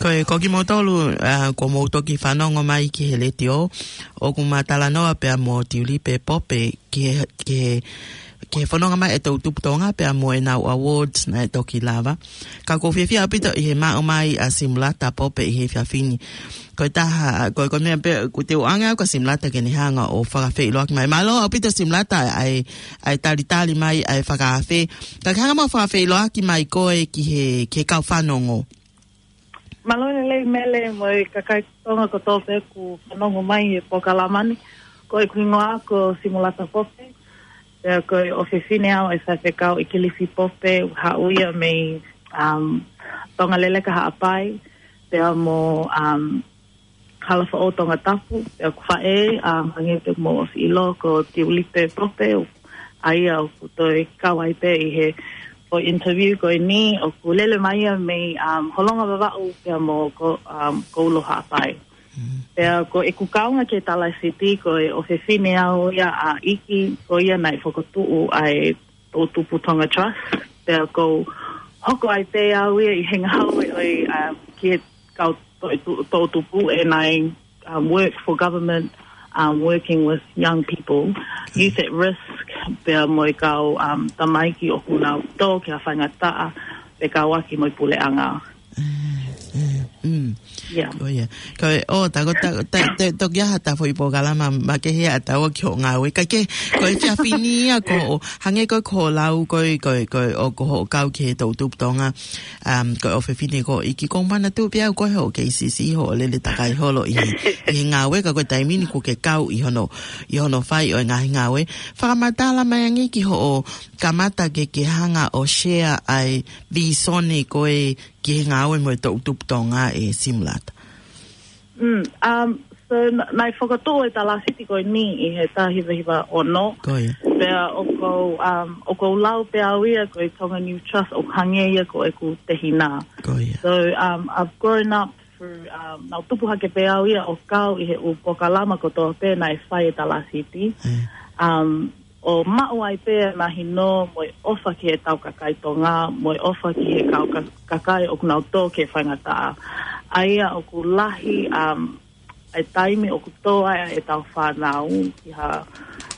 Ko e, ko kimoutolu, ā, ko mou toki fanongo mai ki he letiō, ʻoku ma talanoa pea mo Tiulipe Pope ki he, ki he, ki he fononga mai e Toʻutupu Tonga pea mo ʻenau awards naʻe toki lava. Ka ʻoku ou fiefia ʻaupito ʻi he maʻu mai ʻa Simulata Pope ʻi he efiafi ni. Ko e taha, ko e, ko e meʻa pē, ʻoku ou ʻoange au kia Simulata ke ne hanga ʻo fakafeʻiloaki mai. Mālō ʻaupito Simulata ʻa e, ʻa e talitali mai ʻa e fakaafe. Ka ke hanga muʻa ʻo fakafeʻiloaki mai koe ki he, ki he kau fanongo. Mālō e lelei Mele mo e kakai Tonga kotoa pē ʻoku fanongo mai he polokalama ni. Ko ʻeku hingoa ko Simulata Pope. Pea ko e ʻofefine au ʻa e faifekau ʻIkilisi Pope, haʻu ia mei, um, Tonga Leleka Haʻapai. Pea mo, um, Kalafoʻou Tongatapu, pea ʻoku faʻē, um, hangē pē ko hoʻomou ʻosi ʻilo ko Tiulipe Pope, ʻa ia ʻoku toe kau ai pē ʻi he foʻi interview ko eni, ʻoku lele mai ia mei, um, Holonga Vavaʻu pea mo ko, um, Koulo Haʻapai. Pea ko ʻeku kaunga ki he Talāsiti ko e ʻofefine au ia ʻa ʻIki, ko ia naʻe fokotuʻu ʻa e Toʻutupu Tonga Trust. Pea ʻoku ou hoko ai pē au ia ʻi he ngāue ʻo e, um, ki he kau toʻutu-, toʻutupu, and I, um, work for government, um, working with young people, youth at risk, pea mo e kau, um, tamaiki ʻoku nau tō ki ha faingataʻa, pea kau ʻaki mo e puleʻanga. Mm. Yeah. Oh, yeah. Ko e, ʻo, ta ko, ta, ta, te, toki ʻi ai haʻata foʻi polokalama makehe ʻa taua ki hoʻo ngāue. Ka ke, ko e efiafi ni ia ko hoʻo, hangē ko e ko hoʻo lau, ko e, ko e, ko e, ʻoku hoʻo kau ki he Toʻutupu Tonga, um, ko e ʻofefine ko ʻIki, ʻoku ou manatu pē au ko hoʻo K C C, hoʻo lele takai holo ʻi he, ʻi he ngāue, ka ko e taimi ni ʻoku ke kau ʻi hono, ʻi hono fai ʻo e ngaahi ngāue. Fakamatala mai ange ki hoʻo kamata ke, ke hanga ʻo share ʻa e visone ko ē ki he ngāue mo e Toʻutupu Tonga ʻe Simulata. Mm, um, so, n-, naʻe fokotuʻu e Talāsiti ko eni ʻi he taha hiva hiva ono. Ko ia. Pea ʻoku ou, um, ʻoku ou lau pē au ia ko e Tonga New Trust ʻoku hangē ia ko ʻeku tehina. Ko ia. So, um, I've grown up through, um, naʻá ku tupu hake pē au ia ʻo kau ʻi he ʻū polokalama kotoa pē naʻe fai ʻe Talāsiti. Mm. Um, ʻo maʻu ai pē ʻa e mahino mo e ʻofa ki heʻetau kakai Tonga, mo e ʻofa ki he kau ka-, kakai ʻoku nau tō ki he faingataʻa. ʻA ia ʻoku lahi, um, e taimi ʻoku tō ai ʻetau fānau ki ha,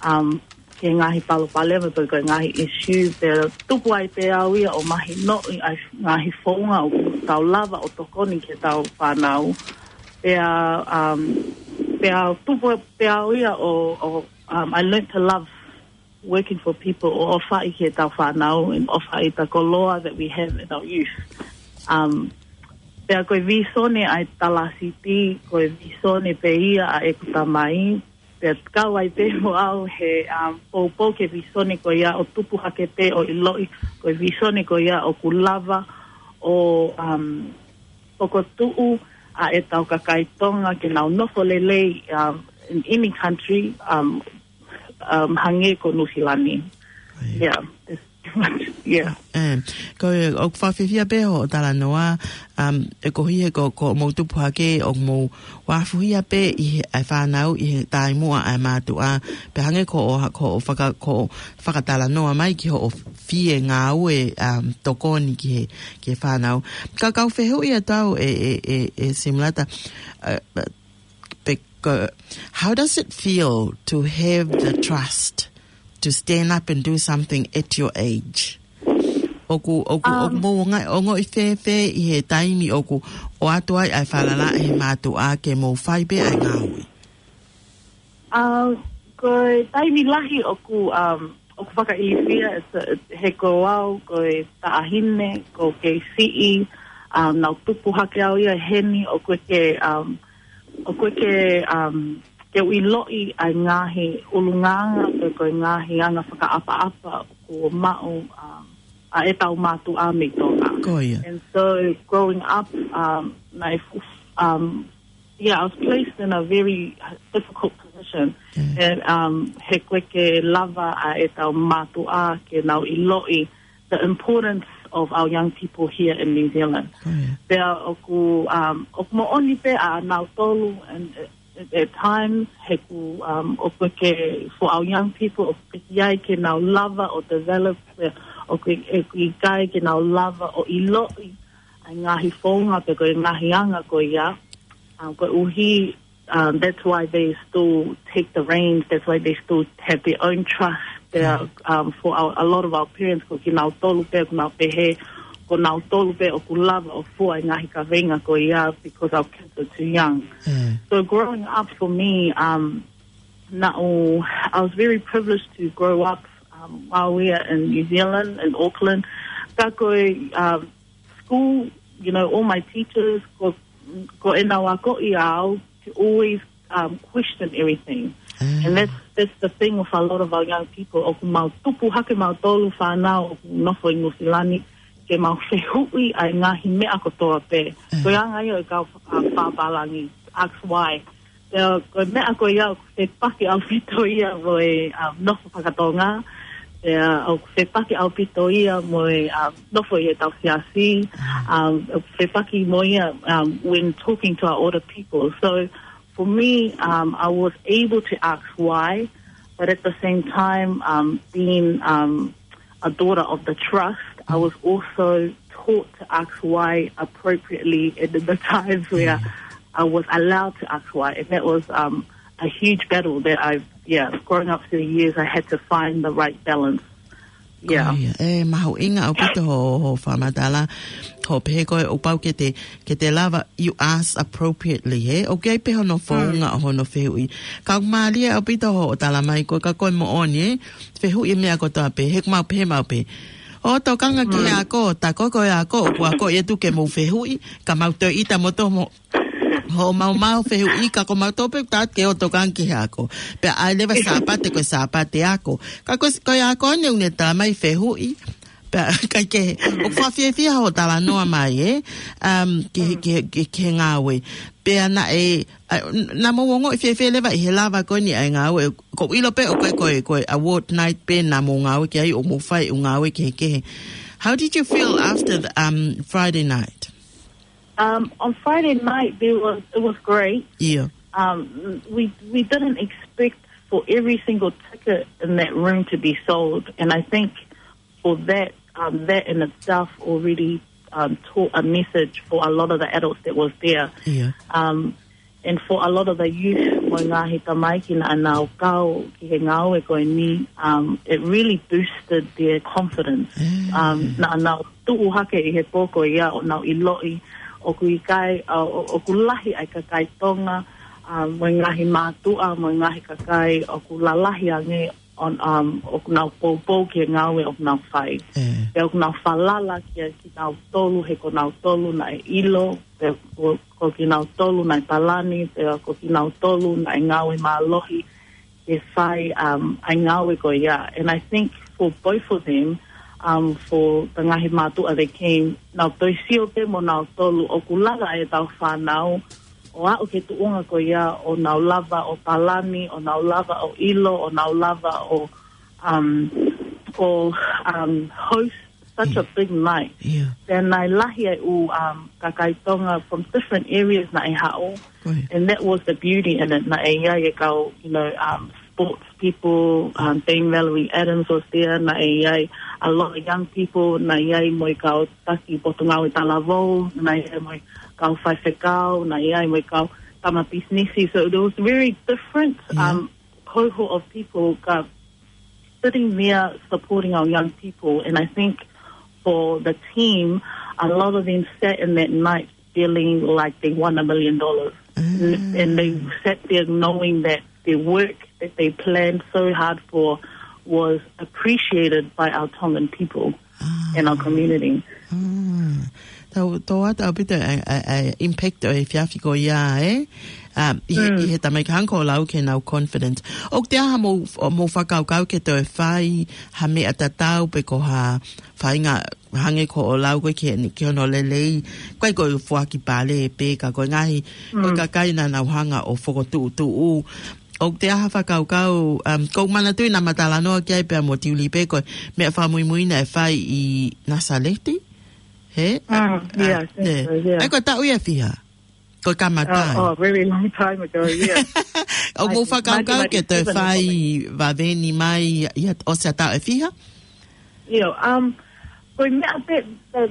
um, ki he ngaahi palopalema pe ko e ngaahi issue, pea tupu ai pē au ia ʻo mahinoʻi ʻa e ngaahi founga ʻoku tau lava ʻo tokoni ki heʻetau fānau. Pea, um, pea tupu pē au ia ʻo, ʻo, um, I learned to love working for people, ʻo ʻofaʻi ki heʻetau fānau, and ʻofaʻi the koloa that we have in our youth. Um, pea ko e visone ʻa e Talāsiti, ko e visone pē ia ʻa ʻeku tamai, pea kau ai pē mo au he, um, poupou ki he visone ko ia ʻo tupu hake pē ʻo ʻiloʻi, ko e visone ko ia ʻoku lava ʻo, um, fokotuʻu ʻa ʻetau kakai Tonga ke nau nofo lelei, um, in any country, um, um, hangē ko Nuʻusila ni. Right. Yeah, that's pretty much, yeah. Um, ko e, ʻoku ou fiefia pē hoʻo talanoa, um, ʻe koeʻuhi he ko, ko hoʻomou tupu hake, ʻoku mou uafuhia pē ʻi he, ʻa e fānau ʻi he taimi muʻa ʻa e mātuʻa, pea hangē ko hoʻo, ko hoʻo faka-, ko hoʻo fakatalanoa mai ki hoʻo fie ngāue, um, tokoni ki he, ki he fānau. Ka ʻoku ou fehuʻi atu au ʻe, ʻe, ʻe, ʻe Simulata, uh, pe-, ko, how does it feel to have the trust to stand up and do something at your age? ʻOku, ʻoku, ʻoku Um, mou ongo-, ongoʻi fēfē ʻi he taimi ʻoku ʻoatu ai ʻa e falala ʻe he mātuʻa ke mou fai pē ʻa e ngāue? Uh, ko e taimi lahi ʻoku, um, ʻoku fakaʻilifia, it's a, he ko au, ko e taʻahine, ko e kei siʻi, um, naʻá ku tupu hake au ia heni, ʻoku ʻikai ke, um, ʻoku ʻikai ke, um, ke u ʻiloʻi ʻa e ngaahi ʻulungaanga, pe ko e ngaahi anga fakaʻapaʻapa ʻoku maʻu, um, ʻa ʻetau mātuʻa mei Tonga. Ko ia. And so growing up, um, naʻe fu-, um, yeah, I was placed in a very difficult position. Yeah. And, um, he ʻikai ke lava ʻa ʻetau mātuʻa ke nau ʻiloʻi the importance of our young people here in New Zealand. Ko ia. Pea ʻoku, um, ʻoku moʻoni pē ʻa nautolu, and, uh, at, at times, he ʻoku, um, ʻoku ʻikai ke, for our young people, ʻoku ʻikai ke nau lava ʻo develop the ʻoku ʻi-, ʻoku ʻikai ke nau lava ʻo ʻiloʻi ʻa e ngaahi founga pe ko e ngaahi anga ko ia. Um, koeʻuhi, um, that's why they still take the reins, that's why they still have their own trust. They are, um, for our, a lot of our parents, ko kinautolu pē, ʻoku nau pehē, ko nautolu pē ʻoku lava ʻo fua e ngaahi kaveinga ko ia because our kids are too young. So growing up for me, um, naʻu, I was very privileged to grow up, um, while we are in New Zealand, in Auckland. Ka ko e, um, school, you know, all my teachers, ko, ko ʻenau akoʻi au to always, um, question everything. And that's, that's the thing with a lot of our young people. ʻOku mau tupu hake mautolu fānau ʻoku nofo ʻi Nuʻusila ni, ke mau fehuʻi ʻa e ngaahi meʻa kotoa pē. Ko e anga ia ʻo e kau, um, pāpālangi, ask why. Pea ko e meʻa ko ia ʻoku fepaki ʻaupito ia mo e, um, nofo fakatonga. Pea ʻoku fepaki ʻaupito ia mo e, um, nofo ʻi heʻetau siasi. Um, ʻoku fepaki mo ia, um, when talking to our older people. So for me, um, I was able to ask why, but at the same time, um, being, um, a daughter of the trust, I was also taught to ask why appropriately and in the times where I was allowed to ask why. And that was, um, a huge battle that I've, yeah, growing up through the years, I had to find the right balance. Yeah. Ko ia, ʻe mahuʻinga ʻaupito hoʻo, hoʻo fakamatala, hoʻo pehē ko e ʻoku pau ke te, ke te lava, you ask appropriately, he? ʻOku ʻi ai pē hono founga ʻo hono fehuʻi. Ka ʻoku mālie ʻaupito hoʻo talamai ko e ka ko e moʻoni, he? Fehuʻi e meʻa kotoa pē, he ʻoku mau pehē mau pē. ʻO tokanga ki he ako, tā ko e ako, ʻoku akoʻi atu ke mou fehuʻi, ka mau toe ʻita mo tō mo, hoʻo maumau fehuʻi ka ko mautolu pē ʻoku tau ke ʻo tokanga ki he ako. Pea ʻai leva Sāpate ko e Sāpate ako. Ka ko, ko e ako ʻeni ʻoku ne talamai fehuʻi. Pea ʻikai ke, ʻoku fakafiefia hoʻo talanoa mai, ē? Um, ki he, ki he, ki he, ki he ngāue. Pea naʻe, ʻa, n-, naʻa mou ongoʻi fiefia leva ʻi he lava ko ʻeni ʻa e ngāue. Ko e ʻilo pē ʻoku ʻi ai ko e, ko e award night pē naʻa mou ngāue ki ai ʻo mou fai ʻū ngāue kehekehe. How did you feel after the, um, Friday night? Um, on Friday night, there was, it was great. Yeah. Um, we, we didn't expect for every single ticket in that room to be sold. And I think for that, um, that in itself already, um, taught a message for a lot of the adults that was there. Yeah. Um, and for a lot of the youth, mo e ngaahi tamaiki naʻa nau kau ki he ngāue ko eni, um, it really boosted their confidence. Um, naʻa nau tuʻu hake ʻi he pō ko ia ʻo nau ʻiloʻi ʻoku ʻikai, uh, ʻo-, ʻoku lahi ʻa e kakai Tonga, um, mo e ngaahi mātuʻa, mo e ngaahi kakai ʻoku lalahi ange on, um, ʻoku nau poupou ki he ngāue ʻoku nau fai. Pea ʻoku nau falala kia kinautolu, he ko nautolu naʻe ʻilo, pea ko, ko kinautolu naʻe palani, pea ko kinautolu naʻe ngāue mālohi ke fai, um, ʻa e ngāue ko ia. And I think for both of them, um, for the ngaahi mātuʻa that came, nau toe sio pē mo nautolu ʻoku lava ʻetau fānau ʻo aʻu ki he tuʻunga ko ia ʻo nau lava ʻo palani, ʻo nau lava ʻo ʻilo, ʻo nau lava ʻo, um, ʻo, um, host such a big night. Pea naʻe lahi ʻa e ʻū, um, kakai Tonga from different areas naʻe haʻu. And that was the beauty in it. Naʻe ʻi ai e kau, you know, um, sports people, um, Dame Valerie Adams was there, naʻe ʻi ai a lot of young people, naʻe ʻi ai mo e kau taki potungāue talavou, naʻe ʻi ai mo e kau faifekau, naʻe ʻi ai mo e kau tama pisinisi. So it was very different, um, cohort of people ka sitting there supporting our young people. And I think for the team, a lot of them sat in that night feeling like they won a million dollars. And, and they sat there knowing that the work that they planned so hard for was appreciated by our Tongan people and our community. Tau, tau atu ʻaupito ʻa e, ʻa e, ʻa e impact ʻo e efiafi ko ia, ē? Um, ʻi he, ʻi he tamaiki hangē ko ʻoku lau ki heʻenau confidence. ʻOku ʻi ai ha mou, mou fakakaukau ke toe fai ha meʻa tatau pe ko ha faʻahinga hangē ko ʻoku lau ko ē ki he, ki hono lelei, ko e, ko e foaki pale pē ka ko e ngaahi, ko e kakai naʻa nau hanga ʻo fokotuʻutuʻu. ʻOku ʻi ai ha fakakaukau, um, ʻoku ou manatuʻi naʻa ma talanoa ki ai pea mo Tiuli pē ko e meʻa fakamuimui naʻe fai ʻi Nasaleti? He? Mm, yeah, I think so, yeah. ʻAi ko e taʻu ia fiha? Ko e kamata. Oh, oh, very long time ago, yeah. ʻOku mou fakakaukau ke toe fai vaveni mai ʻi he ʻosi ʻa e taʻu ʻe fiha? You know, um, ko e meʻa pē, the,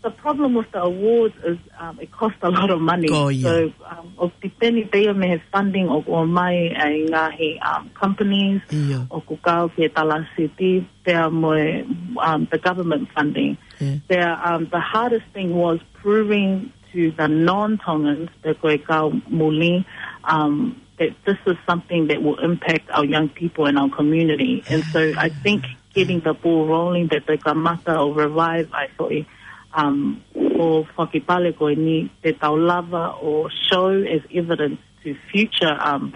the problem with the awards is, um, it costs a lot of money. Ko ia. So, um, ʻoku depend pē ia mei he funding ʻoku ʻomai ʻe he ngaahi, um, companies, ʻio, ʻoku kau ki he Talacity, pea mo e, um, the government funding. Yeah. Pea, um, the hardest thing was proving to the non-Tongans, pe ko e kau muli, um, that this is something that will impact our young people and our community. And so I think getting the ball rolling, that te kamata ʻo revive ai foʻi, um, ʻo fakipale ko eni, te tau lava ʻo show as evidence to future, um,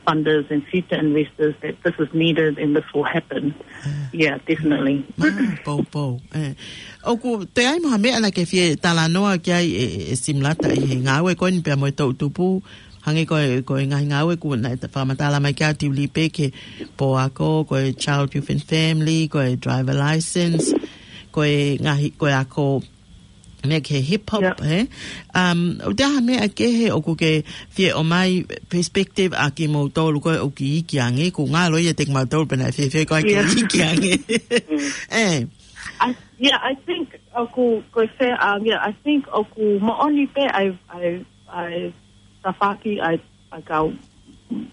funders and future investors that this is needed and this will happen. Yeah, definitely. Mā, poupou. Eh. ʻOku toe ʻi ai mo ha meʻa naʻa ke fie talanoa ki ai, e, e Simulata, ʻi he ngāue ko eni pea mo e toʻutupu, hangē ko e, ko e ngaahi ngāue kuo naʻe fakamatala mai ki ai ʻa Tiuli pē, ki he pō ako, ko e Child, Youth and Family, ko e driver license, ko e ngaahi, ko e ako meʻa ki he hip hop, yeah, he? Um, ʻoku toe ʻi ai ha meʻa kehe ʻoku ke fie ʻomai perspective ʻa kimoutolu ko ē ʻoku iiki ange, ʻoku ngalo ia ʻiate kimoutolu pea naʻe fēfē ko ē ke, yeah, iiki ange. Mm. Eh. I, yeah, I think ʻoku, ko e fē, um, yeah, I think ʻoku moʻoni pē ʻa e, ʻa e, ʻa e tafaʻaki ʻa e, ʻa e kau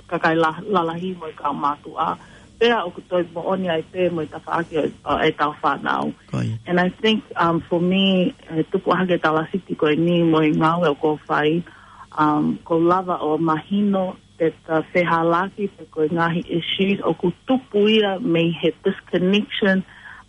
kakai la-, lalahi mo e kau mātuʻa. Pea ʻoku toe moʻoni ai pē mo e tafaʻaki ʻo, ʻo ʻetau fānau. Ko ia. And I think, um, for me, e tupu hake Talacity ko eni mo e ngāue ʻoku ou fai, um, ʻoku ou lava ʻo mahino that the fehālaaki pe ko e ngaahi issues ʻoku tupu ia mei he disconnection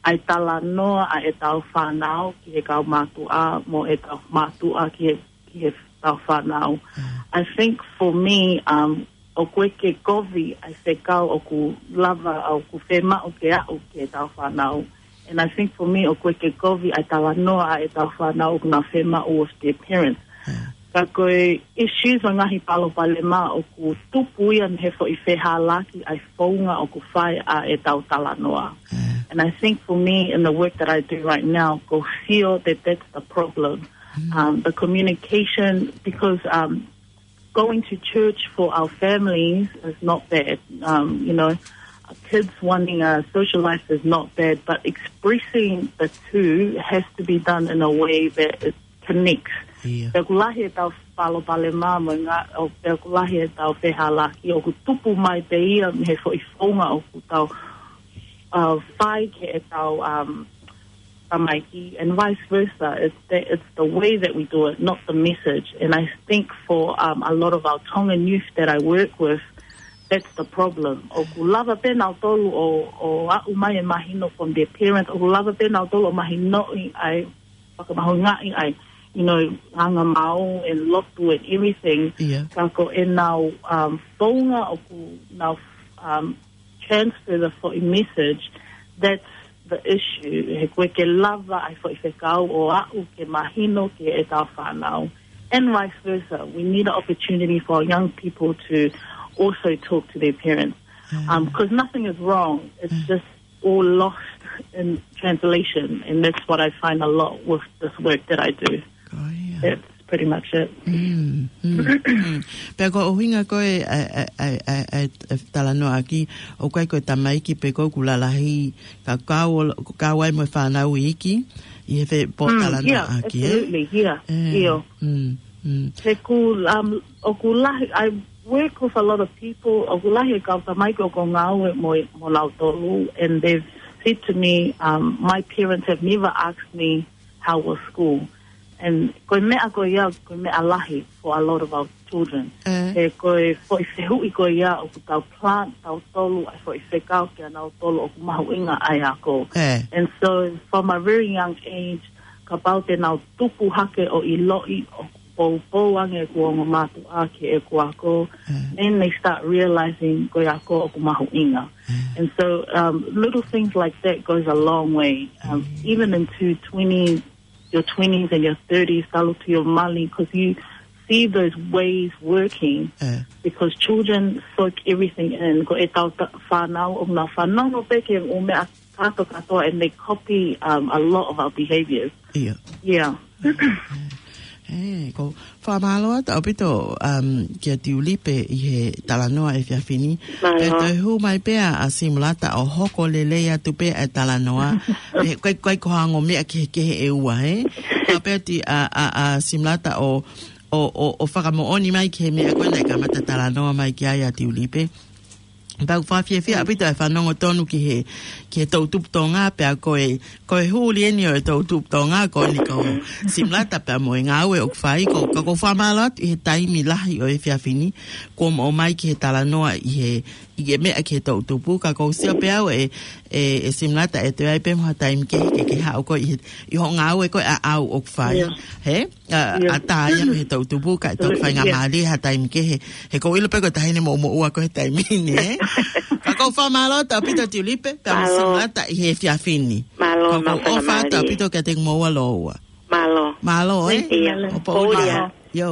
ʻa e talanoa ʻa ʻetau fānau ki he kau mātuʻa mo ʻetau mātuʻa ki he, ki heʻetau fānau. Mm. I think for me, um, ʻoku ʻikai ke kovi ʻa e fekau ʻoku lava, ʻoku fiemaʻu ke aʻu ki heʻetau fānau. And I think for me, ʻoku ʻikai ke kovi ʻa e talanoa ʻa ʻetau fānau ʻoku nau fiemaʻu with their parents. Yeah. Ka ko e issues mo e ngaahi palopalema ʻoku tupu ia mei he foʻi fehālaaki ʻa e founga ʻoku fai ʻa ʻetau talanoa. Yeah. And I think for me, in the work that I do right now, ʻoku ou feel that that's the problem. Mm. Um, the communication, because, um, going to church for our families is not bad. Um, you know, kids wanting a social life is not bad, but expressing the two has to be done in a way that it connects. Yeah. Pea ʻoku lahi ʻetau palopalema mo e ngā-, ʻo, pea ʻoku lahi ʻetau fehālaaki, ʻoku tupu mai pē ia mei he foʻi founga ʻoku tau, uh, fai ki heʻetau, um, tamaiki, and vice versa. It's the, it's the way that we do it, not the message. And I think for, um, a lot of our Tongan youth that I work with, that's the problem. ʻOku lava pē nautolu ʻo, ʻo aʻu mai e mahino from their parents, ʻoku lava pē nautolu ʻo mahinoʻi ʻa e, fakamahuʻingaʻi ʻa e, you know, anga mau and lotu and everything. Yeah. Ka ko ʻenau, um, founga ʻoku nau, um, transfer the foʻi message, that's the issue. He ʻoku ʻikai ke lava ʻa e foʻi fekau ʻo aʻu ke mahino ki heʻetau fānau. And vice versa. We need an opportunity for young people to also talk to their parents. Mm. Um, 'cause nothing is wrong. It's, mm, just all lost in translation. And that's what I find a lot with this work that I do. Ko ia. That's pretty much it. Mm, mm, mm. Pea ko e ʻuhinga ko ē ʻa e, ʻa e, ʻa e, ʻa e, ʻa e talanoaʻaki, ʻoku ʻikai ko e tamaiki pē ko ē ʻoku lalahi, ka kau ol-, kau ai mo e fānau iiki, ʻi he fe-, pō talanoaʻaki, eh? Mm, yeah, absolutely, yeah. Eh, ʻio. Mm, mm. He ʻoku, um, ʻoku lahi, I work with a lot of people, ʻoku lahi e kau tamaiki ʻoku ou ngāue mo, mo lautolu, and they've said to me, um, "My parents have never asked me how was school." And ko e meʻa ko ia, ko e meʻa lahi for a lot of our children. Eh. He ko e foʻi fehuʻi ko ia ʻoku tau plant tautolu ʻa e foʻi fekau kia nautolu ʻoku mahuʻinga ʻa e ako. Eh. And so from a very young age, kapau te nau tupu hake ʻo ʻiloʻi ʻoku poupou ange ʻeku ongo mātuʻa ki heʻeku ako, eh, then they start realizing ko e ako ʻoku mahuʻinga. Eh. And so, um, little things like that goes a long way, um, mm, even into twenty, your twenties and your thirties, talu ki he mali, 'cause you see those ways working, eh, because children soak everything in. Ko ʻetau ta-, fānau, ʻoku nau fanongo pē ki he ʻū meʻa kātoa kātoa, and they copy, um, a lot of our behaviors. ʻIo. Yeah. Eh, eh. Ē, ko fakamālō atu ʻaupito, um, kia Tiulipe ʻi he talanoa efiafi ni. Mālō. Pea toe hū mai pē ʻa Simulata ʻo hoko lelei atu pē e talanoa. Ē, ʻikai, ʻikai ko ha ongo meʻa kehekehe ʻe ua, ē? Ka pea ti ʻa, ʻa, ʻa Simulata ʻo, ʻo, ʻo, ʻo fakamoʻoni mai ki he meʻa ko ē naʻe kamata talanoa mai ki ai ʻa Tiulipe. Pea ʻoku fakafiefia ʻaupito e fanongo tonu ki he, ki he toʻutupu Tonga, pea ko e, ko e huli eni ʻo e toʻutupu Tonga, ko eni ko Simulata pea mo e ngāue ʻoku fai, ko, ka ʻoku ou fakamālō atu ʻi he taimi lahi ʻo e efiafi ni, kuo mou ʻomai ki he talanoa ʻi he, ʻi he meʻa ki he toʻutupu, ka ʻoku ou sio pē au ē, ē, ē Simulata ʻe toe ʻi ai pē mo ha taimi kehe ke, ke haʻu koe ʻi he, ʻi hoʻo ngāue ko ē ʻaʻau ʻoku fai. ʻIo. Hē? ʻA, ʻIo. ʻA tā ia he toʻutupu, ka e toki ʻIo, faingamālie ha taimi kehe. He ʻoku ou ʻilo pē ko e taʻahine moʻumoʻua ko e taimi ni, ē? Ka ʻoku ou fakamālō atu ʻaupito Tiulipe, pea mo Simulata ʻi he efiafi ni. Mālō, ka ʻoku ou ʻofa atu ʻaupito kiate kimoua lōua. Mālō. Mālō, ē? ʻIo. ʻO pōʻuli ā. ʻIo.